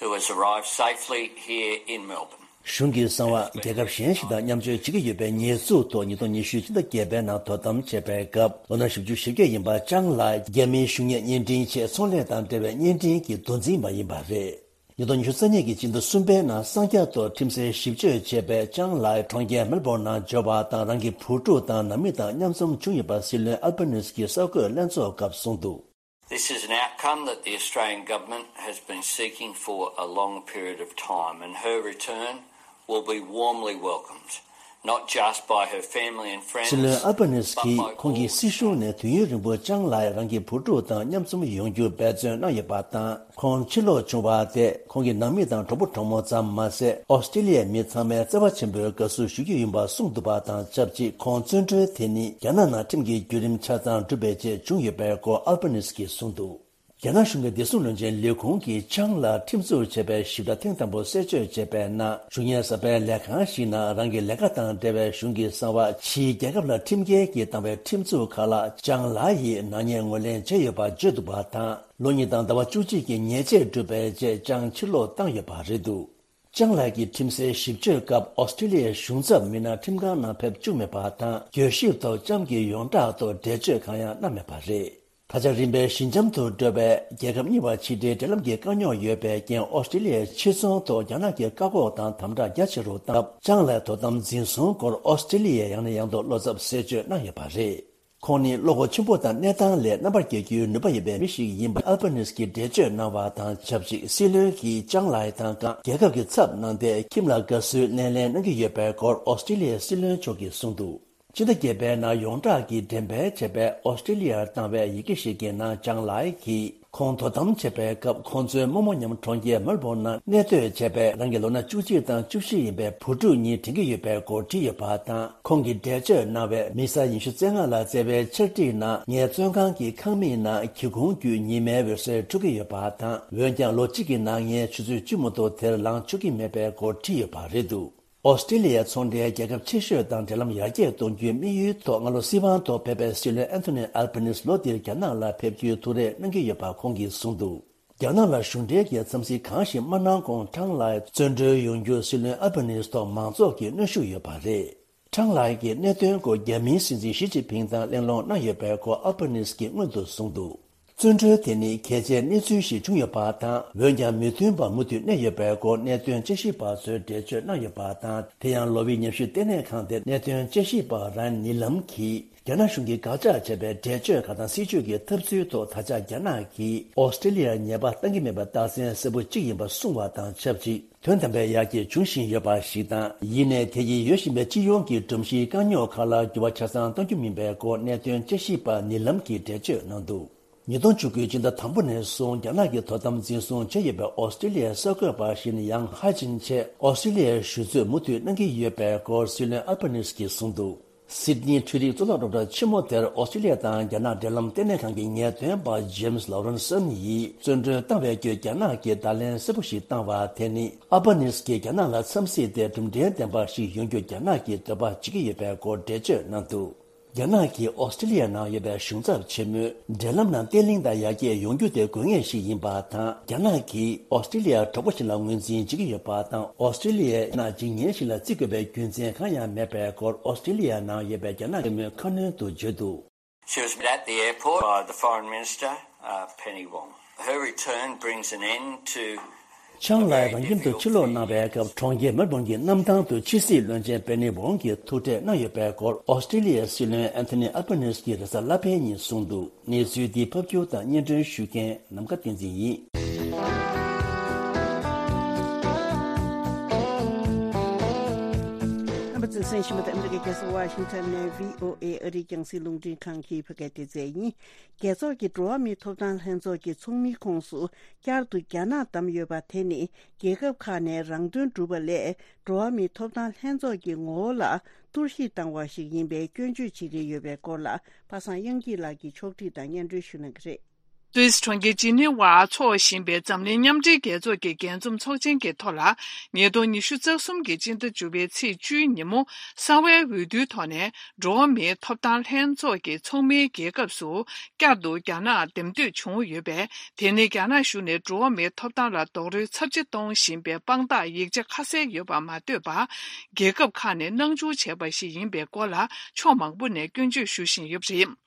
who has arrived safely here in Melbourne. གཞུང་གི་གསང་བ་རྒྱལ་ཁབ་གཞན་ཞིག་དང་མཉམ་སྤྱོད་བྱེད་ཀྱི་ཡོད་པའི་ཉེས་འཛུགས་ཐོག་ཉིས་སྟོང་ཉི་ཤུ་ཕྱི་ཟླ་བརྒྱད་པའི་ནང་དོ་དམ་བྱས་པའི་སྐབས། ལོ་ན་བཞི་བཅུ་ཞེ་བརྒྱད་ཡིན་པ་ཅང་ལའི་རྒྱ་མིའི་གཞུང་གཉེར་བརྙན་འཕྲིན་ཆེད་ཚོང་ལས་དང་འབྲེལ་བའི་བརྙན་འཕྲིན་གྱི་མདོ་འཛིན་པ་ཡིན་པ་རེད། ཉིས་སྟོང་ཉི་ཤུ་རྩ་གཉིས་ཀྱི་སྤྱི་ཟླ་གསུམ་པའི་ནང་གསང་རྒྱ་ཐོག་ཁྲིམས་སའི་ཞིབ་དཔྱོད་བྱས་པའི་ཅང་ལའི་གྲོང་ཁྱེར་མེལ་བྷོར་ནང་འབྱོར་བ་དང་། རང་གི་བུ་ཕྲུག་དང་ནང་མི་དང་མཉམ་འཛོམས་བྱུང་ཡོད་པ་སྲིད་བློན་ཨལ་བྷ་ནིས་ཀྱིས་གསར་འགོད་ལྷན་ཚོགས་སྐབས་གསུངས་འདུག། This is an outcome that the Australian government has been seeking for a long period of time, and her return will be warmly welcomed, not just by her family and friends, but by all Australians. སྲིད་བློན་ཨལ་བྷ་ནིས་ཀྱིས་ཁོང་གི་སྲིད་གཞུང་ནས་དུས་ཡུན་རིང་པོ་ཅང་ལའི་རང་གི་བུ་ཕྲུག་དང་མཉམ་འཛོམས་ཡོང་རྒྱུ་འབད་བརྩོན་གནང་ཡོད་པ་དང་། ཁོང་ཕྱིར་ལོག་བྱུང་བ་དེས་ཁོང་གི་ནང་མི་དང་གྲོགས་པོ་གྲོགས་མོ་ཙམ་མ་ཟད། ཨོ་སི་ཀྲི་ལི་ཡའི་མི་ཚང་མའི་བརྩེ་བ་ཆེན་པོའི་དགའ་བསུ་ཞུ་རྒྱུ་ཡིན་པ་གསུངས་འདུག་པ་དང་ཆབས་ཅིག་ཁོང་བཙོན་གྲོལ་དེ་ནི་རྒྱ་ནག་ནང་ཁྲིམས་ཀྱི་བརྒྱུད་རིམ་ཆ་ཚང་གྲུབ་པའི་རྗེས་བྱུང་ཡོད་པའི་སྐོར་ཨལ་བྷ་ནིས་ཀྱིས་གསུངས་འདུག། རྒྱ་ནག་གཞུང་གི་བདེ་སྲུང་བློན་ཆེན་ལས་ཁུངས་ཀྱིས་ཅང་ལའི་ཁྲིམས་འཛུགས་བྱས་པའི་ཞིབ་ཕྲ་ཐེངས་དང་པོ་གསལ་བརྗོད་བྱས་པའི་ནང་། གཞུང་གཉེར་གསར་པའི་ལས་ཁང་ཞིག་ནང་རང་གི་ལས་ཀ་དང་འབྲེལ་བའི་གཞུང་གི་གསང་བ། ཕྱིའི་རྒྱལ་ཁབ་ལ་ཁྲིམས་འགལ་གྱིས་བཏང་བའི་ཁྲིམས་འཛུགས་ཁག་ལ་ཅང་ལའི་ཡིས་ནག་ཉེས་ངོས་ལེན་བྱས་ཡོད་པ་བརྗོད་འདུག་པ་དང་། ལོ་གཉིས་དང་ཟླ་བ་བཅུ་གཅིག་གི་ཉེས་ཆད་བསྒྲུབས་པའི་རྗེས་ཅང་ཕྱིར་ལོག་བཏང་ཡོད་པ་རེད་འདུག། ཅང་ལའི་གིས་ཁྲིམས་སའི་ཞིབ་དཔྱོད་སྐབས་ཨོ་སི་ཀྲི་ལི་ཡའི་གཞུང་ཚབ་མི་སྣ་ཁྲིམས་ཁང་ནང་ཕེབས་བཅུག་མེད་པ་དང་། གྱོད་ཞིབ་ཐོག་ཅང་གི་ཡོངས་གྲགས་ཐོག་འགྲེལ་བརྗོད་གང་ཡང་གནང་མེད་པ་རེད། ད་ཆ་རིམ་པས་ཞི་འཇམ་དུ་འགྲོ་བའི་རྒྱལ་ཁབ་གཉིས་བར་ཕྱི་འབྲེལ་འབྲེལ་ལམ་གྱི་དཀའ་རྙོག་ཡོད་པའི་རྐྱེན། ཨོ་སི་ཀྲི་ལི་ཡའི་ཕྱིར་ཚོང་ཐོག་རྒྱ་ནག་གིས་བཀག་འགོག་དང་དམ་དྲག་རྒྱ་ཆེ་རུ་བཏང་སྟབས། ཅང་ལའི་དོ་དམ་འཛིན་བཟུང་སྐོར་ཨོ་སི་ཀྲི་ལི་ཡས་ཡང་ནས་ཡང་དུ་བློ་འཚབ་གསལ་བརྗོད་གནང་ཡོད་པ་རེད། ཁོང་ནི་བློ་ཁོག་ཆེན་པོ་དང་གནས་སྟངས་ལས་རྣམ་པར་རྒྱལ་རྒྱུའི་ནུས་པ་ཡོད་པའི་མི་ཞིག་ཡིན་པ་ཨལ་བྷ་ནིས་ཀྱིས་འགྲེལ་བརྗོད་གནང་བ་དང་ཆབས་ཅིག་སྲིད་བློན་གྱིས་ཅང་ལའི་དང་བཀའ་རྒྱལ་ཁབ་ཀྱི་ཚབ་གནང་སྟེ་ཁྱིམ་ལ་དགའ་བསུའི་སྣེ་ལེན་གནང་གི་ཡོད་པའི་སྐོར་ཨོ་སི་ཀྲི་ལི་ཡའི་སྲིད་བློན་མཆོག་གིས་གསུངས་འདུག། ཕྱི་ཟླ་བརྒྱད་པའི་ནང་ཡོངས་གྲགས་ཀྱིས་འགྲེམས་སྤེལ་བྱས་པའི་ཨོ་སི་ཀྲི་ལི་ཡར་བཏང་བའི་ཡི་གེ་ཞིག་གི་ནང་ཅང་ལའི་གིས། ཁོང་དོ་དམ་བྱེད་པའི་སྐབས་ཁོང་ཚོའི་རྨོ་མོ་མཉམ་གྲོང་ཁྱེར་མེལ་བྷོན་ནང་གནས་སྡོད་བྱས་པའི་རང་གི་ལོ་ན་བཅུ་གཅིག་དང་བཅུ་བཞི་ཡིན་པའི་བུ་ཕྲུག་གཉིས་དྲན་གྱི་ཡོད་པའི་སྐོར་བྲིས་ཡོད་པ་དང་། ཁོང་གིས་འགྲེལ་བརྗོད་གནང་བའི་མི་གསར་ཉི་ཤུ་རྩ་ལྔ་ལ་བསྩལ་བའི་ཕྱག་བྲིས་ནང་། ངའི་བཙོན་ཁང་གི་ཁང་མིག་ནང་སྒེའུ་ཁུང་བརྒྱུད་ཉི་མའི་འོད་ཟེར་འཕྲོ་གི་ཡོད་པ་དང་། འོན་ཀྱང་ལོ་གཅིག་གི་ནང་ངས་ཆུ་ཚོད་བཅུ་མ་གཏོགས་དེར་ལངས་ཆོག་གི་མེད་པའི་སྐོར་བྲིས་ཡོད་པ་རེད་འདུག། ཨོ་སི་ཀྲི་ལི་ཡའི་ཚོང་འབྲེལ་རྒྱལ་ཁབ་ཆེ་ཤོས་དང་འབྲེལ་ལམ་ཡར་རྒྱས་གཏོང་རྒྱུའི་དམིགས་ཡུལ་ཐོག་སྔ་ལོ་སྲིད་དབང་ཐོག་ཕེབས་པའི་སྲིད་བློན་ཨན་ཐོ་ནི་ཨལ་བྷ་ནིས་ལོ་འདིར་རྒྱ་ནག་ལ་ཕེབས་རྒྱུའི་ཐུགས་རེ་གནང་གི་ཡོད་པ་ཁོང་གིས་གསུངས་འདུག། རྒྱ་ནག་ལ་གཞུང་འབྲེལ་གྱི་འཚམས་གཟིགས་གང་ཞིག་མ་གནང་གོང་ཀྲང་ལའི་བཙོན་གྲོལ་ཡོང་རྒྱུར་སྲིད་བློན་ཨལ་བྷ་ནིས་ཐོག་མང་ཚོགས་ཀྱི་གནོན་ཤུགས་ཡོད་པ་རེད། ཀྲང་ལའི་གི་གནད་དོན་སྐོར་རྒྱ་མིའི་སྲིད་འཛིན་ཞི་ཅིན་ཕིང་དང་གླེང་སློང་གནང་ཡོད་པའི་སྐོར་ཨལ་བྷ་ནིས་ཀྱིས་སྔོན་དུ་གསུངས་འདུག། བཙོན་གྲོལ་དེ་ནི་གལ་ཆེའི་གནས་ཚུལ་ཞིག་བྱུང་ཡོད་པ་དང་། འོན་ཀྱང་མི་མཐུན་པ་མུ་མཐུད་གནས་ཡོད་པའི་སྐོར་གནད་དོན་དཔྱད་ཞིབ་པ་ཚོས་འགྲེལ་བརྗོད་གནང་ཡོད་པ་དང་། དེ་ཡང་ལོ་བྷི་ཉམས་ཞིབ་ལྟེ་གནས་ཁང་དེ་གནད་དོན་དཔྱད་ཞིབ་པ་རན་ནི་ལམ་གྱིས་རྒྱ་ནག་གཞུང་གིས་དགག་བྱ་བྱས་པའི་འགྲེལ་བརྗོད་ཁག་དང་སྲིད་བྱུས་ཀྱི་འཐབ་རྩོད་ཐོག་ད་ཆ་རྒྱ་ནག་གིས་ཨོ་སི་ཀྲི་ལི་ཡར་ཉེས་པ་བཏང་གི་མེད་པའི་རྟགས་མཚན་གསལ་པོ་གཅིག་ཡིན་པ་གསུངས་བ་དང་ཆབས་ཅིག་དོན་དམ་པའི་ཡར་རྒྱས་འབྱུང་བཞིན་ཡོད་པ་ཞིག་དང་། ཡིན་ནའི་དེ་ཡིས་ཡོད་བཞིན་པའི་སྤྱི་ཡོངས་ཀྱི་སྒྲོམ་གཞིའི་དཀའ་རྙོག་ཁག་ལ་འགྱུར་བ་ཆ་ཚང་གཏོང་རྒྱུ་མིན་པའི་སྐོར་གནད་དོན་དཔྱད་ཞིབ་པ་ནི་ལམ་གྱིས་འགྲེལ་བརྗོད་གནང་འདུག། ཉིས་སྟོང་བཅུ་དགུའི་སྤྱི་ཟླ་དང་པོ་ནས་བཟུང་རྒྱ་ནག་གིས་དོ་དམ་འཛིན་བཟུང་བྱས་ཡོད་པའི་ཨོ་སི་ཀྲི་ལི་ཡའི་གསར་འགོད་པ་ཞིག་ནི་ཡང་ཧའེ་ཅིན་ཆེད་ཨོ་སི་ཀྲི་ལི་ཡའི་ཞུ་ཚོད་མུ་མཐུད་གནང་གི་ཡོད་པའི་སྐོར་སྲིད་བློན་ཨལ་བྷ་ནིས་ཀྱིས་གསུངས་འདུག། སིད་ནི་འཕྲུལ་རིག་གཙུག་ལག་སློབ་གྲྭ་ཆེན་མོ་དེར་ཨོ་སི་ཀྲི་ལི་ཡ་དང་རྒྱ་ནག་འབྲེལ་ལམ་ལྟེ་གནས་ཁང་གི་ངེས་སྟོན་པ་ཇེམ་སི་ལོ་རན་སན་ཡིས་བཙོན་གྲོལ་བཏང་བའི་བརྒྱུད་རྒྱ་ནག་གིས་བརྡ་ལན་གསལ་པོ་ཞིག་བཏང་བ་དེ་ནི། ཨལ་བྷ་ནིས་ཀྱིས་རྒྱ་ནག་ལ་འཚམས་གཟིགས་ཏེ་གྲུབ་འབྲས་ལྡན་པ་ཞིག་ཡོང་རྒྱུ་རྒྱ་ནག་གིས་འདོད་པ་བྱེད་ཀྱི་ཡོད་པའི་སྐོར་འགྲེལ་བརྗོད་གནང་འདུག། རྒྱ་ནག་གིས་ཨོ་སི་ཀྲི་ལི་ཡ་ནང་ཡོད་པའི་གཞུང་ཚབ་ཆེན་མོའི་འབྲེལ་ལམ་ནང་བརྟན་ལྷིང་དང་ཡར་རྒྱས་ཡོང་རྒྱུ་དེ་དགོས་ངེས་ཤིག་ཡིན་པ་དང་། རྒྱ་ནག་གིས་ཨོ་སི་ཀྲི་ལི་ཡར་གྲོགས་པོ་ཞིག་ལ་ངོས་འཛིན་བྱེད་ཀྱི་ཡོད་པ་དང་། ཨོ་སི་ཀྲི་ལི་ཡས་རྒྱ་ནག་འཇིག་ཉེན་ཞིག་ལ་བརྩི་དགོས་པའི་རྒྱུ་མཚན་གང་ཡང་མེད་པའི་སྐོར་ཨོ་སི་ཀྲི་ལི་ཡ་ནང་ཡོད་པའི་རྒྱ་ནག་ཆེན་མོས་ཁ་སྣོན་དུ་བརྗོད་འདུག། She was met at the airport by the Foreign Minister, uh, Penny Wong. Her return brings an end to ཆང་ལགས་རང་ཁྱིམ་དུ་ཕྱིར་ལོག་གནང་བའི་སྐབས། གྲོང་ཁྱེར་མེལ་བོན་གྱི་གནམ་ཐང་དུ་ཕྱི་སྲིད་བློན་ཆེན་པེ་ནི་ཝོང་གིས་ཐུག་འཕྲད་གནང་ཡོད་པའི་སྐོར་ཨོ་སི་ཀྲི་ལི་ཡའི་སྲིད་བློན་ཨན་ཐོ་ནི་ཨལ་བྷ་ནེ་སི་ཀྱིས་རེས་གཟའ་ལྷག་པའི་ཉིན་གསུངས་འདུག། གནས་ཚུལ་འདི་ཕབ་སྒྱུར་དང་སྙན་སྒྲོན་ཞུ་མཁན་ནམ་མཁའ་བསྟན་འཛིན་ཡིན། རྣམ་པ་ཚོས་གསན་བཞིན་པ་དེ་ཨ་མི་རི་ཀའི་རྒྱལ་ས་ཝ་ཤིང་ཊོན་ནས་བྷི་ཨོ་ཨེ་ཨ་རིའི་རྒྱང་སྲིང་རླུང་འཕྲིན་ཁང་གི་བོད་སྐད་སྡེ་ཚན་ཡིན། རྒྱལ་ཚོགས་ཀྱི་འགྲོ་བ་མིའི་ཐོབ་ཐང་ལྷན་ཚོགས་ཀྱི་ཚོགས་མིའི་ཁོངས་སུ་བསྐྱར་དུ་རྒྱ་ནག་བདམས་ཡོད་པ་དེ་ནི། རྒྱལ་ཁབ་ཁག་ནས་རང་དོན་སྒྲུབ་པ་ལས་འགྲོ་བ་མིའི་ཐོབ་ཐང་ལྷན་ཚོགས་ཀྱི་ངོ་བོ་ལ་གཏོར་བཤིག་བཏང་བ་ཞིག་ཡིན་པའི་སྐྱོན་བརྗོད་བྱེད་ཀྱི་ཡོད་པའི་སྐོར་ལ། པ་སངས་དབྱངས་སྐྱིད་ལགས་ཀྱིས་ཕྱོགས་སྒྲིག་དང་སྙན་སྒྲོན་ཞུ་གནང་གི་རེད། སུད་སི་གྲོང་ཁྱེར་ཇི་ནི་ཝར་འཚོགས་བཞིན་པའི་འཛམ་གླིང་མཉམ་འབྲེལ་རྒྱལ་ཚོགས་ཀྱི་རྒྱས་འཛོམས་ཚོགས་ཆེན་གྱི་ཐོག་ལ། ཉིས་སྟོང་ཉི་ཤུ་རྩ་གསུམ་གྱི་སྤྱི་ཟླ་བཅུ་པའི་ཚེས་བཅུའི་ཉིན་མོ། གསང་བའི་འོས་བསྡུའི་ཐོག་ནས་འགྲོ་བ་མིའི་ཐོབ་ཐང་ལྷན་ཚོགས་ཀྱི་ཚོགས་མིའི་རྒྱལ་ཁབ་སུ་བསྐྱར་དུ་རྒྱ་ནག་འདེམས་ཐོན་བྱུང་ཡོད་པས། དེ་ནི་རྒྱ་ནག་གཞུང་ནས་འགྲོ་བ་མིའི་ཐོབ་ཐང་ལ་རྡོག་རོལ་ཚབས་ཆེ་གཏོང་བཞིན་པའི་དཔང་རྟགས་ཡིག་ཆ་ཁ་གསལ་ཡོད་པ་མ་ཐོས་པར། རྒྱལ་ཁབ་ཁག་ནས་སྣང་ཆུང་བྱས་པ་ཞིག་ཡིན་པའི་སྐོར་ལ་ཕྱོགས་མང་པོ་ནས་སྐྱོན་བརྗོད་ཞུ་བཞིན་ཡོད་པ་རེད།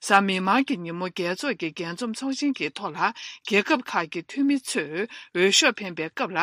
གཟའ་མིག་དམར་གྱི་ཉིན་མོ། རྒྱལ་ཚོགས་ཀྱི་རྒྱས་འཛོམས་ཚོགས་ཆེན་གྱི་ཐོག་ལ། རྒྱལ་ཁབ་ཁག་གི་འཐུས་མི་ཚོས་འོས་ཤོག་འཕེན་པའི་སྐབས་ལ།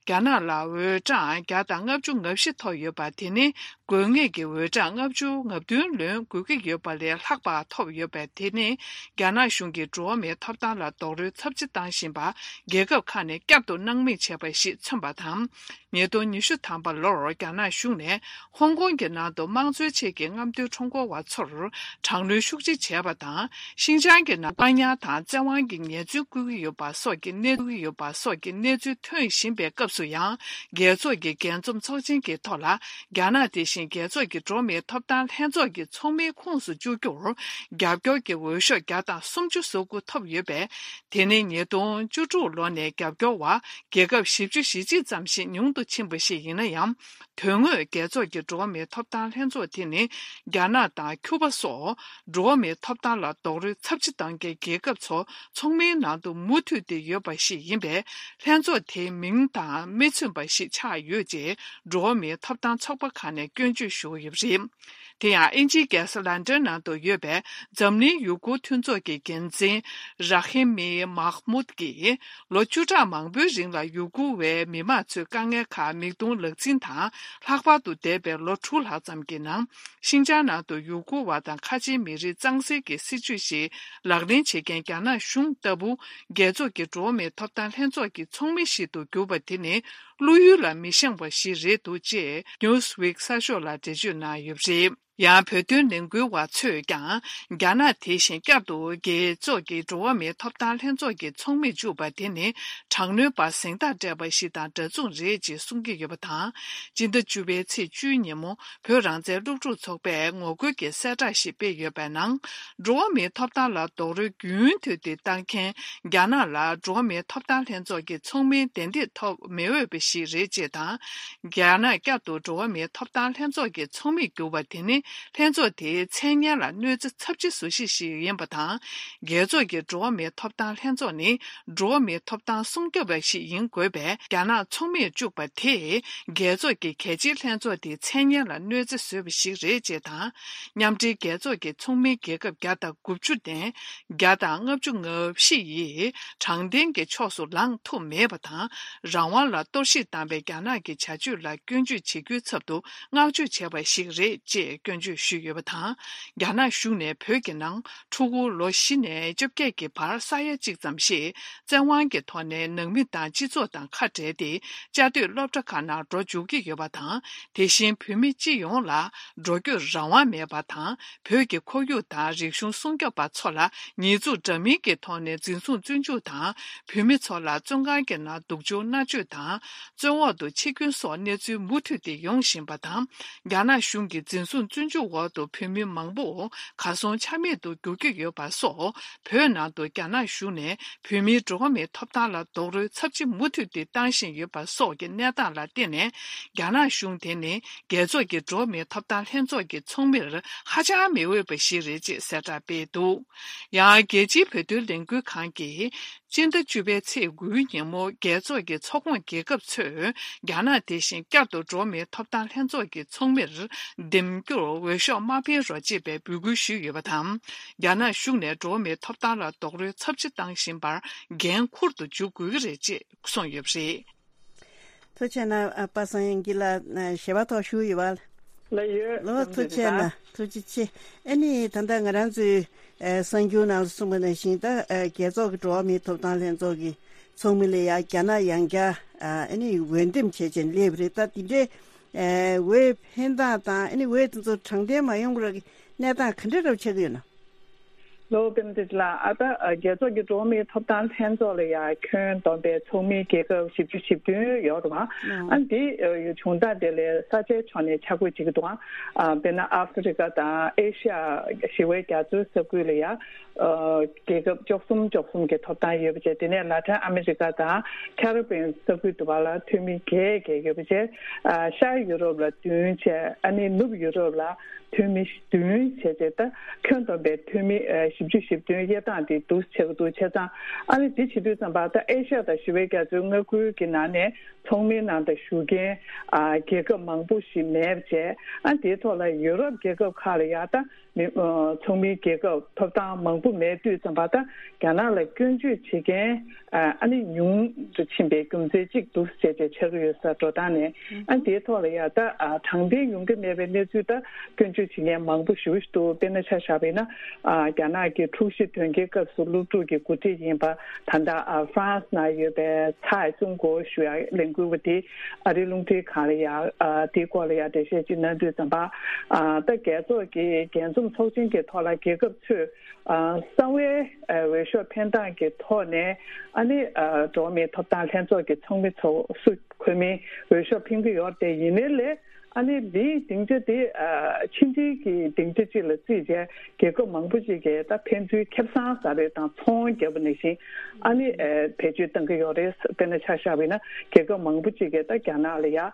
རྒྱ་ནག་ལ་འོས་གྲངས་བརྒྱ་དང་ལྔ་བཅུ་ང་བཞི་ཐོབ་ཡོད་པ་དེ་ནི། དགོས་ངེས་ཀྱི་འོས་གྲངས་ལྔ་བཅུ་ང་བདུན་ལོན་དགོས་ཀྱི་ཡོད་པ་ལས་ལྷག་པ་ཐོབ་ཡོད་པ་དེ་ནི། རྒྱ་ནག་གཞུང་གིས་འགྲོ་བ་མིའི་ཐོབ་ཐང་ལ་རྡོག་རོལ་ཚབས་ཆེ་བཏང་བཞིན་པ། རྒྱལ་ཁབ་ཁག་ནས་བསྐྱར་དུ་སྣང་མེད་བྱས་པ་ཞིག་མཚོན་པ་དང་། ཉིས་སྟོང་ཉི་ཤུ་ཐམ་པ་ལོར་རྒྱ་ནག་གཞུང་ནས་ཧོང་ཀོང་གི་ནང་དུ་དམངས་གཙོའི་ཆེད་ཀྱི་རྔམ་སྟོན་ཁྲོམ་སྐོར་བ་ཚོར་དྲག་གནོན་ཤུགས་ཆེ་བྱས་པ་དང་། ཤིན་ཅང་གི་ནང་བཀག་ཉར་དང་བཙན་དབང་གི་ཉེས་འཛུགས་བཀོད་ཀྱི་ཡོད་པ་སོགས་ཀྱི་གནས་ཡོད་པ་སོགས་ཀྱི་གནས་ཚུལ་ཐོན་བཞིན་པའི་སྐབས་སུ་ཡང་། རྒྱལ་ཚོགས་ཀྱི་རྒྱས་འཛོམས་ཚོགས་ཆེན་གྱི་ཐོག་ལ། རྒྱ་ནག་དེ་བཞིན་རྒྱལ་ཚོགས་ཀྱི་འགྲོ་བ་མིའི་ཐོབ་ཐང་ལྷན་ཚོགས་ཀྱི་ཚོགས་མིའི་ཁོངས་སུ་བཅུག་རྒྱུར་རྒྱབ་སྐྱོར་གྱི་འོས་ཤོག་བརྒྱ་དང་སུམ་ཅུ་སོ་དགུ་ཐོབ་ཡོད་པས། དེ་ནི་ཉིས་སྟོང་བཅུ་དྲུག་ལོ་ནས་རྒྱབ་སྐྱོར་བ་རྒྱལ་ཁབ་བཞི་བཅུ་ཞེ་གཅིག་ཙམ་ཞིག་ཉུང་དུ་ཕྱིན་པ་ཞིག་ཡིན་ན་ཡང་། དོན་དངོས་རྒྱལ་ཚོགས་ཀྱི་འགྲོ་བ་མིའི་ཐོབ་ཐང་ལྷན་ཚོགས་དེ་ནི་རྒྱ་ནག་དང་ཁྱུ་པ་སོགས་འགྲོ་བ་མིའི་ཐོབ་ཐང་ལ་རྡོག་རོལ་ཚབས་ཆེ་གཏོང་མཁན་རྒྱལ་ཁབ་ཚོ་ཚོགས་མིའི་ནང་དུ་མུ་མཐུད་དེ་ཡོད་པ་ཞིག་ཡིན་པས། ལྷན་ཚོགས་དེའི་མིང་དང་མི་མཚུངས་པ་ཞིག་ཆགས་ཡོད་ཅེས་འགྲོ་བ་མིའི་ཐོབ་ཐང་ཚོགས་པ་ཁག་ནས་སྐྱོན་བརྗོད་ཞུ་གི་ཡོད་པ་རེད། དེ་ཡང་། དབྱིན་ཇིའི་རྒྱལ་ས་ལན་ཀྲན་ནང་དུ་ཡོད་པའི་འཛམ་གླིང་ཡུ་གུར་མཐུན་ཚོགས་ཀྱི་འགན་འཛིན་ར་ཧི་མི་མཱ་ཧ་མུད་ཀྱིས། ལོ་བཅུ་ཕྲག་མང་པོའི་རིང་ལ་ཡུ་གུར་བའི་མི་མང་ཚོའི་དཀའ་ངལ་ཁག་མིག་མཐོང་ལག་འཛིན་དང་། ལྷག་པར་དུ་འདས་པའི་ལོ་དྲུག་ལྷག་ཙམ་གྱི་ནང་། ཤིན་ཅང་ནང་དུ་ཡུ་གུར་བ་དང་ཁ་ཆེའི་མི་རིགས་གཙང་སེལ་གྱི་སྲིད་བྱུས་ཤིག་ལག་ལེན་བྱེད་མཁན་རྒྱ་ནག་གཞུང་ལྟ་བུ། རྒྱལ་ཚོགས་ཀྱི་འགྲོ་བ་མིའི་ཐོབ་ཐང་ལྷན་ཚོགས་ཀྱི་ཚོགས་མི་ཞིག་ཏུ་གྱུར་པ་དེ་ནི། བློ་ཡུལ་ལ་མི་བཞེངས་པ་ཞིག་རེད་འདུག་ཅེས་Newsweek་གསར་ཤོག་ལ་འགྲེལ་བརྗོད་གནང་ཡོད་པ་རེད། ཡང་། བོད་དོན་ལས་འགུལ་བ་ཚོས་ཀྱང་། རྒྱ་ནག་དེ་བཞིན་བསྐྱར་དུ་རྒྱལ་ཚོགས་ཀྱི་འགྲོ་བ་མིའི་ཐོབ་ཐང་ལྷན་ཚོགས་ཀྱི་ཚོགས་མིར་བཅུག་པ་དེ་ནི། དྲག་གནོན་པ་གཟེངས་རྟགས་སྤྲད་པ་ཞིག་དང་འདྲ་མཚུངས་རེད་ཅེས་གསུང་གི་ཡོད་པ་དང་། སྤྱི་ཟླ་བཅུ་པའི་ཚེས་བཅུའི་ཉིན་མོ། བོད་རང་བཙན་སློབ་ཕྲུག་ཚོགས་པས་ངོ་རྒོལ་གྱི་གསལ་བསྒྲགས་ཤིག་སྤེལ་ཡོད་པའི་ནང་། འགྲོ་བ་མིའི་ཐོབ་ཐང་ལ་རྡོག་རོལ་རྒྱུན་མཐུད་དེ་བཏང་མཁན། རྒྱ་ནག་ལ་འགྲོ་བ་མིའི་ཐོབ་ཐང་ལྷན་ཚོགས་ཀྱི་ཚོགས་མིའི་བདེ་འདེད་ཐོབ་མི་འོས་པ་ཞིག་རེད་ཅེས་དང་། རྒྱ་ནག་བསྐྱར་དུ་འགྲོ་བ་མིའི་ཐོབ་ཐང་ལྷན་ཚོགས་ཀྱི་ཚོགས་མིར་གྱུར་པ་དེ་ནི། ལྷན་ཚོགས་དེའི་མཚན་སྙན་ལ་གནོད་འཚེ་ཚབས་ཆེ་བཟོ་གཞི་ཞིག་ཡིན་པ་དང་། རྒྱལ་ཚོགས་ཀྱི་འགྲོ་བ་མིའི་ཐོབ་ཐང་ལྷན་ཚོགས་ནི། འགྲོ་བ་མིའི་ཐོབ་ཐང་སྲུང་སྐྱོབ་པ་ཞིག་ཡིན་དགོས་པས། རྒྱ་ནག་ཚོགས་མིར་བཅུག་པ་དེས། རྒྱལ་ཚོགས་ཀྱི་གལ་ཆེའི་ལྷན་ཚོགས་དེའི་མཚན་སྙན་ལ་གནོད་འཚེ་བཟོས་པ་ཞིག་རེད་ཅེས་དང་། མཉམ་འབྲེལ་རྒྱལ་ཚོགས་ཀྱི་ཚོགས་མིའི་རྒྱལ་ཁབ་བརྒྱ་དང་དགུ་བཅུ་ནས། བརྒྱ་དང་ལྔ་བཅུ་ང་བཞི་ཡིས་དྲང་བདེན་གྱི་ཕྱོགས་སུ་ལངས་ཐུབ་མེད་པ་དང་། རང་དབང་ལ་གཏོར་བཤིག་བཏང་བའི་རྒྱ་ནག་གི་བྱ་སྤྱོད་ལ་སྐྱོན་བརྗོད་བྱེད་རྒྱུའི་ཚབ་ཏུ་བསྔགས་བརྗོད་བྱས་པ་ཞིག་རེད་ཅེས་སྐྱོན་བརྗོད་ཞུས་ཡོད་པ་དང་། རྒྱ་ནག་གཞུང་ནས་བོད་ཀྱི་ནང་ཕྲུ་གུ་ལོ་བཞི་ནས་བཅོ་བརྒྱད་ཀྱི་བར་ས་ཡ་གཅིག་ཙམ་ཞིག་བཙན་དབང་གི་ཐོག་ནས་ནང་མི་དང་སྤྱི་ཚོགས་དང་ཁ་བྲལ་ཏེ། བཅའ་སྡོད་སློབ་གྲྭ་ཁག་ནང་འགྲོ་འཇུག་གི་ཡོད་པ་དང་། དེ་བཞིན་བོད་མི་སྤྱི་ཡོངས་ལ་འགྲོ་སྐྱོད་རང་དབང་མེད་པ་དང་། བོད་ཀྱི་ཁོར་ཡུག་དང་རིག་གཞུང་སྲུང་སྐྱོབ་པ་ཚོ་ལ་ཉེས་འཛུགས་འདྲ་མིན་གྱི་ཐོག་ནས་འཛིན་བཟུང་བཙོན་འཇུག་དང་། བོད་མི་ཚོ་ལ་བཙོན་ཁང་གི་ནང་སྡུག་སྦྱོང་མནར་གཅོད་དང་། བཙོན་འོག་ཏུ་འཆི་སྐྱོན་སོགས་གནས་ཚུལ་མུ་མཐུད་དེ་ཡོང་བཞིན་པ་དང་། རྒྱ་ནག་གཞུང་གིས་འཛིན་བཟུང་བཙོན་ འཇུག་འོག་ཏུ་བོད་མི་མང་པོ་གར་སོང་ཆ་མེད་དུ་འགྱུར་གྱི་ཡོད་པ་སོགས། བོད་ནང་དུ་རྒྱ་ནག་གཞུང་ནས་བོད་མིའི་འགྲོ་བ་མིའི་ཐོབ་ཐང་ལ་རྡོག་རོལ་ཚབས་ཆེ་མུ་མཐུད་དེ་བཏང་བཞིན་ཡོད་པ་སོགས་ཀྱི་གནས་སྟངས་ལ་བརྟེན་ནས། རྒྱ་ནག་གཞུང་དེ་ནི་རྒྱལ་ཚོགས་ཀྱི་འགྲོ་བ་མིའི་ཐོབ་ཐང་ལྷན་ཚོགས་ཀྱི་ཚོགས་མིར་ཧ་ཅང་མི་འོས་པ་ཞིག་རེད་ཅེས་གསལ་བསྒྲགས་སྤེལ་འདུག་ཡང་རྒྱལ་སྤྱིའི་བོད་དོན་ལས་འགུལ་ཁང་གིས། སྤྱི་ཟླ་བཅུ་པའི་ཚེས་དགུའི་ཉིན་མོ། རྒྱལ་ཚོགས་ཀྱི་ཚོགས་ཁོངས་རྒྱལ་ཁབ་ཚོས་རྒྱ་ནག་དེ་བཞིན་བསྐྱར་དུ་འགྲོ་བ་མིའི་ཐོབ་ཐང་ལྷན་ཚོགས་ཀྱི་ཚོགས་མིར་འདེམས་རྒྱུར་འོས་ཤོག་མ་འཕེན་རོགས་ཅེས་པའི་འབོད་སྐུལ་ཞུས་ཡོད་པ་དང་། རྒྱ་ནག་གཞུང་ནས་འགྲོ་བ་མིའི་ཐོབ་ཐང་ལ་རྡོག་རོལ་ཚབས་ཆེ་བཏང་བཞིན་པར་འགན་འཁུར་དུ་འཇུག་དགོས་ཀྱི་རེད་ཅེས་གསུངས་ཡོད་པ་རེད། ཐུགས་རྗེ་གནང་། ཨ། པ་སངས་དབྱངས་སྐྱིད་ལགས། ཨ། ཞལ་པར་ཐོག་ཞུ་ཡོད་པ། ལགས་ཡོད། ལགས། ཐུགས་རྗེ་གནང་། ཐུགས་རྗེ་ཆེ། ཨ་ནི་ད་ལྟ་ང་རང་ཚོའི། ཨ། གསར་འགྱུར་ནང་ལ་གསུངས་པ་ནང་བཞིན། ད། ཨ། རྒྱལ་ཚོགས་ཀྱི་འགྲོ་བ་མིའི་ཐོབ་ཐང་ལྷན་ཚོགས་ཀྱི་ཚོགས་མི་ལ་ཡང་རྒྱ་ནག་ཡང་བསྐྱར། ཨ། ཨ་ནི་འོས་འདེམས་བྱས་བྱས་སླེབས་པ་རེད། ད་འདི་འདྲའི། ཨ། འོས་འཕེན་སྟངས་དང་། ཨ་ནི་འོས་དེ་ཚོ་དྲང་བདེན་མ་ཡོང་བར་གནས་སྟངས་ག་འདྲ་འདྲ་པོ་ཆགས་ཀྱི་ཡོད་ན། ལོ་པེ་མ་ཏི་ལགས། ཨ། ད། ཨ། རྒྱལ་ཚོགས་ཀྱི་འགྲོ་བ་མིའི་ཐོབ་ཐང་ལྷན་ཚོགས་ལ་ཡང་ཁྱོན་བསྡོམས་པའི་ཚོགས་མི་རྒྱལ་ཁབ་བཞི་བཅུ་ཞེ་བདུན་ཡོད་རེད་བ། ཨ། འདི། ཨ། བྱུང་སྟངས་དེ་ལས་ས་ཆའི་ཕྱོགས་ནས་ཆ་བགོས་བྱེད་ཀྱི་འདུག་ཨ། དཔེར་ན་ཨ་ཧྥེ་རི་ཀ་དང་ཨེ་ཤ་ཡ། ཞི་བའི་རྒྱ་མཚོའི་ས་ཁུལ་ལ་ཡང་། ཨ། རྒྱལ་ཁབ་བཅུ་གསུམ་བཅུ་གསུམ་གྱི་ཐོབ་ཐང་ཡོད་པ་བྱས། དེ་ནས་ལ་ཏིན་ཨ་མི་རི་ཀ་དང་ཁེ་རི་བྷི་ཡན་ས་ཁུལ་དུ་བ་ལ་འཐུས་མི་བརྒྱད་བརྒྱད་ཡོད་པ་བྱས། ཨ། ཤར་ཡུ་རོབ་ལ་བདུན་བྱས། ཨ་ནི་ནུབ་ཡུ་རོབ་ལ་འཐུས་མི་བདུན་བྱས་བྱས། ད་ཁྱོན་བསྡོམས་པའི་འཐུས་མི། ཨ། བཞི་བཅུ་ཞེ་བདུན་དབྱེ་སྟངས་དེ་འདུག་ཆགས་ཀྱི་འདུག་བྱས་ཙང་། ཨ་ནི་དེ་བྱེད་དུས་ཙམ་པ། ད་ཨེ་ཤ་ཡ་དང་ཞི་བའི་རྒྱ་མཚོའི་མངའ་ཁུལ་གྱི་ནང་ནས་ཚོགས་མིའི་ནང་དུ་ཞུགས་མཁན། ཨ། རྒྱལ་ཁབ་མང་པོ་ཞིག་མེད་པ་བྱས། ཨ། དེའི་ཐོག་ལ་ཡུ་རོབ་རྒྱལ་ཁབ་ཁག་ལ་ཡང་ད་མི། ཨ། ཚོགས་མིའི་རྒྱལ་ཁབ་ཐོབ་ཐང་མང་པོ་མེད་དུས་ཙམ་པ། ད་རྒྱ་ནག་ལ་སྐྱོན་བརྗོད་བྱེད་མཁན། ཨ། ཨ་ནི་ཉུང་དུ་ཕྱིན་པའི་རྒྱུ་མཚན་གཅིག་འདུག་ཟེར་བྱས་ཆགས་ཀྱི་ཡོད་ས། འགྲོ་སྟངས་ནས། ཨ། དེའི་ཐོག་ལ་ཡང་ད། ཨ། དྲང་བདེན་ཡོང་གི་མེད་པའི་གནས་ཚུལ། ད་སྐྱོན་བརྗོད་བྱེད་མཁན་མང་པོ་ཞེ་པོ་ཞིག་འདུག་དཔེར་ན་ཆ་བཞག་པ་ཡིན་ན། ཨ། རྒྱ་ནག་གི་འཁྲུག་གཞི་དོན་རྐྱེན་སྐབས་སུ་སློབ་ཕྲུག་གི་འགོ་ཁྲིད་ཡིན་པ། ད་ལྟ། ཨ། ཧྥ་རན་སི་ནང་ཡོད་པའི་ཚའེ་ཙུང་གོ་ཞུ་ཡ་ལས་འགུལ་བ་དེ་ཨ་རིའི་རླུང་འཕྲིན་ཁང་ལ་ཡ། ཨ། དེའི་སྐོར་ལ་ཡ་འགྲེལ་བཤད་ཅིག་གནང་དུས་ཙམ་པ། ཨ། ད་རྒྱལ་ཚོགས་ཀྱི་རྒྱས་འཛོམས་ཚོགས་ཆེན་གྱི་ཐོག་ལ་རྒྱལ་ཁབ་ཚོས། ཨ། གསང་བའི། ཨ། འོས་ཤོག་འཕེན་སྟངས་ཀྱི་ཐོག་ནས། ཨ་ནི། ཨ། འགྲོ་བ་མིའི་ཐོབ་ཐང་ལྷན་ཚོགས་ཀྱི་ཚོགས་མི་ཚོ་སུ་འཁོད་མིན་འོས་ཤོག་འཕེན་གྱི་ཡོད་རེད་དེ། ཡིན་ནའི་ལས། ཨ་ནི་འདིའི་སྡིངས་ཆ་དེ། ཨ། ཕྱི་འབྲེལ་གྱི་སྡིངས་ཆ་གཅིག་ལ་བརྩིས་བྱས། རྒྱལ་ཁབ་མང་པོ་ཅིག་གིས་ད་ཕན་ཚུན་ཁེ་བཟང་ཟ་བའི་དང་ཚོང་བརྒྱབ་པ་ནང་བཞིན། ཨ་ནི། ཨ། བེད་སྤྱོད་གཏང་གི་ཡོད་རེད། དཔེར་ན་ཆ་བཞག་པ་ཡིན་ན། རྒྱལ་ཁབ་མང་པོ་ཅིག་གིས་ད་རྒྱ་ནག་ལ་ཡ། ཨ།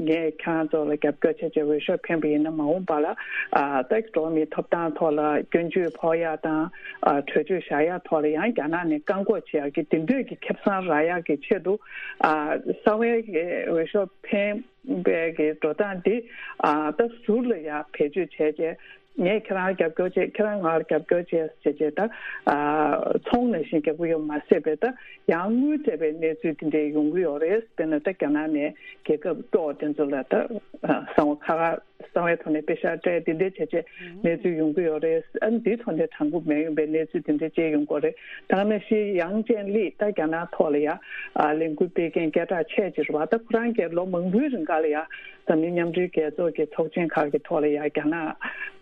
ངས་ཁྱེད་རང་ཚོ་ལ་རྒྱབ་སྐྱོར་བྱས་བྱས་འོས་ཤོག་འཕེན་པ་ཡིན་ན། མ་འོངས་པ་ལ། ཨ། ད་འགྲོ་བ་མིའི་ཐོབ་ཐང་ཐོག་ལ་སྐྱོན་བརྗོད་ཕོག་ཡ་དང་། ཨ། གྲོས་ཆོད་བཞག་ཡ་ཐོག་ལ་ཡང་རྒྱ་ནག་ནས་བཀག་འགོག་བྱེད་ཡ་གི་དེ་འདྲའི་གི་ཁེ་བཟང་རག་ཡ་གི་ཆེད་དུ། ཨ། གསང་བའི་འོས་ཤོག་འཕེན་པའི་གི་འགྲོ་སྟངས་འདི། ཨ། ད་ཟུར་ལ་ཡ་བེད་སྤྱོད་བྱས་བྱས། ངས་ཁྱེད་རང་ལ་རྒྱབ་སྐྱོར་བྱེད། ཁྱེད་རང་ང་ལ་རྒྱབ་སྐྱོར་བྱེད་ཟེར་བྱས། ད། ཨ། ཚོང་ནང་བཞིན་རྒྱག་གི་ཡོད་མ་ཟད་པའི། ད་ཡང་དངུལ་སྤྲད་པའི་གནས་ཚུལ་འདི་འདྲ་ཡོང་གི་ཡོད་རེད། དཔེར་ན་ད་རྒྱ་ནག་ནས་རྒྱལ་ཁབ་སྐྱོ་བོ་དེ་ཚོ་ལ། ད། ཨ། གསང་བ་ཁ་ཁ། གསང་བའི་ཐོག་ནས་པེ་ཤག་སྤྲད། འདི་འདྲ་བྱས་བྱས་གནས་ཚུལ་ཡོང་གི་ཡོད་རེད། ཨ། འདིའི་ཐོག་ནས་དྲང་པོ་མ་ཡིན་པའི་གནས་ཚུལ་འདི་འདྲ་བྱས་ཡོང་གི་ཡོད་རེད། ད་ག་ནང་བཞིན་ཡང་ཅན་ལི། ད་རྒྱ་ནག་ཐོག་ལ་ཡ། ཨ། ལས་འགུལ་སྤེལ་མཁན་སྐད་གྲགས་ཆེ་ཅིག་རེད་བ། ད་ཁོ་རང་གིས་ལོ་མང་པོའི་རིང་ག་ལ་ཡ། འཛམ་གླིང་མཉམ་འབྲེལ་རྒྱལ་ཚོགས་ཀྱི་ཚོགས་ཆེན་ཁག་གི་ཐོག་ལ་ཡ། རྒྱ་ནག་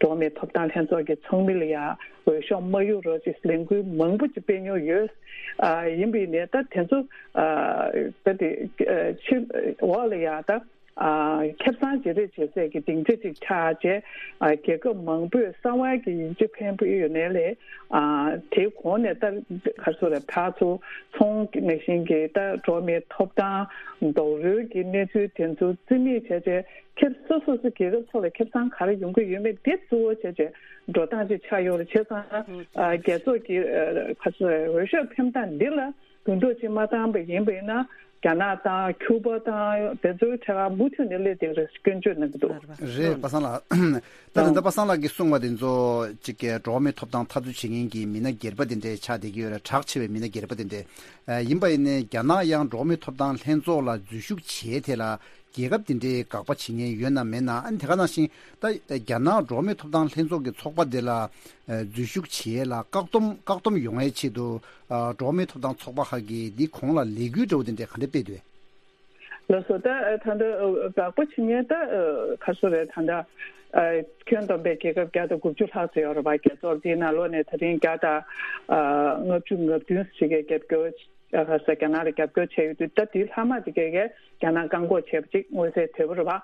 འགྲོ་བ་མིའི་ཐོབ་ཐང་ལྷན་ཚོགས་ཀྱི་ཚོགས་མི་ལ་ཡ་འོས་ཤོག་མ་གཡུག་རོགས་ཅེས་ལས་འགུལ་མང་པོ་ཅིག་སྤེལ་མྱོང་ཡོད། ཨ། ཡིན་པ་ཡིན་ནའི་ད་དེ་ཚོ། ཨ། ད་དེ། ཨ། ཕྱི་འོག་ལ་ཡ་ད། ཨ། ཁེ་བཟང་བརྗེ་རེས་བྱེད་སའི་གི་སྡིངས་ཆ་ཅིག་ཆགས་བྱས། ཨ། རྒྱལ་ཁབ་མང་པོས་གསང་བའི་གི་ཡིག་ཆ་འཕེན་པོ་ཡོད་ནའི་ལས། ཨ། དེའི་གོང་ནས་ད་ག་རེ་ཟེར་རེད། ཕར་ཚུར་ཚོང་ནང་བཞིན་གྱི། ད་འགྲོ་བ་མིའི་ཐོབ་ཐང་རྡོག་རོལ་གྱི་གནས་ཚུལ་དེ་ཚོ་རྩིས་མེད་བྱས་བྱས། ཁེ་སོ་སོ་སོ་རྒྱལ་ཁབ་ཚོ་ལ་ཁེ་བཟང་ག་རེ་ཡོང་གི་ཡོད་མེད་དེ་གཙོ་བོ་བྱས་བྱས་འགྲོ་སྟངས་ཅིག་ཆགས་ཡོད་རེད། བྱས་ཙང་། ཨ། རྒྱལ་ཚོགས་ཀྱི། ཨ། ག་རེ་ཟེར་རེད། འོས་ཤོག་འཕེན་སྟངས་འདི་ལ་འགྱུར་ལྡོག་ཅིག་མ་བཏང་པ་ཡིན་པ་ཡིན་ན། རྒྱ་ནག་དང་ཁྱུ་པ་དང་དེ་ཚོའི་ཐད་ཀར་མུ་མཐུད་ནས་སླེབས་བསྡད་ཀྱི་རེད་ཟེར་སྐྱོན་བརྗོད་གནང་གི་འདུག་རེད། པ་སངས་ལགས། ད་ལྟ་པ་སངས་ལགས་ཀྱིས་གསུངས་པ་དེ་ཚོ་གཅིག་གི་འགྲོ་བ་མིའི་ཐོབ་ཐང་འཐབ་རྩོད་བྱེད་མཁན་གྱི་མི་སྣ་སྒེར་པ་དེ་འདྲའི་ཆགས་བསྡད་ཀྱི་ཡོད་རེད། གྲགས་ཆེ་བའི་མི་སྣ་སྒེར་པ་དེ་འདྲའི། ཨ། ཡིན་པ་ཡིན་ནའི་རྒྱ་ནག་ཡང་འགྲོ་བ་མིའི་ཐོབ་ཐང་ལྷན་ཚོགས་ལ་འཛུལ་ཞུགས་བྱས་དེ་ལ་རྒྱལ་ཁབ་དེ་འདྲའི་དགག་པ་བྱེད་མཁན་ཡོད་ན་མེད་ན། ཨ་ནི་དེ་ག་ནང་བཞིན་ད་རྒྱ་ནག་འགྲོ་བ་མིའི་ཐོབ་ཐང་ལྷན་ཚོགས་ཀྱི་ཚོགས་པ་དེ་ལ་འཛུལ་ཞུགས་བྱས་ལ་བཀག་སྡོམ་བཀག་སྡོམ་ཡོང་བའི་ཆེད་དུ། ཨ། འགྲོ་བ་མིའི་ཐོབ་ཐང་ཚོགས་པ་ཁག་གིས་འདི་གོང་ལ་ལས་འགུལ་འདྲ་བོ་དེ་འདྲ་ག་འདྲ་སྤེལ་འདུག་ལགས་སོ། ད་ད་ལྟ་དགག་པ་བྱེད་མཁན་ད་ག་རེ་ཟེར་རེད། ད་ལྟ་ཁྱོན་བསྡོམས་པའི་རྒྱལ་ཁབ་བརྒྱ་དང་དགུ་བཅུ་ལྷག་ཙམ་ཡོད་རེད་པ། རྒྱལ་ཚོགས་འདིའི་ནང་ལོགས་ནས་ད་རིང་བརྒྱ་དང་ལྔ་བཅུ་ང་བདུན་ཞིག་གིས་རྒྱབ་སྐྱོར་ ཨ་ས་རྒྱ་ནག་ལ་རྒྱབ་སྐྱོར་བྱས་ཡོད་དུས། ད་དེའི་ལྷག་མ་དེ་གས་གས་རྒྱ་ནག་བཀག་འགོག་བྱས་པ་ཅིག་མངོན་གསལ་དོད་པོ་རེད་བ།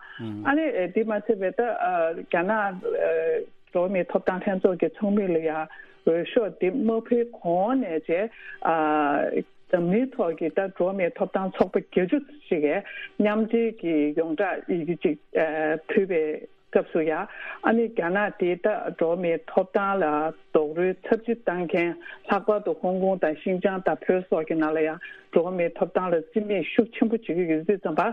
ཨ་ནི་ཨ་དེ་མ་ཚད་པའི་ད་ཨ་རྒྱ་ནག་ཨ་འགྲོ་བ་མིའི་ཐོབ་ཐང་ལྷན་ཚོགས་ཀྱི་ཚོགས་མི་ལ་ཡ་འོས་ཤོག་དེ་མ་ཕུལ་གོང་ནས་བྱས། ཨ་འཛམ་གླིང་ཐོག་གི་ད་འགྲོ་བ་མིའི་ཐོབ་ཐང་ཚོགས་པ་བརྒྱད་ཅུ་ཞིག་གིས་མཉམ་འབྲེལ་གྱི་ཡོངས་གྲགས་ཡི་གེ་ཅིག་ཨ་ཕུལ་བའི་སྐབས་སུ་ཡ། ཨ་ནི་རྒྱ་ནག་དེ་ད་འགྲོ་བ་མིའི་ཐོབ་ཐང་ལ་རྡོག་རོལ་ཚབས་ཆེ་བཏང་མཁན། ལྷག་པར་དུ་ཧོང་ཀོང་དང་ཤིན་ཅང་དང་བོད་སོགས་ཀྱི་ནང་ལ་ཡང་འགྲོ་བ་མིའི་ཐོབ་ཐང་ལ་བརྩི་མེད་ཤུགས་ཆེན་པོ་བྱེད་ཀྱི་ཡོད་དུས་ཙམ་པ།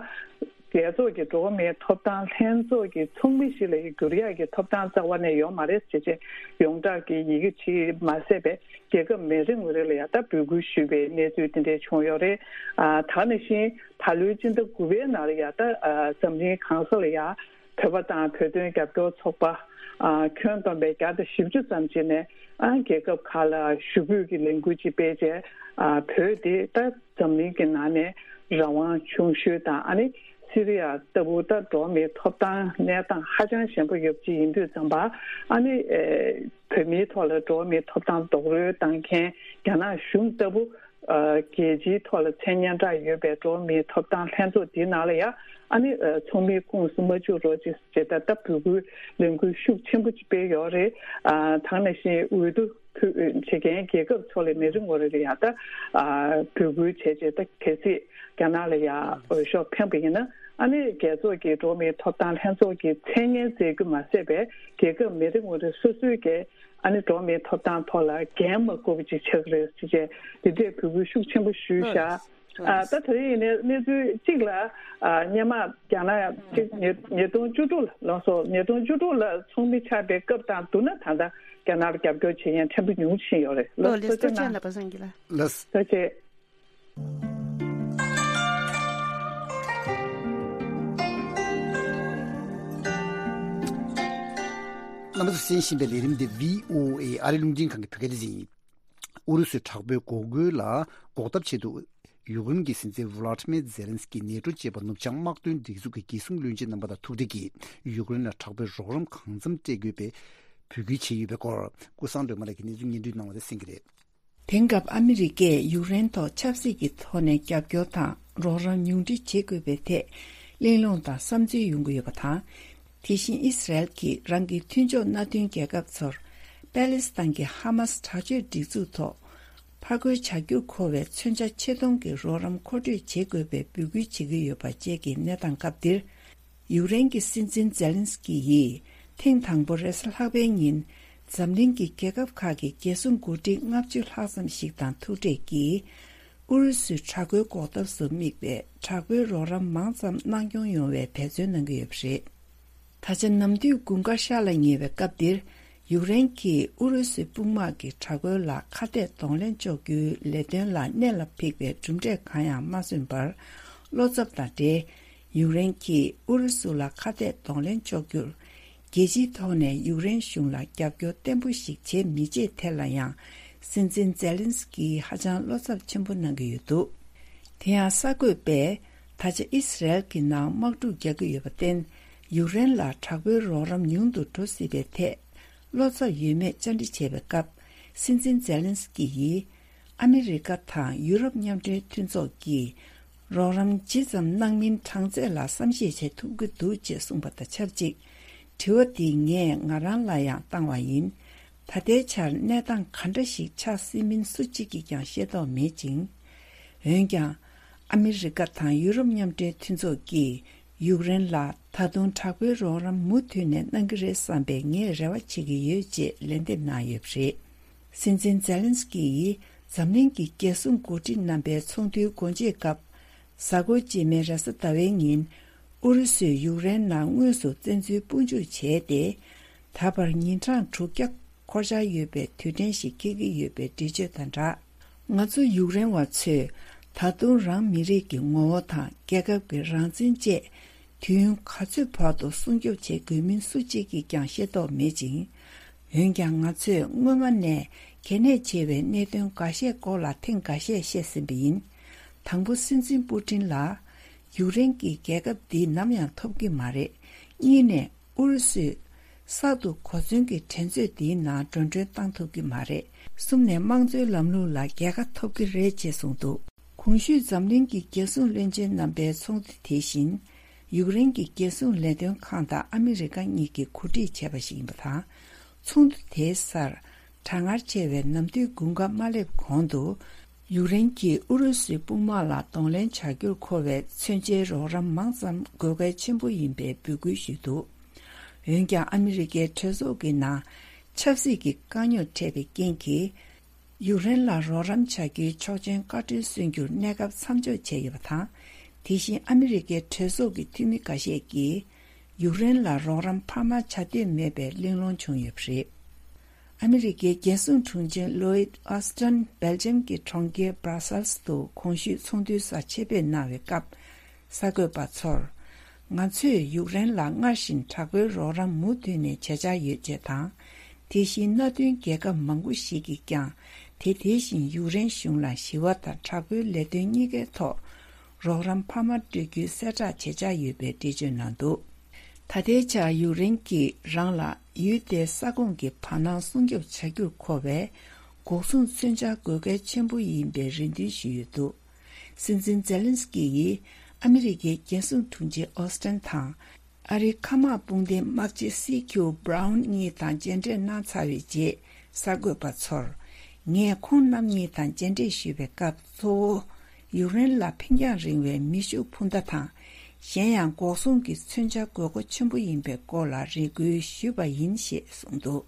རྒྱལ་ཚོགས་ཀྱི་འགྲོ་བ་མིའི་ཐོབ་ཐང་ལྷན་ཚོགས་ཀྱི་ཚོགས་མི་ཞིག་ལ་འགྱུར་ཡག་གི་ཐོབ་ཐང་རྩ་བ་ནས་ཡོད་མ་རེད་ཅེས་བྱས། ཡོངས་གྲགས་ཀྱི་ཡི་གེ་ཅིག་མ་ཟད་པའི་རྒྱལ་ཁབ་མི་རེ་ངོ་རེ་ལ་ཡང་ད་འབོད་སྐུལ་ཞུས་པའི་གནས་ཚུལ་དེ་འདྲས་བྱུང་ཡོད་རེད། ཨ་ད་ག་ནང་བཞིན་ད་ལོའི་སྤྱི་ཟླ་དགུ་པའི་ནང་ལ་ཡང་ད་ཨ་འཛམ་གླིང་གང་ས་ལ་ཡང་བོད་པ་དང་བོད་དོན་རྒྱབ་སྐྱོར་ཚོགས་པ་ཨ་ཁྱོན་བསྡོམས་པའི་བརྒྱ་དང་བཞི་བཅུ་ཙམ་ཅིག་ནས། ཨ་རྒྱལ་ཁབ་ཁག་ལ་ཞུ་འབོད་ཀྱི་ལས་འགུལ་ཅིག་སྤེལ་རྗེས། ཨ་བོད་དེ་ད་འཛམ་གླིང་གི་ནང་ནས་རང་དབང་ཆུང་ཤོས་དང་། ཨ་ནི་སི་རི་ཡ་ལྟ་བུ་ད་འགྲོ་བ་མིའི་ཐོབ་ཐང་གནས་སྟངས་ཧ་ཅང་ཞན་པོ་ཡོད་པ་ཅིག་ཡིན་དུས་ཙམ་པ། ཨ་ནི་ཨེ་བོད་མིའི་ཐོག་ལ་འགྲོ་བ་མིའི་ཐོབ་ཐང་རྡོག་རོལ་བཏང་མཁན་རྒྱ་ནག་གཞུང་ལྟ་བུ། ཨ་རྒྱལ་སྤྱིའི་ཐོག་ལ་མཚན་སྙན་གྲགས་ཡོད་པའི་འགྲོ་བ་མིའི་ཐོབ་ཐང་ལྷན་ཚོགས་འདིའི་ནང་ལ་ཡང་། ཨ་ནི་ཨ་ཚོགས་མིའི་ཁོངས་སུ་མ་བཅུག་རོགས་ཅེས་བྱས། ད་ལྟ་འབོད་སྐུལ་ལས་འགུལ་ཤུགས་ཆེན་པོ་ཅིག་སྤེལ་ཡོད་རེད། ཨ་ད་ག་ནང་བཞིན་འོས་བསྡུ་ཕུལ་བྱེད་མཁན་རྒྱལ་ཁབ་ཚོ་ལ་མི་རེ་ངོ་རེ་ལ་ཡང་ད་ཨ་འབོད་སྐུལ་བྱས་རྗེས། ད་གལ་སྲིད་རྒྱ་ནག་ལ་ཡང་འོས་ཤོག་འཕེན་པ་ཡིན་ན། ཨ་ནི་རྒྱལ་ཚོགས་ཀྱི་འགྲོ་བ་མིའི་ཐོབ་ཐང་ལྷན་ཚོགས་ཀྱི་མཚན་སྙན་བསྩལ་རྒྱུ་མ་ཟད་པའི་རྒྱལ་ཁབ་མི་རེ་ངོ་རེ་སོ་སོའི་གི་ཨ་ནི་འགྲོ་བ་མིའི་ཐོབ་ཐང་ཐོག་ལ་འགན་མ་འཁུར་བ་ཅིག་ཆགས་ཀྱི་རེད་ཟེར་བྱས། འདི་འདྲའི་འབོད་སྐུལ་ཤུགས་ཆེན་པོ་ཞུས་ཤག་ཨ་ད་དེ་རིང་ཡིན་ནའི་གནས་ཚུལ་གཅིག་ལ། ཨ་སྔོན་མ་རྒྱ་ནག་ཅིག་ཉིས་ཉིས་སྟོང་བཅུ་དྲུག་ལ་ལགས་སོ། ཉིས་སྟོང་བཅུ་དྲུག་ལ་ཚོགས་མི་ཆགས་པའི་སྐབས་དང་བསྡུར་ན། ད་ལྟ་རྒྱ་ནག་ལ་རྒྱབ་སྐྱོར་བྱེད་མཁན་ཕྲན་བུ་ཉུང་ཕྱིན་ཡོད་རེད། ལགས་སོ། ཐུགས་རྗེ་གནང་། ལགས། རྣམ་པ་ཚོས་གསན་བཞིན་པའི་ལས་རིམ་འདི་བྷི་ཨོ་ཨེ་ཨ་རིའི་རླུང་འཕྲིན་ཁང་གི་བོད་སྐད་སྡེ་ཚན་ཡིན། ཨུ་རུ་སུའི་དྲག་པོའི་འགོག་རྒོལ་ལ་འགོག་ཐབས་ཆེད་དུ། ཡུཀ་རེན་གྱི་སྲིད་འཛིན་ཝུ་ལ་ཏི་མེ་ཛེ་ལན་སི་ཀི་ནེ་ཏྲོ་ཅེས་པ་ནུབ་བྱང་དམག་དོན་སྒྲིག་འཛུགས་ཀྱི་རྒྱལ་སྲུང་བློན་ཆེན་རྣམ་པ་དང་ཐུག་འཕྲད་ཀྱིས། ཡུཀ་རེན་ལ་དྲག་པོའི་རོགས་རམ་གང་འཚམ་སྤྲད་དགོས་པའི་འབོད་སྐུལ་བྱས་ཡོད་པའི་སྐོར། ཀུན་བཟང་སྒྲོལ་མ་ལགས་ཀྱིས་གནས་ཚུལ་སྙན་སྒྲོན་གནང་བ་དེ་གསན་གྱི་རེད། དེང་སྐབས་ཨ་མི་རི་ཀས་ཡུཀ་རེན་ཐོག་ཆབ་སྲིད་ཀྱི་ཐོག་ནས་རྒྱབ་སྐྱོར་དང་རོགས་རམ་ཉུང་འཕྲི་བྱེད་དགོས་པའི་ཐད་གླེང་སློང་དང་བསམ་ཚུལ་ཡོང་གི་ཡོད་པ་དང་། དེ་བཞིན་ཨི་སི་རལ་གྱིས་རང་གི་མཐུན་ཕྱོགས་མནའ་མཐུན་རྒྱལ་ཁབ་ཚོར་པེ་ལེ་སི་ཐན་གྱི་ཧ་མ་སི་དྲག་སྤྱོད་སྒྲིག་འཛུགས་ཐོག་ཕར་རྒོལ་བྱ་རྒྱུར་མཁོ་བའི་མཚོན་ཆ་ཆེ་མཐོང་གི་རོགས་རམ་མཁོ་སྤྲོད་བྱེད་དགོས་པའི་འབོད་སྐུལ་བྱེད་ཀྱི་ཡོད་པ་བཅས་ཀྱི་གནས་སྟངས་སྐབས་འདིར། ཡུཀ་རེན་གྱི་སྲིད་འཛིན་ཛེ་ལན་སི་ཀི་ཡིས་ཐེངས་དང་པོ་རེས་གཟའ་ལྷག་པའི་ཉིན་འཛམ་གླིང་གི་རྒྱལ་ཁབ་ཁག་གི་རྒྱལ་སྲུང་འགོ་ཁྲིད་ལྔ་བཅུ་ལྷག་ཙམ་ཞིག་དང་ཐུག་འཕྲད་ཀྱིས། ཨུ་རུ་སུའི་དྲག་རྒོལ་འགོག་ཐབས་སུ་དམིགས་པའི་དྲག་པོའི་རོགས་རམ་མང་ཙམ་གནང་སྐྱོང་ཡོང་བའི་འབད་བརྩོན་གནང་གི་ཡོད་པ་རེད། ད་ཆ་ནམ་དུས་དགུན་ཁ་ཤར་ལ་ཉེ་བའི་སྐབས་འདིར། ཡུཀ་རེན་གྱིས་ཨུ་རུ་སུའི་དཔུང་དམག་གི་དྲག་རྒོལ་ལ་ཁ་གཏད་གདོང་ལེན་གཅོག་རྒྱུའི་ལས་དོན་ལ་གནད་ལ་འཕིགས་པའི་གྲུབ་འབྲས་གང་ཡང་མ་སོན་པར། བློ་འཚབ་དང་འབྲེལ། ཡུཀ་རེན་གྱིས་ཨུ་རུ་སུ་ལ་ཁ་གཏད་གདོང་ལེན་གཅོག་རྒྱུར། རྒྱལ་སྤྱིའི་ཐོག་ནས་ཡུཀ་རེན་གཞུང་ལ་རྒྱབ་སྐྱོར་བརྟན་པོ་ཞིག་བྱེད་མི་བྱེད་ཐད་ལ་ཡང་། སྲིད་འཛིན་ཛེ་ལན་སི་ཀིས་ཧ་ཅང་བློ་འཚབ་ཆེན་པོ་གནང་གི་ཡོད་འདུག་དེ་ཡང་གསར་འགོད་པས། ད་ཆ་ཨི་སི་རལ་གྱི་ནང་དམག་འཁྲུག་རྒྱག་གི་ཡོད་པར་བརྟེན། ཡུཀ་རེན་ལ་དྲག་པོའི་རོགས་རམ་ཉུང་དུ་འགྲོ་སྲིད་པའི་ཐད། བློ་འཚབ་ཡོད་མེད་བཅར་འདྲི་བྱས་པའི་སྐབས། སྲིད་འཛིན་ཛེ་ལན་སི་ཀི་ཡིས། ཨ་མི་རི་ཀ་དང་ཡུ་རོབ་མཉམ་འབྲེལ་མཐུན་ཚོགས་ཀྱིས། རོགས་རམ་ཇི་ཙམ་གནང་མིན་གྲངས་ཚད་ལ་བསམ་ཤེས་བྱེད་ཐུབ་ཀྱི་འདུག་ཅེས་གསུངས་པ་དང་ཆབས་ཅིག་དྲི་བ་འདི་ངས་ང་རང་ལ་ཡང་བཏང་བ་ཡིན། ད་ལྟའི་ཆར་གནས་སྟངས་ག་འདྲ་ཞིག་ཆགས་སྲིད་མིན་སུ་གཅིག་གིས་ཀྱང་ཤེས་རྟོགས་མེད་ཅིང་། འོན་ཀྱང་། ཨ་མི་རི་ཀ་དང་ཡུ་རོབ་མཉམ་འབྲེལ་མཐུན་ཚོགས་ཀྱིས་ཡུཀ་རེན་ལ་ད་དུང་དྲག་པོའི་རོགས་རམ་མུ་མཐུད་ནས་གནང་གི་རེད་བསམ་པའི་ངས་རེ་བ་བྱེད་ཀྱི་ཡོད་ཅེས་ལན་འདེབས་གནང་ཡོད་པ་རེད། སྲིད་འཛིན་ཛེ་ལན་སི་ཀི་ཡིས་འཛམ་གླིང་གི་རྒྱལ་སྲུང་འགོ་ཁྲིད་རྣམ་པའི་ཚོགས་འདུའི་སྒོ་འབྱེད་སྐབས། གཟའ་འཁོར་རྗེས་མའི་རེས་གཟའ་ཟླ་བའི་ཉིན། ཨུ་རུ་སུས་ཡུཀ་རེན་ནང་དངོས་སུ་བཙན་འཛུལ་དཔུང་འཇུག་བྱས་ཏེ། ད་བར་ཉིན་གྲངས་དྲུག་བརྒྱ་འཁོར་འཆར་ཡོད་པའི་དུས་དྲན་ཞིག་འཁེལ་གྱི་ཡོད་པའི་འགྲེལ་བརྗོད་དང་སྦྲགས། ང་ཚོ་ཡུཀ་རེན་བ་ཚོས་ད་དུང་རང་མི་རིགས་ཀྱི་ངོ་བོ་དང་རྒྱལ་ཁབ་ཀྱི་རང་བཙན་བཅས། དུས་ཡུན་ག་ཚོད་བར་དུ་སྲུང་སྐྱོབ་བྱེད་དགོས་མིན་སུ་གཅིག་གིས་ཀྱང་ཤེས་རྟོགས་མེད་ཅིང་། འོན་ཀྱང་ང་ཚོས་སྔོན་མ་ནས་གལ་གནད་ཆེ་བའི་གནད་དོན་འགའ་ཤས་སྐོར་ལ་ཐེངས་འགའ་ཤས་བཤད་ཟིན་པ་ཡིན། དང་པོ་སྲིད་འཛིན་པུ་ཏིན་ལ། ཡུཀ་རེན་གྱིས་རྒྱལ་ཁབ་འདི་ནམ་ཡང་ཐོབ་ཀྱི་མ་རེད། གཉིས་ནས་ཨུ་རུ་སུས་གསར་དུ་གོ་མཚོན་གྱི་འགྲན་རྩོད་འདིའི་ནང་འགྲོ་གྲོན་བཏང་ཐུབ་ཀྱི་མ་རེད། གསུམ་ནས་དམངས་གཙོའི་ལམ་ལུགས་ལ་རྒྱལ་ཁ་ཐོབ་ཀྱི་རེད་ཅེས་གསུངས་འདུག་གོང་ཞུས་འཛམ་གླིང་གི་རྒྱལ་སྲུང་བློན་ཆེན་རྣམ་པའི་ཚོགས་འདུ་དེ་བཞིན། ཡུཀ་རེན་གྱི་རྒྱལ་སྲུང་ལས་དོན་ཁང་དང་ཨ་མི་རི་ཀ་གཉིས་ཀྱིས་གོ་སྒྲིག་བྱས་པ་ཞིག་ཡིན་པ་དང་། ཚོགས་འདུ་དེའི་སར། གྲང་ངར་ཆེ་བའི་ནམ་དུས་དགུན་ཁ་མ་སླེབས་གོང་དུ། ཡུཀ་རེན་གྱིས་ཨུ་རུ་སུའི་དཔུང་དམག་ལ་གདོང་ལེན་བྱ་རྒྱུར་མཁོ་བའི་མཚོན་ཆའི་རོགས་རམ་མང་ཙམ་དགོས་གལ་ཆེན་པོ་ཡིན་པའི་འབོད་སྐུལ་ཞུས་འདུག་འོན་ཀྱང་ཨ་མི་རི་ཀའི་གྲོས་ཚོགས་ཀྱི་ནང་ཆབ་སྲིད་ཀྱི་དཀའ་རྙོག་འཕྲད་པའི་རྐྱེན་གྱིས། ཡུཀ་རེན་ལ་རོགས་རམ་བྱ་རྒྱུའི་ཆོག་མཆན་བཀའ་འཁྲོལ་སོན་རྒྱུར་གནས་སྐབས་མཚམས་འཇོག་བྱས་ཡོད་པ་དང་། དེ་བཞིན་ཨ་མི་རི་ཀའི་གྲོས་ཚོགས་ཀྱི་འཐུས་མི་འགའ་ཤས་ཀྱིས་ཡུཀ་རེན་ལ་རོགས་རམ་འཕར་མ་བྱ་འདོད་མེད་པའི་གླེང་སློང་བྱུང་ཡོད་པ་རེད། ཨ་མི་རི་ཀའི་རྒྱལ་སྲུང་དྲུང་ཆེ་ལོའིད་ཨོ་སི་ཏན་སྦེལ་ཇམ་གྱི་གྲོང་ཁྱེར་སྦྲ་སལ་སི་ཏུ་གོང་ཞུས་ཚོགས་འདུའི་སར་ཆེད་ཕེབས་གནང་བའི་སྐབས། གསར་འགོད་པ་ཚོར། ང་ཚོས་ཡུཀ་རེན་ལ་སྔར་བཞིན་དྲག་པོའི་རོགས་རམ་མུ་མཐུད་ནས་བྱེད་འཆར་ཡོད་ཅེས་དང་། དེ་བཞིན་མནའ་མཐུན་རྒྱལ་ཁབ་མང་པོ་ཞིག་གིས་ཀྱང་དེ་དེ་བཞིན་ཡུཀ་རེན་གཞུང་ལ་ཞི་བ་དང་དྲག་པོའི་ལས་དོན་གཉིས་ཀའི་ཐོག་རོགས་རམ་འཕར་མ་སྤྲོད་རྒྱུའི་གསལ་བསྒྲགས་བྱེད་འཆར་ཡོད་པའི་འགྲེལ་བརྗོད་གནང་འདུག་ད་ལྟའི་ཆར་ཡུཀ་རེན་གྱིས་རང་ལ་ཡུལ་དེའི་ས་ཁོངས་ཀྱི་བར་སྣང་སྲུང་སྐྱོབ་བྱ་རྒྱུར་མཁོ་བའི་འགོག་སྲུང་མཚོན་ཆ་དགོས་གལ་ཆེན་པོ་ཡིན་པའི་རེ་འདུན་ཞུས་ཡོད་འདུག་སྲིད་འཛིན་ཛེ་ལན་སི་ཀི་ཡིས་ཨ་མི་རི་ཀའི་རྒྱལ་སྲུང་དྲུང་ཆེ་ཨོ་སི་ཏན་དང་། ཨ་རིའི་མཁའ་དམག་དཔུང་སྡེའི་དམག་སྤྱི་སི་ཁྱུ་སྦ་རའུན་གཉིས་དང་མཇལ་འཕྲད་གནང་ཚར་བའི་རྗེས། གསར་འགོད་པ་ཚོར། ངས་ཁོང་རྣམ་གཉིས་དང་མཇལ་འཕྲད་ཞུས་པའི་སྐབས་གཙོ་བོ། ཡུཀ་རེན་ལ་འཕེན་རྒྱང་རིང་བའི་མེ་ཤུགས་འཕུར་མདའ་དང་། གཞན་ཡང་འགོག་སྲུང་གི་མཚོན་ཆ་དགོས་མཁོ་ཆེན་པོ་ཡིན་པའི་སྐོར་ལ་རེ་སྐུལ་ཞུས་པ་ཡིན་ཞེས་གསུངས་འདུག་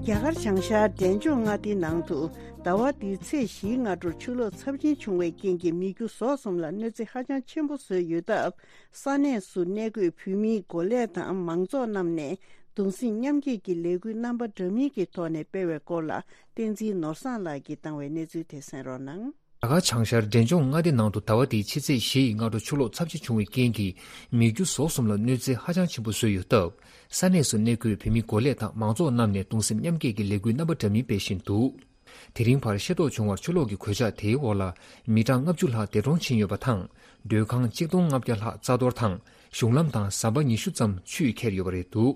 རྒྱ་གར་བྱང་ཤར་འབྲས་ལྗོངས་མངའ་སྡེའི་ནང་དུ་ཟླ་བ་འདིའི་ཚེས་བཞིའི་སྔ་དྲོར་ཆུ་ལོག་ཚབས་ཆེན་བྱུང་བའི་རྐྱེན་གྱིས་མི་རྒྱུ་ཟོག་གསུམ་ལ་གནོད་འཚེ་ཧ་ཅང་ཆེན་པོ་བཟོས་ཡོད་སྟབས། ས་གནས་སུ་གནས་འཁོད་བོད་མིའི་འགོ་ལས་དང་མང་ཚོགས་རྣམས་ནས་གདུང་སེམས་མཉམ་སྐྱེད་ཀྱི་ལས་འགུལ་རྣམ་པ་འདྲ་མིན་གྱི་ཐོག་ནས་སྤེལ་བའི་སྐོར་ལ། བསྟན་འཛིན་ནོར་བཟང་ལགས་ཀྱིས་བཏང་བའི་གནས་ཚུལ་དེ་གསན་རོགས་གནང་། རྒྱ་གར་བྱང་ཤར་འབྲས་ལྗོངས་མངའ་སྡེ་ནང་དུ་ཟླ་བ་འདིའི་ཕྱི་ཚེས་བཞི་ཡི་སྔ་དྲོ་ཆུ་ལོག་ཚབས་ཆེ་བྱུང་བའི་རྐྱེན་གྱིས་མི་རྒྱུ་ཟོག་གསུམ་ལ་གནོད་འཚེ་ཧ་ཅང་ཆེན་པོ་བཟོས་ཡོད་སྟབས། ས་གནས་སུ་གནས་འཁོད་བོད་མི་འགོ་ལས་དང་མང་ཚོགས་རྣམས་ནས་གདུང་སེམས་མཉམ་སྐྱེད་ཀྱི་ལས་འགུལ་རྣམ་པ་འདྲ་མིན་སྤེལ་བཞིན་འདུག་དེ་རིང་བར་ཤེས་རྟོགས་བྱུང་བར་ཆུ་ལོག་གི་གོད་ཆག་དེའི་འོག་ལ་མི་གྲངས་ལྔ་བཅུ་ལྷག་འདས་གྲོངས་ཕྱིན་ཡོད་པ་དང་། མགྲོན་ཁང་ཆིག་སྟོང་ལྔ་བརྒྱ་ལྷག་རྩ་གཏོར་དང་། གཞུང་ལམ་དང་ཟམ་པ་ཉི་ཤུ་ཙམ་ཆུས་ཁྱེར་ཡོད་པ་རེད་འདུག་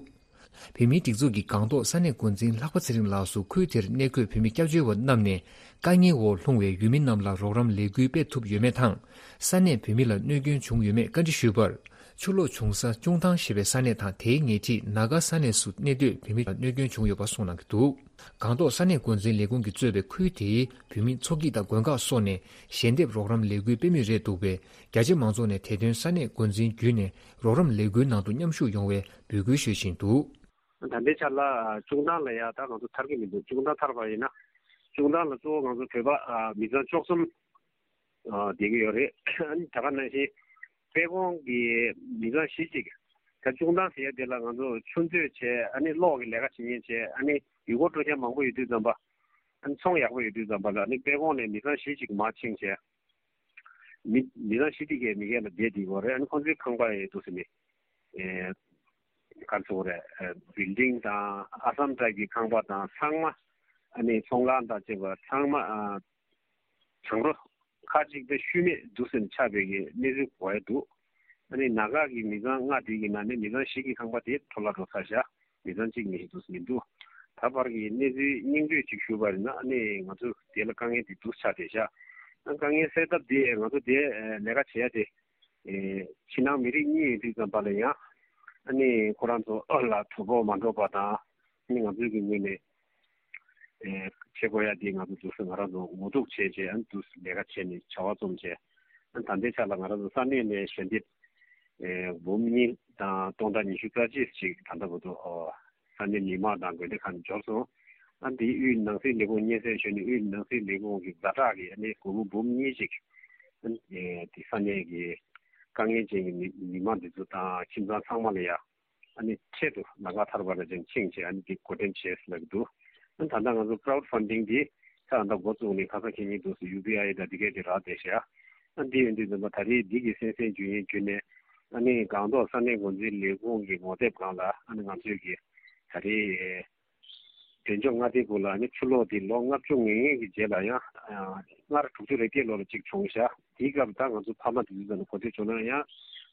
བོད་མིའི་སྒྲིག་འཛུགས་ཀྱི་སྒང་ཐོག་ས་གནས་འགོ་འཛིན་ལྷག་པ་ཚེ་རིང་ལགས་སུ་ཁུལ་དེར་གནས་འཁོད་བོད་མི་སྐྱབས་བཅོལ་བ་རྣམས་ནས་དཀའ་ངལ་འོག་ལྷུང་བའི་ཡུལ་མི་རྣམས་ལ་རོགས་རམ་ལས་འགུལ་སྤེལ་ཐུབ་ཡོད་མེད་དང་། ས་གནས་བོད་མི་ལ་གནོད་སྐྱོན་བྱུང་ཡོད་མེད་བཀའ་འདྲི་ཞུས་པར། ཆུ་ལོག་བྱུང་ས་ཅུང་ཐང་ཞེས་པའི་ས་གནས་དང་དེའི་ཉེ་འཁྲིས་ན་ག་ས་གནས་སུ་གནས་སྡོད་བོད་མི་ལ་གནོད་སྐྱོན་བྱུང་ཡོད་པ་གསུངས་གནང་གི་འདུག་སྒང་ཐོག་ས་གནས་འགོ་འཛིན་ལས་ཁུངས་ཀྱིས་གཙོས་པའི་ཁུལ་དེའི་བོད་མི་ཚོགས་སྐྱིད་དང་དགོན་ཁག་སོགས་ནས་ཞལ་འདེབས་རོགས་རམ་ལས་འགུལ་སྤེལ་མུས་རེད་འདུག་པས། རྒྱ་ཆེ་མང་ཚོགས་ནས་དེ་དོན་ས་གནས་འགོ་འཛིན་བརྒྱུད་ནས་རོགས་རམ་ལས་འགུལ་ནང་དུ་མཉམ་ཞུགས་ཡོང་བའི་འབོད་སྐུལ་ཞུ་བཞིན་འདུག་ད་ལྟའི་ཆར་ལ་ཅུང་ཐང་ལ་ཡ་ད་ང་ཚོ་ཐར་གྱི་མི་འདུག་ཅུང་ཐང་ཐར་པ་ཡིན་ན་ཅུང་ཐང་ལ་གཙོ་བོ་ང་ཚོ་བོད་པ་མི་ཚང་བཅུ་གསུམ་བསྡད་ཀྱི་ཡོད་རེད། ཨ་ནི་ད་ག་ནང་བཞིན་དཔལ་གོང་གི་མི་ཚང་བཞི་ཅིག་ད་ཅུང་ཐང་ཟེར་ཡ་དེ་ལ་ང་ཚོ་ཆུ་མཛོད་བྱས། ཨ་ནི་གློག་གི་ལས་ཀ་བྱེད་མཁན་བྱས། ཨ་ནི་ཡུལ་སྐོར་སྤྲོ་འཆམ་མང་པོ་ཡོད་དུས་ཙམ་པ། ཨ་ནི་ཚོང་ཡག་པོ་ཡོད་དུས་ཙམ་པ་ལ་ཨ་ནི་དཔལ་གོང་ནས་མི་ཚང་བཞི་ཅིག་མར་ཕྱིན་བྱས། མི་མི་ཚང་བཞི་དེ་གའི་མི་སྒེར་ལ་བསྡད་བསྡད་ཡོད་རེད། ཨ་ནི་ཁོང་ཚོའི་ཁང་པ་ཡི་འདུག་ཟེར་ནས། ཨེ་ག་རེ་ཟེར་དགོས་རེད། ཨེ་བིལ་ཌིང་དང་ཨ་སམ་ཊའིབ་ཀྱི་ཁང་པ་དང་ཚང་མ། ཨ་ནི་ཚོང་ཁང་དང་བཅས་པ་ཚང་མ་ཨ་གྱང་རོ་ཁག་ཅིག་དེ་ཤུལ་མེད་འདུག་ཟེར་ནས་ཆགས་པའི་གི་གནས་ཚུལ་གོ་ཡ་འདུག་ཨ་ནི་ན་ག་གི་མི་ཚང་ལྔ་དེ་གི་ནང་ནས་མི་ཚང་བཞི་གི་ཁང་པ་དེ་འཕྲོ་བརླག་འགྲོ་ཚར་བཞག་མི་ཚང་གཅིག་མི་ཤི་འདུག་མི་འདུག་ད་བར་གྱི་གནས་ཚུལ་སྙིང་བསྡུས་ཅིག་ཞུས་པ་ཡིན་ན། ཨ་ནི་ང་ཚོ་དེ་ལ་དཀའ་ངལ་དེ་འདུག་ཆགས་བསྡད་ཤག་ཨ་དཀའ་ངལ་སེལ་ཐབས་དེ་ང་ཚོ་དེ་ལས་ཀ་བྱེད་ཡ་དེ། ཨེ་ཕྱི་ནང་མི་རིགས་གཉིས་ཡོད་དུས་ཙམ་པ་ལ་ཡང་། ཨ་ནི་ཁོ་རང་ཚོ་ཨ་ལ་གྲོད་ཁོག་མ་འགྲོ་བ་དང་། ཨ་ནི་ང་ཚོའི་གི་ངོས་ནས་ཨེ་བྱེད་དགོས་ཡ་དེ་ང་ཚོ་འདུག་སེ་ང་རང་ཚོ་ངོ་ཐུག་བྱས་བྱས། ཨ་ནི་འདུག་སེ་ལས་ཀ་བྱས་ནས་བྱ་བ་རྩོམ་བྱས། ཨ་ནི་ད་ལྟའི་ཆ་ལ་ང་རང་ཚོ་ས་གནས་ནས་ཞལ་འདེབས་ཨེ་འབུམ་གཉིས་དང་སྟོང་ཕྲག་ཉི་ཤུ་རྩ་གཅིག་ཅིག་ད་ལྟ་བར་དུ་ཨོ་ས་གནས་མི་མང་དང་དགོན་སྡེ་ཁག་ནས་འབྱོར་སོང་། ཨ་འདིའི་དབུས་ནང་སྲིད་ལས་ཁུངས་སྙན་སེང་ཞུས་ནས། དབུས་ནང་སྲིད་ལས་ཁུངས་ཀྱི་ཛ་དྲག་གི་ཨ་ནི་སྒོར་མོ་འབུམ་གཉིས་ཅིག་ཨ་ནི་དེ་ས་གནས་ཀྱི་དཀའ་ངལ་ཅན་གྱི་མི་མི་མང་འདི་ཚོ་དང་ཁྱིམ་ཚང་ཚང་མ་ལ་ཡ། ཨ་ནི་འཕྲལ་དུ་ལམ་ཁ་ཐར་པ་ལ་ཅིག་ཕྱིན་བྱས། ཨ་ནི་འདི་བགོ་འགྲེམས་བྱས་ཟེར་ལབ་ཀྱི་འདུག་ཨ་ནི་ད་ལྟ་ང་ཚོ་ཀ་རའུ་ཌི་ཕན་ཌིང་འདི་ད་ལྟ་འགོ་བཙུགས་ནས་ཁ་སང་ཁེ་ཉིན་འདུག་སེ་ཡུ་པི་ཨའི་དང་འདི་གས་དེ་རག་བསྡད་ཤག་ཨ་འདི་ཡིན་དུས་ཙམ་པ་ད་རེས་འདི་གི་གསན་གསན་བརྒྱུད་ཡིན་བརྒྱུད་ནས། ཨ་ནི་སྒང་ཏོག་ས་གནས་འགོ་འཛིན་ལས་ཁུངས་ཀྱི་ངོ་དེབ་སྒང་ལ། ཨ་ནི་ང་ཚོས་ཀྱི་ད་རེས་འབྲས་ལྗོངས་མངའ་སྡེ་གུ་ལ་ཨ་ནི་ཆུ་ལོག་འདི་ལོ་ལྔ་བཅུ་ང་ལྔ་གི་རྗེས་ལ་ཡང་སྔར་དྲུག་ཅུ་རེ་བརྒྱད་ལོ་ལ་གཅིག་བྱུང་ཤག་དེའི་སྐབས་ད་ང་ཚོ་ཕ་མ་དེ་ཚོ་ནས་གོ་ཐོས་བྱུང་ན་ཡང་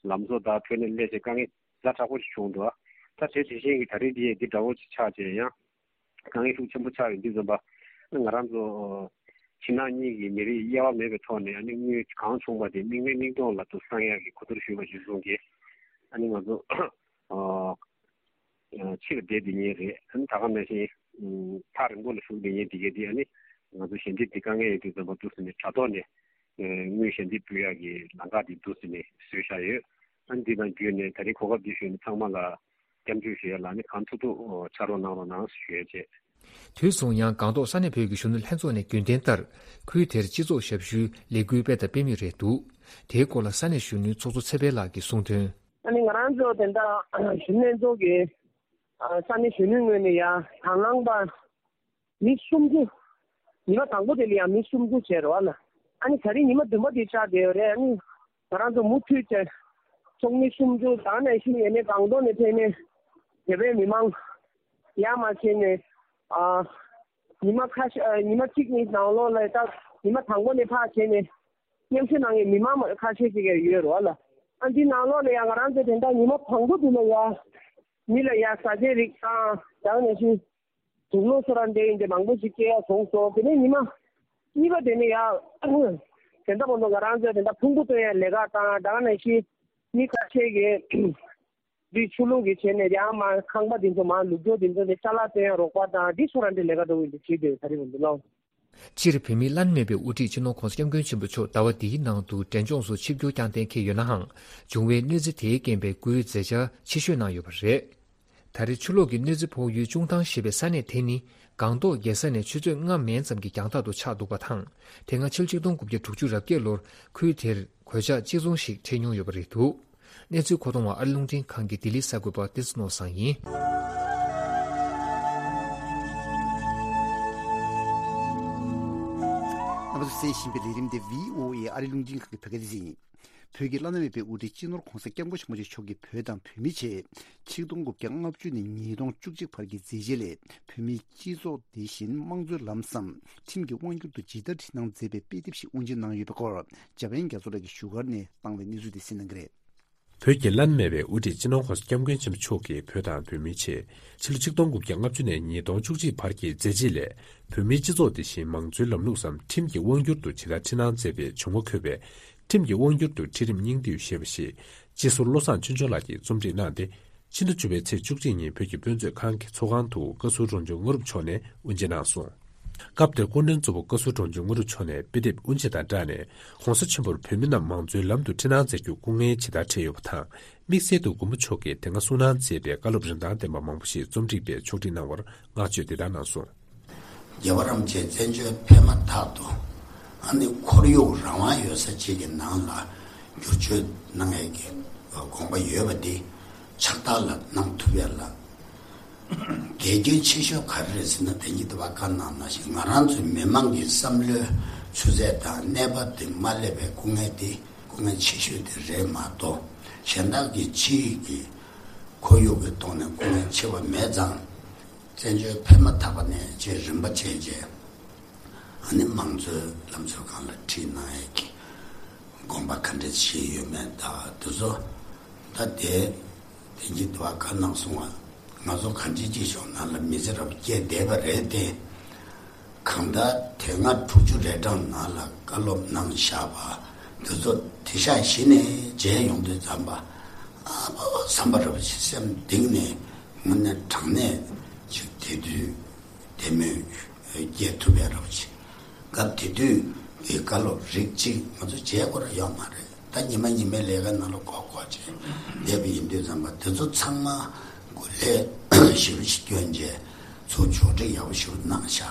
ལམ་བཟོ་དང་ཐོན་ལས་སླེབས་བྱས་དཀའ་ངལ་ཛ་དྲག་པོ་ཞིག་བྱུང་འདུག་ད་དེ་དེ་བཞིན་གྱི་ད་རེས་འདི་ཡང་འདི་འདྲ་བོ་ཅིག་ཆགས་བྱས་ཡང་ དཀའ་ངལ་ཤུགས་ཆེན་པོ་ཆགས་ཡོད་དུས་ཙམ་པ། ང་རང་ཚོ་ཕྱི་ནང་གཉིས་ཀྱི་མི་རིགས་དབྱེ་བ་མེད་པའི་ཐོག་ནས་ཨ་ནི་དངུལ་གང་བྱུང་བ་དེ་མིག་ནས་མིག་མཐོང་ལ་དུ་བསང་ཡག་གི་གོ་བསྡུར་ཞུས་པ་གཞིར་བཟུང་གིས། ཨ་ནི་ང་ཚོ་ཕྱིར་བསྡད་བསྡད་མཁན་རེད། ཨ་ནི་ད་ག་ནང་བཞིན་ཐག་རིང་པོ་ལ་བཞུགས་བསྡད་མཁན་དེ་གས་དེ་ཨ་ནི་ང་ཚོ་ཞལ་འདེབས་དེ་དཀའ་ངལ་ཡོད་དུས་ཙམ་པ་འདུག་ཟེར་ནས་དྲ་ཐོག་ནས་དངུལ་ཞལ་འདེབས་ཕུལ་ཡག་གི་ལམ་ཁ་དེ་འདུག་ཟེར་ནས་བཟོས་བཞག་ཡོད། ཨ་ནི་འདི་དང་བརྒྱུད་ནས་ད་རིང་གོ་སྐབས་འདི་ཞུས་ནས་ཚང་མ་ལ་སྐྱབས་འཇུག་ཞུ་ཡ་ལ་ནི་གང་ཐུབ་ཐུབ་ཕྱག་རོགས་གནང་རོགས་གནང་ཞུ་ཡ་བྱས། དུས་སུ་ཡང་སྒང་ཏོག་ས་གནས་བོད་ཀྱི་གཞོན་ནུ་ལྷན་ཚོགས་ནས་རྒྱུན་ལྡན་ལྟར་ཁུལ་དེར་སྤྱི་ཚོགས་ཞབས་ཞུའི་ལས་འགུལ་སྤེལ་དང་སྤེལ་མུས་རེད་འདུག་དེའི་སྐོར་ལ་ས་གནས་གཞོན་ནུའི་ཚོགས་གཙོ་ཚེ་འཕེལ་ལགས་ཀྱིས་གསུངས་དོན། ཨ་ནི་ང་རང་ཚོ་དེ་འདྲ་གཞོན་ནུ་ལྷན་ཚོགས་ཀྱི་ས་གནས་གཞོན་ནུའི་ངོས་ནས་ཡང་དང་བླངས་པ་མི་སུམ་ཅུ། ཉི་མ་དང་པོ་དེ་ལ་ཡང་མི་སུམ་ཅུ་བྱས་རེད་བ་ལ། ཨ་ནི་ད་རིང་ཉི་མ་བདུན་པ་དེ་ཆགས་བསྡད་ཡོད་རེད། ཨ་ནི་ང་རང་ཚོ་མུ་མཐུད་བྱས་ཚོགས་མི་སུམ་ཅུ་དང་ནས་ཤི་ཡས་ནས་སྒང་ཏོག་ནས་ཕེབས་ནས་བོད་པའི་མི་མང་ཡར་མར་བྱས་ནས་ཨ་ཉི་མ་ཁ་ཤས་ཨ་ཉི་མ་གཅིག་གཉིས་ནང་ལོགས་ལ་ད་ཉི་མ་དང་པོ་ནས་ཕར་བྱས་ནས་མཉམ་ཞུགས་གནང་མཁན་མི་མང་ཁ་ཤས་ཅིག་ཡང་ཡོད་རེད་བ་ལ། ཨ་འདི་ནང་ལོགས་ལ་ཡང་ང་རང་ཚོ་དེ་འདྲ་ཉི་མ་དང་པོ་དེ་ལ་ཡང་མི་ལ་ཡང་ཟ་ཆས་རིགས་དང་དང་ནས་ཤི། དུག་ལོག་སོ་ར་འདྲ་ཡིན་ཏེ་མང་པོ་ཞིག་སྐྱེལ་ཡག་བྱུང་སོང་། དེ་ནས་ཉི་མ་གཉིས་པ་དེ་ནས་ཡང་དེ་འདྲ་བོ་ང་རང་ཚོས་དེ་འདྲ་ཕུང་པོ་སྟོན་ཡག་ལས་ཀ་དང་དང་ནས་ཤི་མི་ཁ་ཤས་ཀྱིས་འདི་ཆུ་ལུག་གི་བྱས་ནས་ཡང་མ་ཁང་པ་འདི་ཚོ་མ་ལུག་ཀྱོག་འདི་ཚོ་ནས་ཅ་ལག་སྟོན་ཡག་རོགས་པ་དང་འདི་ཚོ་ར་འདྲ་ལས་ཀ་འགྲོ་གི་འདུག་བྱེད་དེ་ད་རེས་འདི་ལོ། སྤྱིར་བོད་མིའི་བླ་ན་མེད་པའི་དབུ་ཁྲིད་སྤྱི་ནོར་༸གོང་ས་༸སྐྱབས་མགོན་ཆེན་པོ་མཆོག་ཟླ་བ་འདིའི་ནང་དུ་འབྲས་ལྗོངས་སུ་ཆིབས་བསྒྱུར་བསྐྱངས་གཏན་འཁེལ་ཡོད་ནའང་། བྱུང་བའི་གནོད་འཚེ་དེའི་རྐྱེན་པས་བཀུར་འོས་མཛད་འཆར་ཆེ་ཤོས་གནང་ཡོད་པ་རེད། ད་རེས་ཆུ་ལོག་གི་གནོད་འཚེ་ཕོག་ཡུལ་ཅུང་ཐང་ཞེས་པའི་ས་གནས་དེ་ནི་སྒང་ཏོག་རྒྱལ་ས་ནས་ཆུ་ཚོད་ལྔ་མན་ཙམ་གྱི་རྒྱང་ཐག་ཏུ་ཆགས་འདུག་པ་དང་། དེ་སྔ་ཕྱི་ལོ་ཆིག་སྟོང་དགུ་བརྒྱ་དྲུག་ཅུ་རེ་བརྒྱད་ལོར་ཁུལ་དེར་གོད་ཆག་གཅིག་མཚུངས་ཤིག་འཕྲད་མྱོང་ཡོད་པ་རེད་འདུག་གནས་ཚུལ་མཁོ་གཏོང་བ་ཨ་རི་རླུང་འཕྲིན་ཁང་གི་ལྡི་ལི་གསར་འགོད་པ་བསྟན་འཛིན་ནོར་བཟང་ཡིན། རྣམ་པ་ཚོས་གསན་བཞིན་པའི་ལས་རིམ་དེ་བྷི་ཨོ་ཨེ་ཨ་རི་རླུང་འཕྲིན་ཁང་གི་བོད་སྐད་སྡེ་ཚན་ཡིན། བོད་ཀྱི་བླ་ན་མེད་པའི་དབུ་ཁྲིད་སྤྱི་ནོར་༸གོང་ས་༸སྐྱབས་མགོན་ཆེན་པོ་མཆོག་གིས་བོད་དང་བོད་མིའི་ཆེད་ཆིག་སྟོང་དགུ་བརྒྱ་ལྔ་བཅུ་ནས་ཉིས་སྟོང་བཅུ་གཅིག་བར་གྱི་མཛད་རྗེས་ལས་བོད་མིའི་སྤྱི་ཚོགས་དེ་བཞིན་དམངས་གཙོའི་ལམ་བཟང་ཁྲིམས་ཀྱི་དབང་སྒྱུར་དུ་ཇི་ལྟར་ཁྲིད་གནང་མཛད་པའི་དཔེ་དེབ་ཞིག་དབུ་འབྱེད་གནང་ཡོད་པའི་སྐོར་འཇམ་དབྱངས་རྒྱ་མཚོ་ལགས་ཀྱིས་བཞུགས་སྒར་ནས་བཏང་བའི་གནས་ཚུལ་དེ་གསན་གནང་གི་རེད། བོད་ཀྱི་བླ་ན་མེད་པའི་དབུ་ཁྲིད་སྤྱི་ནོར་༸གོང་ས་༸སྐྱབས་མགོན་ཆེན་པོ་མཆོག་གིས་བོད་དང་བོད་མིའི་ཆེད་ཕྱི་ལོ་ཆིག་སྟོང་དགུ་བརྒྱ་ལྔ་བཅུ་ནས་ཉིས་སྟོང་བཅུ་གཅིག་བར་གྱི་མཛད་རྗེས་ལས་བོད་མིའི་སྤྱི་ཚོགས་དེ་བཞིན་མང་གཙོའི་ལམ་ལུགས་སམ་ཁྲིམས་ཀྱི་དབང་སྒྱུར་དུ་ཇི་ལྟར་ཁྲིད་གནང་མཛད་པའི་བྱུང་བ་འཁོད་པའི་ཁྲིམས་ཀྱི་དབང་སྒྱུར་དུ་ཁྲིད་རིམ་སྙིང་བསྡུས་ཞེས་པ་ཞིག་སྤྱི་ཟུར་བློ་བཟང་ཆོས་འབྱོར་ལགས་ཀྱིས་རྩོམ་སྒྲིག་གནང་སྟེ། ཕྱི་ཟླ་བཅུ་པའི་ཚེས་བཅུ་གཅིག་ཉིན་བོད་ཀྱི་དཔེ་མཛོད་ཁང་གི་ཚོགས་ཁང་དུ་བཀའ་ཟུར་རོང་ཆུ་དངོས་གྲུབ་མཆོག་ནས་དབུ་འབྱེད་གནང་སོང་། སྐབས་དེར་སྐུ་མགྲོན་གཙོ་བོ་བཀའ་ཟུར་རོང་ཆུ་དངོས་གྲུབ་མཆོག་ནས་དཔེ་དེབ་དབུ་འབྱེད་དང་སྦྲགས་ནས་༸གོང་ས་ཆེན་པོར་བོད་མི་རྣམས་མང་གཙོའི་ལམ་དུ་ཁྲིད་གནང་མཛད་རྒྱུར་སྐུ་ངལ་ཇི་ལྟར་འཕྲད་ཡོད་པ་དང་། དམིགས་བསལ་དུ་མགོན་པོ་མཆོག་གིས་དེ་སྔ་གསུང་གནང་མཛད་པའི་བཀའ་སློབ་རིན་ཐང་ལྡན་པ་མང་པོ་ཞིག་རྩོམ་སྒྲིག་པས་ཕྱོགས་སྒྲིག་གནང་བར་བསྔགས་བརྗོད་འདི་ལྟར་གནང་སོང་། རྒྱལ་བ་རིན་པོ་ཆེ་བཙན་བྱོལ་ཕེབས་མ་ཐག་ཏུ་ཨ་ནི་ཁོར་ཡུག་རང་དབང་ཡོད་ས་ཅིག་གི་ནང་ལ་བསྒྱུར་བཅོས་གནང་ཡས་ཀྱི་དགོངས་པ་ཡོད་པ་འདི་ཕྱག་རྟགས་ལ་གནང་ཐུབ་ཡས་ལ་གལ་གལ་ཆེ་ཤོས་ག་རེ་རེད་ཟེར་ན། དེང་གི་འདི་བ་བཀའ་གནང་ནང་བཞིན་ང་རང་ཚོའི་མི་མང་གི་བསམ་བློའི་ཆུ་ཚད་དང་གནས་བབ་དེ་མ་སླེབས་པའི་སྐུ་ངལ་དེ་སྐུ་ངལ་ཆེ་ཤོས་དེ་རེད་མ་གཏོགས། གཞན་དག་གི་ཕྱི་ཡི་གི་ཁོར་ཡུག་གི་ཐོག་ནས་སྐུ་ངལ་ཆེ་བ་མེད་ཙང་། བཙན་བྱོལ་ཕེབས་མ་ཐག་པ་ནས་བཅས་རིམ་པ་བྱས་རྗེས། ཨ་ནི་མང་གཙོའི་ལམ་སྲོལ་སྒང་ལ་ཁྲིད་གནང་ཡས་ཀྱི་དགོངས་པ་ག་འདྲ་བཞེས་ཡོད་མེད་དང་དེ་ཚོ། ད་དེ་དེ་གྱིས་དུ་བ་བཀའ་གནང་སོང་བ། ང་ཚོ་གང་ཅི་ཅི་ཞོག་ནང་ལ་མི་ཚེ་རབ་སྐྱེལ་བསྡད་པ་རེད་དེ། གང་ལྟར་དེ་སྔ་དྲུག་ཅུ་རེ་གྲངས་ནང་ལ་བཀའ་སློབ་གནང་བཞག་པ་དེ་ཚོ་དེ་ཤག་གཞི་ནས་མཇལ་ཡོང་དུས་ཙམ་པ། ཨ་ཕོ་བསམ་པ་རབ་ཆེ་སེམས་གཏིང་ནས་དངོས་གནས་དྲང་གནས་ཅིག་དེ་དུས་དེ་མོས་སྐྱེལ་ཐུབ་ཡ་རབ་ཆེ། སྐབས་དེ་དུས་ཀྱི་བཀའ་སློབ་རིགས་གཅིག་ང་ཚོ་བྱས་སྐོར་ཡོད་མ་རེད། ད་ཉི་མ་ཉི་མའི་ལས་ཀ་ནང་ལ་ཁོག་ཁོག་བྱས་བསྡད་པ་ཡིན་དུས་ཙམ་པ་དེ་ཚོ་ཚང་མ་སྐུ་ལས་ཞེ་པོ་ཞིག་བསྐྱོན་རྗེས་ཚུར་ཕྱོགས་སྒྲིག་ཡག་པོ་ཞིག་གནང་བཞག་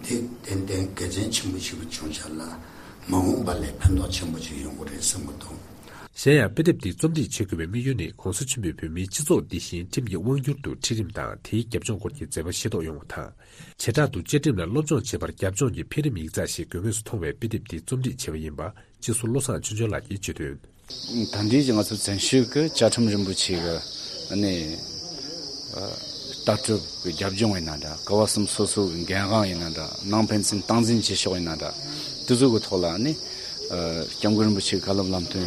དེ་ཏན་ཏན་དགེ་མཚན་ཆེན་པོ་ཞིག་བྱུང་བཞག་ལ། མ་འོངས་པ་ལས་ཕན་ཐོགས་ཆེན་པོ་ཞིག་ཡོང་གི་རེད་བསམ་གྱི་འདུག་གཞན་ཡང་དཔེ་དེབ་འདི་རྩོམ་སྒྲིག་བྱེད་དགོས་པའི་དམིགས་ཡུལ་ནི་༸གོང་ས་ཆེན་པོས་བོད་མིའི་སྤྱི་ཚོགས་འདི་བཞིན་ཁྲིམས་ཀྱི་དབང་སྒྱུར་དུ་ཁྲིད་རིམ་དང་དེའི་རྒྱབ་ལྗོངས་སྐོར་གྱི་མཛད་པ་ཤེས་རྟོགས་ཡོང་བ་དང་། བྱེ་བྲག་ཏུ་བཅའ་ཁྲིམས་ལ་སློབ་སྦྱོང་བྱེད་པར་རྒྱབ་ལྗོངས་ཀྱི་འཕེལ་རིམ་ཡིག་ཚགས་ཤིག་དགོས་ངེས་སུ་མཐོང་བས་དཔེ་དེབ་འདི་རྩོམ་སྒྲིག་བྱས་པ་ཡིན་པ་སྤྱི་ཟུར་བློ་བཟང་ཆོས་འབྱོར་ལགས་ཀྱིས་བརྗོད་དོན། ད་ལྟའི་ང་ཚོ་བཙན་བྱོལ་གྱི་བཅའ་ཁྲིམས་རིན་པོ་ཆེ་གི་ཨ་ནི་ལྟ་གྲུབ་ཀྱི་རྒྱབ་ལྗོངས་ཡིན་ན་འདྲ། ག་བ་གསུམ་སོ་སོ་གི་འགན་དབང་ཡིན་ན་འདྲ། ནང་ཕན་ཚུན་སྟངས་འཛིན་བྱེད་ཕྱོགས་ཡིན་ན་འདྲ། དེ་ཚོ་གི་ཐོག་ལ་ཨ་ནི་ སྐྱབས་མགོན་རིན་པོ་ཆེའི་བཀའ་སློབ་ལམ་སྟོན་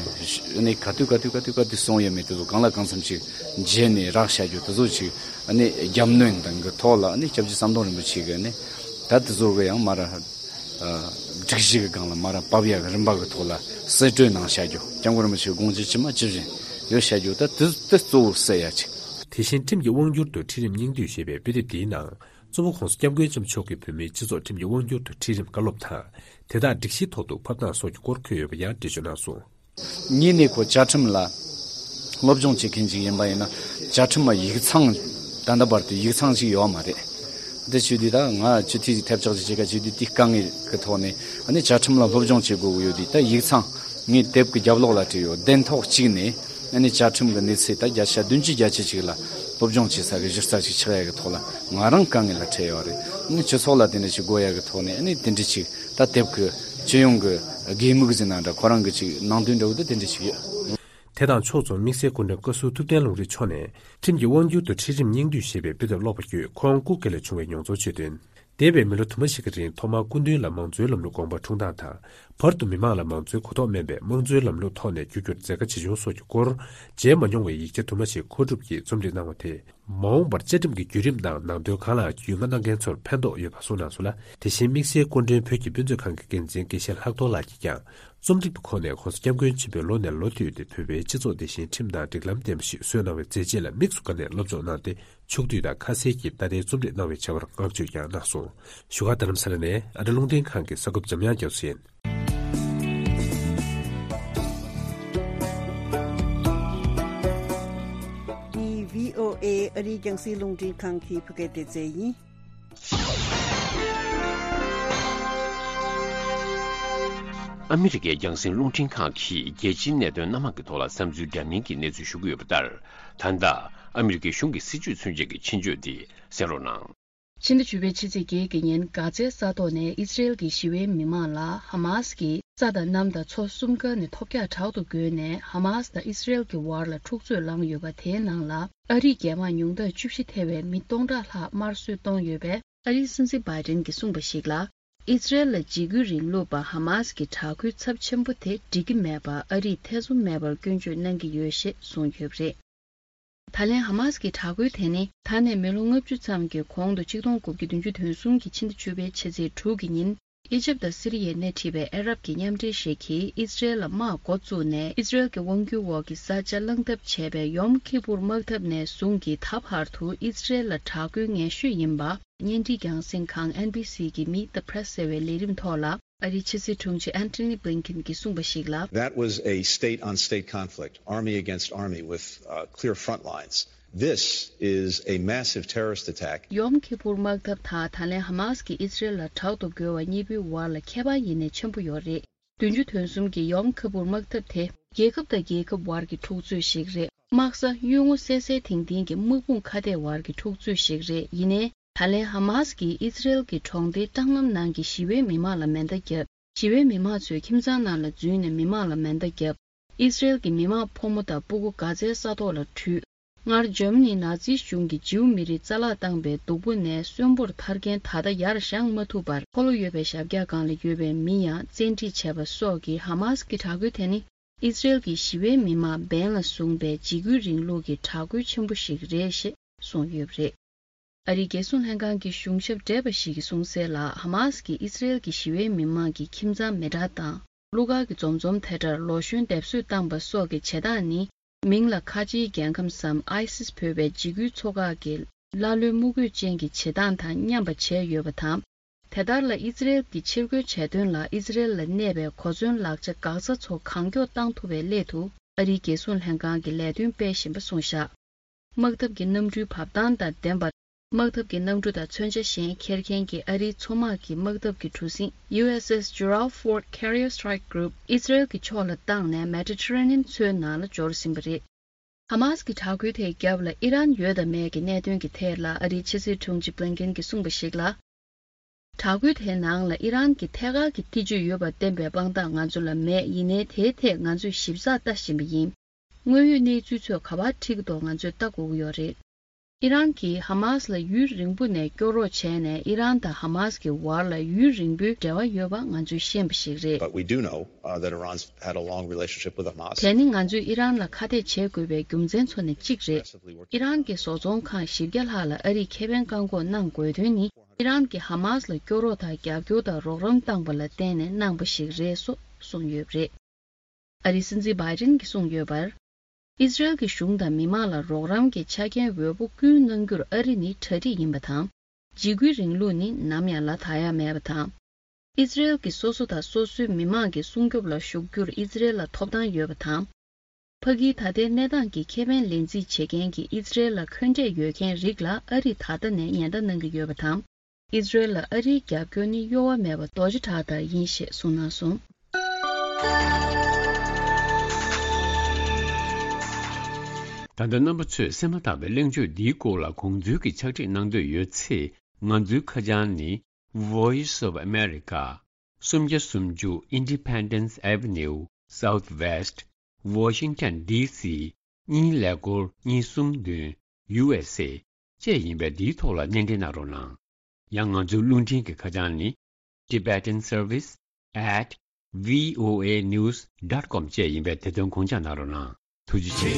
ནས་ག་དུས་ག་དུས་ག་དུས་ག་དུས་གསུངས་ཡོད་མེད་དེ་ཚོ་གང་ལ་གང་འཚམ་ཅིག་མཇལ་ནས་རག་བྱ་རྒྱུ་དེ་ཚོ་ཅིག་ནས་རྒྱབ་གནོན་དང་གི་ཐོག་ལ་ནས་སྐྱབས་རྗེ་ཟམ་གདོང་རིན་པོ་ཆེ་གི་ནས་ད་དེ་ཚོ་གི་ཡང་མ་ར་སྒྲིག་གཞི་གི་སྒང་ལ་མ་ར་བབས་ཡག་གི་རིམ་པ་གི་ཐོག་ལ་གསེད་བཀྲོལ་གནང་བྱ་རྒྱུ། སྐྱབས་མགོན་རིན་པོ་ཆེའི་དགོངས་གཞི་ཇི་མ་ཇི་བཞིན་ཡོད་བྱ་རྒྱུ། ད་དེ་དེ་གཙོ་བོ་གསལ་ཡ་ཅིག། དེ་བཞིན་ཁྲིམས་ཀྱི་དབང་སྒྱུར་དུ་ཁྲིད་རིམ་སྙིང་བསྡུས་ཞེས་པའི་དཔེ་དེབ་འདིའི་ནང་། གཙོ་བོ་༸གོང་ས་༸སྐྱབས་མགོན་ཆེན་པོ་མཆོག་གིས་བོད་མིའི་སྤྱི་ཚོགས་ཁྲིམས་ཀྱི་དབང་སྒྱུར་དུ་ཁྲིད་རིམ་བཀའ་སློབ་དང་། དེ་དག་སྒྲིག་གཞིའི་ཐོག་ཏུ་ཕབ་སྟངས་སོགས་ཀྱི་སྐོར་འཁོད་ཡོད་པ་ཡང་འགྲེལ་བརྗོད་གནང་སོང་། ངས་ནས་ཁོ་བཅའ་ཁྲིམས་ལ་སློབ་སྦྱོང་བྱེད་མཁན་ཅིག་ཡིན་པ་ཡིན་ན། བཅའ་ཁྲིམས་ལ་ཡིག་ཚང་ད་ལྟ་བར་དུ་ཡིག་ཚང་ཞིག་ཡོད་མ་རེད། འདི་བྱས་དུས་ད་ང་སྤྱི་འཐུས་ཀྱི་ཐབས་ཆག་ཅིག་བྱེད་ཀ་བྱས་དུས་དེའི་དཀའ་ངལ་གྱི་ཐོག་ནས་ཨ་ནི་བཅའ་ཁྲིམས་ལ་སློབ་སྦྱོང་བྱེད་དགོས་ཀྱི་ཡོད་དུས། ད་ཡིག་ཚང་ངས་དེབ་ཀྱི་རྒྱབ་ལོགས་ལ་བྲིས་ཡོད། གདན་ཐོག་གཅིག་ནས་ཨ་ནི་བཅའ་ཁྲིམས་ཀྱི་གནས་ཚད་ད་བརྒྱ་ཆ་བདུན་ཅུ་བརྒྱད་ཅུ་ཅིག་ལ་སློབ་སྦྱོང་བྱེད་ས་གི་གཞི་རྩ་ཅིག་ཆགས་ཡ་གི་ཐོག་ལ་ང་རང་དཀའ་ངལ་ལ་འཕྲད་ཡོད་རེད། ཨ་ནི་སྤྱི་ཚོགས་ལ་དེ་འདྲ་ཞིག་དགོས་ཡ་གི་ཐོག་ནས་ཨ་ནི་དེ་འདྲ་ཅིག་ད་དེབ་ཀྱི་སྤྱི་ཡོངས་ཀྱི་དགོས་དམིགས་ཟེར་ན་འདྲ། ཁོ་རང་གི་ཅིག་ནང་དོན་འདྲ་བོ་དེ་དེ་འདྲ་ཞིག་ཡོད། དེ་དང་ཕྱོགས་མཚུངས་དམིགས་བསལ་སྐུ་མགྲོན་བཀའ་ཟུར་ཐུབ་བསྟན་ལུང་རིགས་མཆོག་ནས་ཁྲིམས་ཀྱི་དབང་སྒྱུར་དུ་ཁྲིད་རིམ་སྙིང་བསྡུས་ཞེས་པའི་དཔེ་དེབ་ཀློག་པ་བརྒྱུད་ཁོང་སྐུ་སྒེར་ལ་བྱུང་བའི་མྱོང་ཚོར་བརྗོད་དོན། འདས་པའི་མི་ལོ་དུ་མ་ཞིག་གི་རིང་ཐོག་མར་སྐུ་མདུན་ལ་མང་གཙོའི་ལམ་ལུགས་དགོངས་པ་འཁྲུངས་སྟངས་དང་། བར་དུ་མི་མང་ལ་མང་གཙོའི་གོ་རྟོགས་དམན་པས་དམངས་གཙོའི་ལམ་ལུགས་ཐོག་ནས་བསྒྱུར་རྒྱུར་མཛད་དཀའ་ཇི་བྱུང་སོགས་ཀྱི་སྐོར། མཇལ་མ་མྱོང་བའི་ཡིག་ཆ་དུ་མ་ཞིག་མཁོ་སྒྲུབ་ཀྱིས་རྩོམ་སྒྲིག་གནང་བ་དེས། མ་འོངས་པར་བཅའ་ཁྲིམས་ཀྱི་བརྒྱུད་རིམ་དང་ནང་དོན་གང་ལ་རྒྱུས་མངའ་གནང་མཁན་ཚོར་ཕན་ཐོགས་ཡོད་པ་གསུངས་གནང་སོང་ལ། དེ་བཞིན་དམིགས་བསལ་སྐུ་མགྲོན་བོད་ཀྱི་དཔེ་མཛོད་ཁང་གི་འགན་འཛིན་དགེ་བཤེས་ལྷག་རྡོར་ལགས་ཀྱིས་ཀྱང་རྩོམ་སྒྲིག་པའི་ཁོངས་ནས་༸གོང་ས་༸སྐྱབས་མགོན་ཆེན་པོས་ལོ་ནས་ལོ་བསྟུད་དེ་བོད་པའི་སྤྱི་ཚོགས་དེ་བཞིན་ཁྲིམས་དང་སྒྲིག་ལམ་ལྡན་པ་ཞིག་བཟོས་གནང་བའི་མཛད་རྗེས་ལ་དམིགས་སུ་བཀར་ནས་སློབ་སྦྱོང་གནང་སྟེ། ཕྱོགས་བསྡུས་དང་ཁ་གསལ་གྱིས་ད་ལྟའི་རྩོམ་སྒྲིག་གནང་བའི་བྱ་བར་བསྔགས་བརྗོད་ཀྱང་གནང་སོང་། བཞུགས་སྒར་རྡ་རམ་ས་ལ་ནས་ཨ་རི་རླུང་འཕྲིན་ཁང་གི་གསར་འགོད་པ་འཇམ་དབྱངས་རྒྱ་མཚོ་ཡིན། འདི་བྷི་ཨོ་ཨེ་ཨ་རིའི་རྒྱང་སྲིང་རླུང་འཕྲིན་ཁང་གི་བོད་སྐད་སྡེ་ཚན་ཡིན། ཨ་མི་རི་ཀའི་རྒྱང་སྲིང་རླུང་འཕྲིན་ཁང་གིས་རྒྱལ་སྤྱིའི་གནད་དོན་སྣ་མང་གི་ཐོག་ལ་བསམ་ཚུལ་འདྲ་མིན་གྱི་གནས་ཚུལ་ཞུ་གི་ཡོད་པ་ལྟར། ད་ལྟ་ཨ་མི་རི་ཀའི་གཞུང་གི་སྲིད་བྱུས་མཚོན་བྱེད་ཀྱི་ཆེད་བརྗོད་འདི་གསན་རོགས་གནང་། ཕྱི་ཟླ་བཅུ་པའི་ཕྱི་ཚེས་བརྒྱད་ཀྱི་ཉིན་གྷ་ཛའི་ས་ཐོག་ནས་ཨི་སི་རེལ་གྱི་ཞི་བའི་མི་མང་ལ་ཧ་མཱ་སི་གིས་ས་དང་གནམ་དང་མཚོ་གསུམ་ཀ་ནས་ཐོལ་རྒྱག་དྲག་ཏུ་རྒོལ་ནས། ཧ་མཱ་སི་དང་ཨི་སི་རེལ་གྱི་བར་ལ་འཁྲུག་རྩོད་བསླངས་ཡོད་པ་དེའི་ནང་ལ་ཨ་རིའི་རྒྱལ་དམངས་ཉུང་མཐར་བཅུ་བཞི་ཐེ་བའི་མི་སྟོང་ཕྲག་ལྷག་དམར་གསོད་བཏང་ཡོད་པས། ཨ་རིའི་སྲིད་འཛིན་བྷའི་ཏིན་གྱིས་གསུངས་པ་ཞིག་ལ། ཨི་སི་རེལ་ལ་འཇིགས་སྐུལ་རིང་ལུགས་པ་ཧ་མཱ་སི་གི་དྲག་རྒོལ་ཚབས་ཆེན་པོ་དེ་འགྲིག་གི་མེད་པར་ཨ་རིས་ཐེ་ཚོམ་མེད་པར་སྐྱོན་བརྗོད་གནང་གི་ཡོད་ཞེས་གསུངས་ཡོད་པ་རེད། ད་ལན་ཧ་མཱ་སི་གི་དྲག་རྒོལ་དེ་ནི་ད་ནས་མི་ལོ་ལྔ་བཅུ་ཙམ་གྱི་གོང་དུ་ཆིག་སྟོང་དགུ་བརྒྱ་བདུན་ཅུ་དོན་གསུམ་གྱི་ཕྱི་ཟླ་བཅུ་པའི་ཕྱི་ཚེས་དྲུག་གི་ཉིན། ཨི་ཇིབ་དང་སི་རི་ཡའི་སྣེ་ཁྲིད་པའི་ཨ་རབ་ཀྱི་མཉམ་འབྲེལ་ཞིག་གིས་ཨི་སི་རེལ་ལ་དམག་འགོ་བཙུགས་ནས། ཨི་སི་རེལ་གྱི་དབང་སྒྱུར་འོག་གི་ས་ཆ་བླངས་ཐབས་བྱས་པའི་ཡོམ་ཁི་པུར་དམག་འཐབ་ནས་བཟུང་གི་ད་བར་དུ་ཨི་སི་རེལ་ལ་དྲག་རྒོལ་ངན་ཤོས་ཡིན་པ། བརྙན་འཕྲིན་རྒྱང་སྲིང་ཁང་ཨེན་བྷི་སི་གི་Meet the Press ཟེར་བའི་ལས་རིམ་ཐོག་ལ། ཨ་རིའི་ཕྱི་སྲིད་དྲུང་ཆེ་Antony Blinken གྱིས་གསུངས་པ་ཞིག་ལ། That was a state on state conflict, army against army, with uh, clear front lines. This is a massive terrorist attack. ཡོམ་ཁི་པུར་དམག་འཐབ་དང་ད་ལན་ཧ་མཱ་སི་གིས་ཨི་སི་རེལ་ལ་དྲག་ཏུ་རྒོལ་བ་གཉིས་པོའི་བར་ལ་ཁྱད་པར་ཡེ་ནས་ཆེན་པོ་ཡོད་རེད། བདུན་ཅུ་དོན་གསུམ་གྱི་ཡོམ་ཁི་པུར་དམག་འཐབ་དེ་རྒྱལ་ཁབ་དང་རྒྱལ་ཁབ་བར་གྱི་འཁྲུག་རྩོད་ཞིག་རེད། དམག་ས་གཡུལ་ངོ་གསལ་གསལ་ཐིང་ཐིང་གི་དམག་དཔུང་ཁ་གཏད་བར་གྱི་འཁྲུག་རྩོད་ཞིག་རེད། ཡིན་ནའི། ད་ལན་ཧ་མཱ་སི་གིས་ཨི་སི་རེལ་གྱི་གྲོང་སྡེའི་སྲང་ལམ་ནང་གི་ཞི་བའི་མི་མང་ལ་མེ་མདའ་བརྒྱབ། ཞི་བའི་མི་མང་ཚོས་ཁྱིམ་ཚང་ནང་ལ་འཛུལ་ནས་མི་མང་ལ་མེ་མདའ་བརྒྱབ། ཨི་སི་རེལ་གྱི་མི་མང་ཕོ་མོ་དང་སྤུ་གུ་གྷ་ཛའི་ས་ཐོག་ལ་བྲོས། སྔར་འཇར་མ་ནིའི་ནཱ་ཛི་གཞུང་གིས་ཇིའུ་མི་རིགས་རྩ་བརླག་བཏང་པའི་སྡུག་པོ་ནས་གསོན་པོར་ཐར་མཁན་ད་ལྟ་ཡར་བཞེངས་མ་ཐུབ་པར། འཁོར་ལོ་ཡོད་པའི་ཞབས་བཀྱག་སྒང་ལ་ཡོད་པའི་མི་ཡང་བཙན་ཁྲིད་བྱས་པ་སོགས་ཀྱིས། ཧ་མཱ་སི་གི་དྲག་རྒོལ་དེ་ནི་ཨི་སི་རེལ་གྱི་ཞི་བའི་མི་མང་འབེན་ལ་བཟུང་པའི་འཇིགས་སྐུལ་རིང་ལུགས་ཀྱི་དྲག་རྒོལ་ཆེན་པོ་ཞིག་རེད་ཞེས་གསུངས་ཡོད་པ་རེད། ཨ་རིའི་རྒྱལ་སྲུང་ལྷན་ཁང་གི་གཞུང་ཞབས་བགྲེས་པ་ཞིག་གིས་གསུངས་གསལ་ལ། ཧ་མཱ་སི་ཀྱིས་ཨི་སི་རེལ་གྱི་ཞི་བའི་མི་མང་གི་ཁྱིམ་ཚང་མེ་དྲག་བཏང་། གླུ་གར་གྱི་འཛོམས་འཛོམས་ཐེ་ཊར་ལོ་གཞོན་སྡེབ་གསོད་བཏང་པ་སོགས་ཀྱི་བྱེད་སྟངས་ནི། མིང་ལ་ཁ་ཆེའི་རྒྱལ་ཁམས་སམ་ཨའི་སིས་འབོད་པའི་འཇིགས་སྐུལ་ཚོགས་ཁག་གི་ཀླ་ཀློའི་དམུ་རྒོད་ཅན་གྱི་བྱེད་སྟངས་དང་མཉམ་པ་བྱས་ཡོད་པ་དང་། དེ་ལྟར་ལ་ཨི་སི་རེལ་གྱིས་ཕྱིར་རྒོལ་བྱས་དོན་ལ། ཨི་སི་རེལ་ལ་གནས་པའི་གོ་མཚོན་ལག་ཆ་འགག་རྩ་ཚོ་གང་མགྱོགས་བཏང་ཐུབ་པའི་སླད་དུ། ཨ་རིའི་རྒྱལ་སྲུང་ལྷན་ཁང་གིས་ལས་དོན་སྤེལ་བཞིན་པ་གསུངས་བཞག། དམག་འཐབ་ཀྱི་གནམ་གྲུའི་བབས་སྟངས་དང་ལྡན་པ། དམག་འཐབ་ཀྱི་གནམ་གྲུ་དང་མཚོན་ཆ་གཞན་འཁྱེར་མཁན་གྱི་ཨ་རིའི་མཚོ་དམག་གི་དམག་འཐབ་ཀྱི་གྲུ་གཟིངས་ཡུ་ཨེས་ཨེས་Gerald Ford Carrier Strike Group ཨི་སི་རེལ་གྱི་ཕྱོགས་ལ་བཏང་ནས། མེ་ཏི་ཊ་རེ་ནི་ཡན་མཚོའི་ནང་ལ་འབྱོར་ཟིན་པ་རེད། ཧ་མཱ་སི་གི་དྲག་རྒོལ་དེའི་རྒྱབ་ལ་ཨི་རན་ཡོད་དམ་མེད་ཀྱི་གནད་དོན་གྱི་ཐད་ལ། ཨ་རིའི་ཕྱི་སྲིད་དྲུང་ཆེ་བྷི་ལིན་ཀེན་གྱིས་གསུངས་པ་ཞིག་ལ། དྲག་རྒོལ་དེའི་ནང་ལ་ཨི་རན་གྱི་ཐད་ཀར་གྱི་ཐེ་བྱུས་ཡོད་པར་བསྟན་པའི་དཔང་རྟགས་ང་ཚོ་ལ་མེད། ཡིན་ནའི་དེའི་ཐད་ང་ཚོས་ཞིབ་ཚགས་ལྟ་བཞིན་པ་ཡིན། དངོས་ཡོད་གནས་ཚུལ་ཚོས་ག་པར་འཁྲིད་ཀྱི་འདུག་ང་ཚོས་ལྟ་དགོས་ཀྱི་ཡོད་རེད། ཨི་རན་གྱིས་ཧ་མཱས་ལ་ཡུན་རིང་པོ་ནས་སྐྱོ་རོགས་བྱས་ནས། ཨི་རན་དང་ཧ་མཱས་ཀྱི་བར་ལ་ཡུན་རིང་པོའི་འབྲེལ་བ་ཡོད་པ་ང་ཚོས་ཤེས་པ་ཞིག་རེད། But we do know, uh, that Iran's had a long relationship with Hamas. དེ་ནི་ང་ཚོས་ཨི་རན་ལ་ཁ་གཏད་བྱེད་དགོས་པའི་རྒྱུ་མཚན་ཚོ་ནས་གཅིག་རེད། ཨི་རན་གྱི་བཟོ་ཚོང་ཁང་བཞི་བརྒྱ་ལྷག་ལ་ཨ་རིས་ཁེ་ཕན་བཀག་འགོག་གནང་དགོས་དོན་ནི། ཨི་རན་གྱིས་ཧ་མཱས་ལ་སྐྱོ་རོགས་དང་རྒྱབ་སྐྱོར་དང་རོགས་རམ་བཏང་པ་ལ་བརྟེན་ནས་གནང་པ་ཞིག་རེད་སོགས་གསུངས་ཡོད་པ་རེད། ཨ་རིའི་སྲིད་འཛིན་བྷའི་ཌེན་གྱིས་གསུངས་ཡོད་པར། ཨི་ཟི་རེལ་གྱི་གཞུང་དང་མི་མང་ལ་རོགས་རམ་གྱི་ཆ་རྐྱེན་འོས་པོ་ཀུན་གནང་རྒྱུར་ཨ་རི་ནི་གྲ་སྒྲིག་ཡིན་པ་དང་། འཇིགས་སྐུལ་རིང་ལུགས་ནི་ནམ་ཡང་ལ་དག་ཡ་མེད་པ་དང་། ཨི་ཟི་རེལ་གྱིས་སོ་སོ་དང་སོ་སོའི་མི་མང་གི་སྲུང་སྐྱོབ་ལ་ཞུགས་རྒྱུར་ཨི་ཟི་རེལ་ལ་ཐོབ་ཐང་ཡོད་པ་དང་། ཕ་གིའི་ད་ལྟའི་གནས་སྟངས་ཀྱི་ཁེ་ཕན་ལེན་རྩིས་བྱེད་མཁན་གྱི་ཨི་ཟི་རེལ་ལ་འཁོན་འགྲས་ཡོད་མཁན་རིགས་ལ་ཨ་རིས་ད་ལྟ་ནས་ཉེན་བརྡ་གནང་གི་ཡོད་པ་དང་། ཨི་ཟི་རེལ་ལ་ཨ་རིའི་རྒྱབ་སྐྱོར་ནི་གཡོ་བ་མེད་པ་རྡོག་རྩ་གྲགས་ལྟར་ཡིན་ཞེས་གསུངས་གནང་སོང་། ད་ལྟ་རྣམ་པ་ཚོས་གསན་མ་ཐག་པའི་གླེང་བརྗོད་འདིའི་སྐོར་ལ་དགོངས་ཚུལ་གྱི་ཕྱག་བྲིས་གནང་འདོད་ཡོད་ཚེ། ང་ཚོའི་ཁ་བྱང་ནི། Voice of America། སུམ་བརྒྱ་སུམ་ཅུ་Independence Avenue Southwest། Washington D C། གཉིས་ཀླད་ཀོར་གཉིས་གསུམ་བདུན། U S A། བཅས་ཡིན་པས། འདིའི་ཐོག་ལ་སྣེ་འདྲེན་གནང་རོགས་གནང་། ཡང་ང་ཚོའི་རླུང་འཕྲིན་གྱི་ཁ་བྱང་ནི། Tibetan Service at V O A news dot com བཅས་ཡིན་པས། དེ་དོན་དགོངས་འཇགས་གནང་རོགས་གནང་། ཐུགས་རྗེ་ཆེ།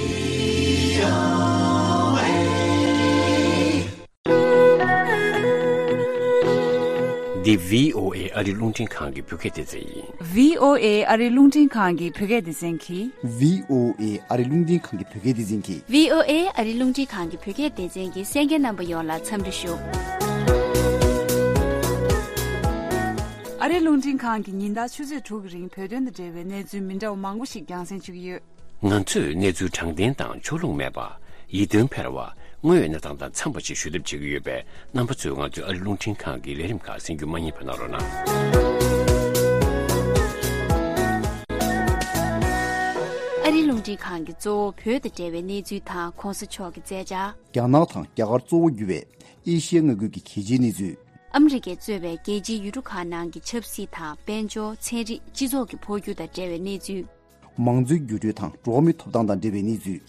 འདི་V O A ཨ་རི་རླུང་འཕྲིན་ཁང་གི་བོད་སྐད་སྡེ་ཚན་ཡིན། V O A ཨ་རི་རླུང་འཕྲིན་ཁང་གི་བོད་སྐད་སྡེ་ཚན་གྱིས། V O A ཨ་རི་རླུང་འཕྲིན་ཁང་གི་བོད་སྐད་སྡེ་ཚན་གྱིས། V O A ཨ་རི་རླུང་འཕྲིན་ཁང་གི་བོད་སྐད་སྡེ་ཚན་གྱི་གསན་མཁན་རྣམ་པ་ཡོངས་ལ་འཚམས་འདྲི་ཞུ། ཨ་རི་རླུང་འཕྲིན་ཁང་གིས་ཉིན་ལྟར་ཆུ་ཚོད་དྲུག་གི་རིང་བོད་དོན་དང་འབྲེལ་བའི་གནས་ཚུལ་མི་འདྲ་བ་མང་པོ་ཞིག་རྒྱང་སྲིང་ཞུ་གི་ཡོད། ང་ཚོས་གནས་ཚུལ་དྲང་བདེན་དང་ཕྱོགས་ལྷུང་མེད་པ། ཡིད་རྟོན་འཕེར་བ། དངོས་ཡོད་གནས་སྟངས་དང་འཚམས་པ་ཞིག་ཞུ་ཐབས་བྱེད་ཀྱི་ཡོད་པས། རྣམ་པ་ཚོས་ང་ཚོའི་ཨ་རི་རླུང་འཕྲིན་ཁང་གི་ལས་རིམ་ཁག་གསན་རྒྱུ་མ་བསྙེལ་བ་གནང་རོགས་གནང་། ཨ་རིའི་རླུང་འཕྲིན་ཁང་གིས་གཙོ་བོ་བོད་དང་འབྲེལ་བའི་གནས་ཚུལ་དང་གོང་ས་མཆོག་གི་མཛད་འཆར། རྒྱ་ནག་དང་རྒྱ་གར་གཙོ་བོ་གྱུར་བའི་ཨེ་ཤི་ཡ་མངའ་ཁུལ་གྱི་གལ་ཆེའི་གནས་ཚུལ། ཨ་མི་རི་ཀས་གཙོས་པའི་རྒྱལ་སྤྱིའི་ཡུལ་གྲུ་ཁག་ནང་གི་ཆབ་སྲིད་དང་། དཔལ་འབྱོར། ཚན་རིག་སྤྱི་ཚོགས་ཀྱི་འཕོ་འགྱུར་དང་འབྲེལ་བའི་གནས་ཚུལ། མང་གཙོའི་འགྱུར་འགྲོས་དང་འགྲོ་བ་མིའི་ཐོབ་ཐང་དང་འབྲེལ་བའི་གནས་ཚུལ།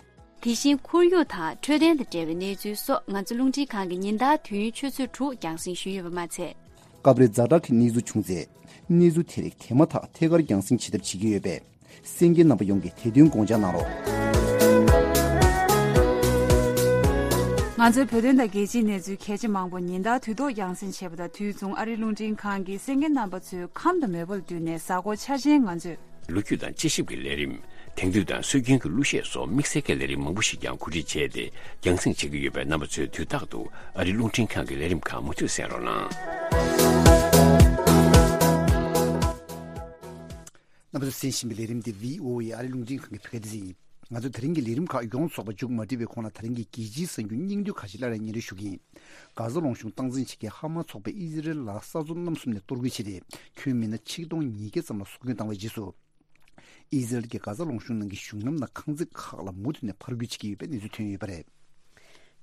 དེ་བཞིན་ཁོར་ཡུག་དང་འཕྲོད་བསྟེན་དང་འབྲེལ་བའི་གནས་ཚུལ་སོགས། ང་ཚོ་རླུང་འཕྲིན་ཁང་གིས་ཉིན་ལྟར་དུས་ཡུན་ཆུ་ཚོད་དྲུག་རྒྱང་སྲིང་ཞུས་ཡོད་པ་མ་ཚད། སྐབས་རེ་ཛ་དྲག་གི་གནས་ཚུལ་བྱུང་ཚེ། གནས་ཚུལ་དེ་རིགས་དེ་མ་ཐག་ཐད་ཀར་རྒྱང་སྲིང་བྱེད་ཐབས་བྱེད་ཀྱི་ཡོད་པས། གསན་མཁན་རྣམ་པ་ཡོངས་ཀྱིས་དེ་དོན་དགོངས་འཇགས་གནང་རོགས། ང་ཚོའི་བོད་དོན་དང་རྒྱལ་སྤྱིའི་གནས་ཚུལ་གལ་ཆེ་མང་པོ་ཉིན་ལྟར་དུས་ཐོག་རྒྱང་སྲིང་བྱས་པ་དང་། དུས་མཚུངས་ཨ་རིའི་རླུང་འཕྲིན་ཁང་གིས་གསན་མཁན་རྣམ་པ་ཚོའི་ཁམས་དང་མོས་པ་ལ་བསྟུན་ནས། གཟའ་འཁོར་འཆར་ཅན་ང་ཚོས། ལོ་རྒྱུས་དང་དཔྱད་ཞིབ་ཀྱི་ལས་རིམ། དེང་དུས་དང་སྲོལ་རྒྱུན་གྱི་གླུ་གཞས་སོགས་དམིགས་བསལ་གྱི་ལས་རིམ་མང་པོ་ཞིག་ཀྱང་གོ་སྒྲིག་བྱས་ཏེ། རྒྱང་སྲིང་བྱེད་ཀྱི་ཡོད་པས། རྣམ་པ་ཚོས་དུས་རྟག་ཏུ་ཨ་རིའི་རླུང་འཕྲིན་ཁང་གི་ལས་རིམ་ཁག་མུ་མཐུད་གསན་རོགས་གནང་། རྣམ་པ་ཚོས་གསན་བཞིན་པའི་ལས་རིམ་འདི་བྷི་ཨོ་ཨེ་ཨ་རིའི་རླུང་འཕྲིན་ཁང་གི་བོད་སྐད་སྡེ་ཚན་ཡིན། ང་ཚོས་དེ་རིང་གི་ལས་རིམ་ཁག་ཡོངས་རྫོགས་པ་མཇུག་མ་སྒྲིལ་བའི་གོང་ལ། དེ་རིང་གི་རྒྱལ་སྤྱིའི་གསར་འགྱུར་སྙིང་བསྡུས་ཁག་ཅིག་སླར་ཡང་སྙན་སྒྲོན་ཞུ་གི་ཡིན། གྷ་ཟ་ལུང་གཤོང་སྟངས་འཛིན་བྱེད་མཁན་ཧ་མ་ཚོགས་པས་ཨི་ཟི་རེལ་ལ་ས་མཚམས་གནམ་གསུམ་ནས་གཏོར་རྒོལ་བྱས་ཏེ། ཁྱོན་མི་སྣ་ཆིག་སྟོང་ཉིས་བརྒྱ་ཙམ་ལ་སྲོག་སྐྱོན་བཏང་བའི་རྗེས་སུ། ཨི་ཟི་རེལ་གྱིས་གྷ་ཟ་ལུང་གཤོང་ནང་གི་གཞུང་ལམ་དང་ཁང་བརྩེགས་ཁག་ལ་མུ་མཐུད་ནས་ཕར་རྒོལ་བྱེད་ཀྱི་ཡོད་པའི་གནས་ཚུལ་ཐོན་ཡོད་པ་རེད།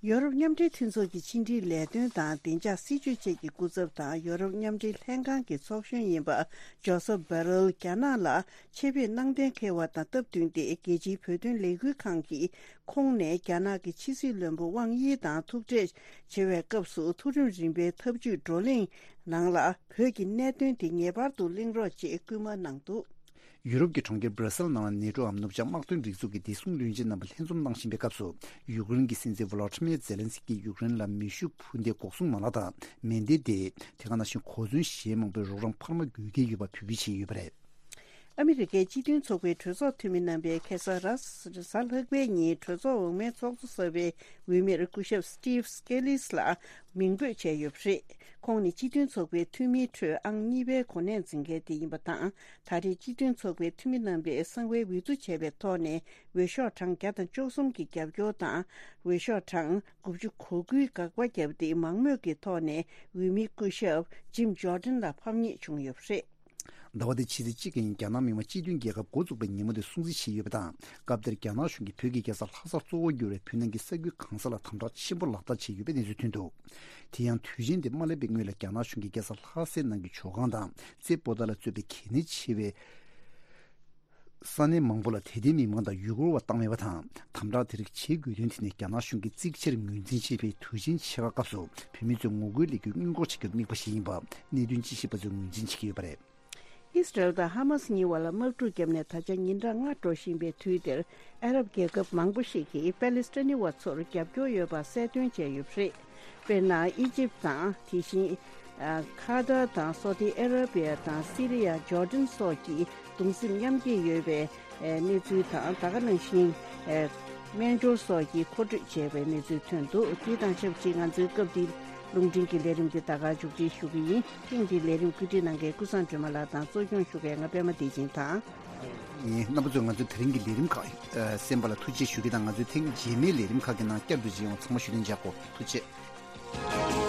ཡོ་རོབ་མཉམ་འབྲེལ་མཐུན་ཚོགས་ཀྱི་ཕྱི་འབྲེལ་ལས་དོན་དང་བདེ་འཇགས་སྲིད་ཇུས་བཅས་ཀྱི་སྐུ་ཚབ་དང་། ཡོ་རོབ་མཉམ་འབྲེལ་ལྷན་ཁང་གི་ཚོགས་གཞོན་ཡིན་པ་ཇོ་སེབ་བྷ་རེལ་རྒྱ་ནག་ལ་ཆེད་ཕེབས་གནང་གཏན་འཁེལ་བ་དང་སྟབས་བསྟུན་ཏེ། རྒྱལ་སྤྱིའི་བོད་དོན་ལས་འགུལ་ཁང་གིས་ཁོང་ནས་རྒྱ་ནག་གི་ཕྱི་སྲིད་བློན་པོ་ཝང་དབྱི་དང་ཐུག་འཕྲད་བྱེད་པའི་སྐབས་སུ། མཐོ་རིམ་རིམ་པའི་ཐབས་ཇུས་བགྲོ་གླེང་ནང་ལ་བོད་ཀྱི་གནད་དོན་དེ་ངེས་པར་དུ་གླེང་རོགས་ཅེས་སྐུལ་མ་གནང་འདུག། ཡུ་རོབ་ཀྱི་གྲོང་ཁྱེར་སྦྲ་སེལ་ནང་ལ་ནེ་ཊོའམ་ནུབ་བྱང་དམག་དོན་སྒྲིག་འཛུགས་ཀྱི་བདེ་སྲུང་བློན་ཆེན་རྣམ་པ་ལྷན་འཛོམས་གནང་བཞིན་པའི་སྐབས་སུ། ཡུཀ་རེན་གྱི་སྲིད་འཛིན་ཝོ་ལོ་ཏི་མེར་ཛེ་ལན་སི་ཀིས་ཡུཀ་རེན་ལ་མེ་ཤུགས་འཕུར་མདེལ་འགོག་སྲུང་མ་ལག་དང་མེ་མདའི་སྡེ། དེ་ག་ནང་བཞིན་གོ་མཚོན་གཞན་མང་པོའི་རོགས་རམ་འཕར་མ་དགོས་གལ་ཡོད་པ་འབོད་སྐུལ་བྱས་ཡོད་པ་རེད། ཨ་མི་རི་ཀའི་སྤྱི་མཐུན་ཚོགས་པའི་གྲོས་ཚོགས་འཐུས་མི་རྣམ་པས་ཁ་སང་རེས་གཟའ་ལྷག་པའི་ཉིན་གྲོས་ཚོགས་འོག་མའི་ཚོགས་གཙོ་གསར་པའི་འོས་མིར་སྐུ་ཞབས་Steve Scalise ལ་མིང་འབོད་བྱས་ཡོད་པ་རེད། ཁོང་ནི་སྤྱི་མཐུན་ཚོགས་པའི་འཐུས་མིའི་ཁྲོད་ཨང་གཉིས་པའི་གོ་གནས་འཛིན་མཁན་དེ་ཡིན་པ་དང་། ད་རེས་སྤྱི་མཐུན་ཚོགས་པའི་འཐུས་མི་རྣམ་པས་གསང་བའི་འོས་བསྡུ་བྱས་པའི་ཐོག་ནས་འོས་ཤོག་གྲངས་བརྒྱ་དང་བཅུ་གསུམ་གྱི་རྒྱབ་སྐྱོར་དང་། འོས་ཤོག་གྲངས་དགུ་བཅུ་གོ་དགུའི་དགག་པ་བརྒྱབ་སྟེ། མང་མོས་ཀྱི་ཐོག་ནས་འོས་མི་སྐུ་ཞབས་Jim Jordan ལ་ཕམ་ཉེས་བྱུང་ཡོད་པ་རེད། ཟླ་བ་འདིའི་ཕྱི་ཚེས་གཅིག་གི་ཉིན་རྒྱ་ནག་མི་དམངས་སྤྱི་མཐུན་རྒྱལ་ཁབ་འགོ་འཛུགས་པའི་ཉིན་མོ་དེ་སྲུང་བརྩི་བྱས་ཡོད་པ་དང་། སྐབས་དེར་རྒྱ་ནག་གཞུང་གིས་བོད་ཀྱི་རྒྱལ་ས་ལྷ་སར་གཙོ་བོ་གྱུར་བའི་བོད་ནང་གི་ས་ཁུལ་གང་ས་ལ་དམ་དྲག་ཆེན་པོ་ལག་བསྟར་བྱས་ཡོད་པའི་གནས་ཚུལ་ཐོན་འདུག། དེ་ཡང་དུས་ཆེན་དེ་མ་སླེབས་པའི་སྔོན་ལ་རྒྱ་ནག་གཞུང་གིས་རྒྱལ་ས་ལྷ་སའི་ནང་གི་ཇོ་ཁང་དང་རྩེ་པོ་ཏཱ་ལ་གཙོས་པའི་གལ་གནད་ཆེ་བའི་ ས་གནས་མང་པོ་ལ་དད་ལྡན་མི་མང་དང་ཡུལ་སྐོར་བ་བཏང་མེད་པ་དང་། དམ་དྲག་དེ་རིགས་བྱེད་དགོས་དོན་དེ་ནི་རྒྱ་ནག་གཞུང་གིས་གཙིགས་ཆེར་ངོས་འཛིན་བྱེད་པའི་དུས་ཆེན་ཕྱེད་ཀ་སྐབས་སུ་བོད་མི་ཚོས་ངོ་རྒོལ་ལས་འགུལ་སྔོན་འགོག་བྱེད་རྒྱུར་དམིགས་པ་ཞིག་ཡིན་པ་གནད་དོན་དཔྱད་ཞིབ་པ་ཚོས་ངོས་འཛིན་བྱེད་ཀྱི་ཡོད་པ་རེད། ཨི་སི་རལ་དང་ཧ་མ་སི་གཉིས་བར་ལ་དམག་འཁྲུག་བརྒྱབ་ནས་ད་ཆ་ཉིན་གྲངས་ལྔ་འགྲོ་བཞིན་པའི་དུས་འདིར། ཨ་རབ་རྒྱལ་ཁབ་མང་པོ་ཞིག་གིས་པ་ལི་སི་ཐན་ནི་བ་ཚོར་རྒྱབ་སྐྱོར་ཡོད་པ་གསལ་སྟོན་བྱས་ཡོད་པ་རེད། དཔེར་ན། ཨི་ཇིབ་དང་། དེ་བཞིན། ཨ། ཁ་ཏར་དང་སོ་ཏི་ཨ་ར་བི་ཡ་དང་སི་རི་ཡ། ཇོར་ཌན་སོགས་ཀྱིས་གདུང་སེམས་མཉམ་སྐྱེད་ཡོད་པའི། ཨ། གནས་ཚུལ་དང་། ད་ག་ནང་བཞིན། ཨ། སྨན་སྦྱོར་སོགས་ཀྱི་མཁོ་སྤྲོད་བྱས་པའི་གནས་ཚུལ་ཐོན་འདུག་དེ་དང་ཆབས་ཅིག་ང་ཚོའི་སྐབས་འདིའི་རླུང་འཕྲིན་གྱི་ལས་རིམ་འདི་ད་ག་མཇུག་སྒྲིལ་ཞུ་གི་ཡིན། ཐེངས་འདིའི་ལས་རིམ་བཀོད་སྒྲིག་གནང་མཁན་ཀུན་བཟང་སྒྲོལ་མ་ལགས་དང་གཙོ་སྐྱོང་ཞུ་མཁན་ང་པད་མ་བདེ་ཆེན་དང་། ཡིན། རྣམ་པ་ཚོས་ང་ཚོའི་དེ་རིང་གི་ལས་རིམ་ཁག་གསན་པ་ལ་ཐུགས་རྗེ་ཞུ་གི་དང་། ང་ཚོའི་ཐེངས་རྗེས་མའི་ལས་རིམ་ཁག་གི་ནང་བསྐྱར་དུ་མཇལ་ཡོང་། ཚང་མ་ཞུ་ལན་འཇགས་གོ། ཐུགས་རྗེ་ཆེ།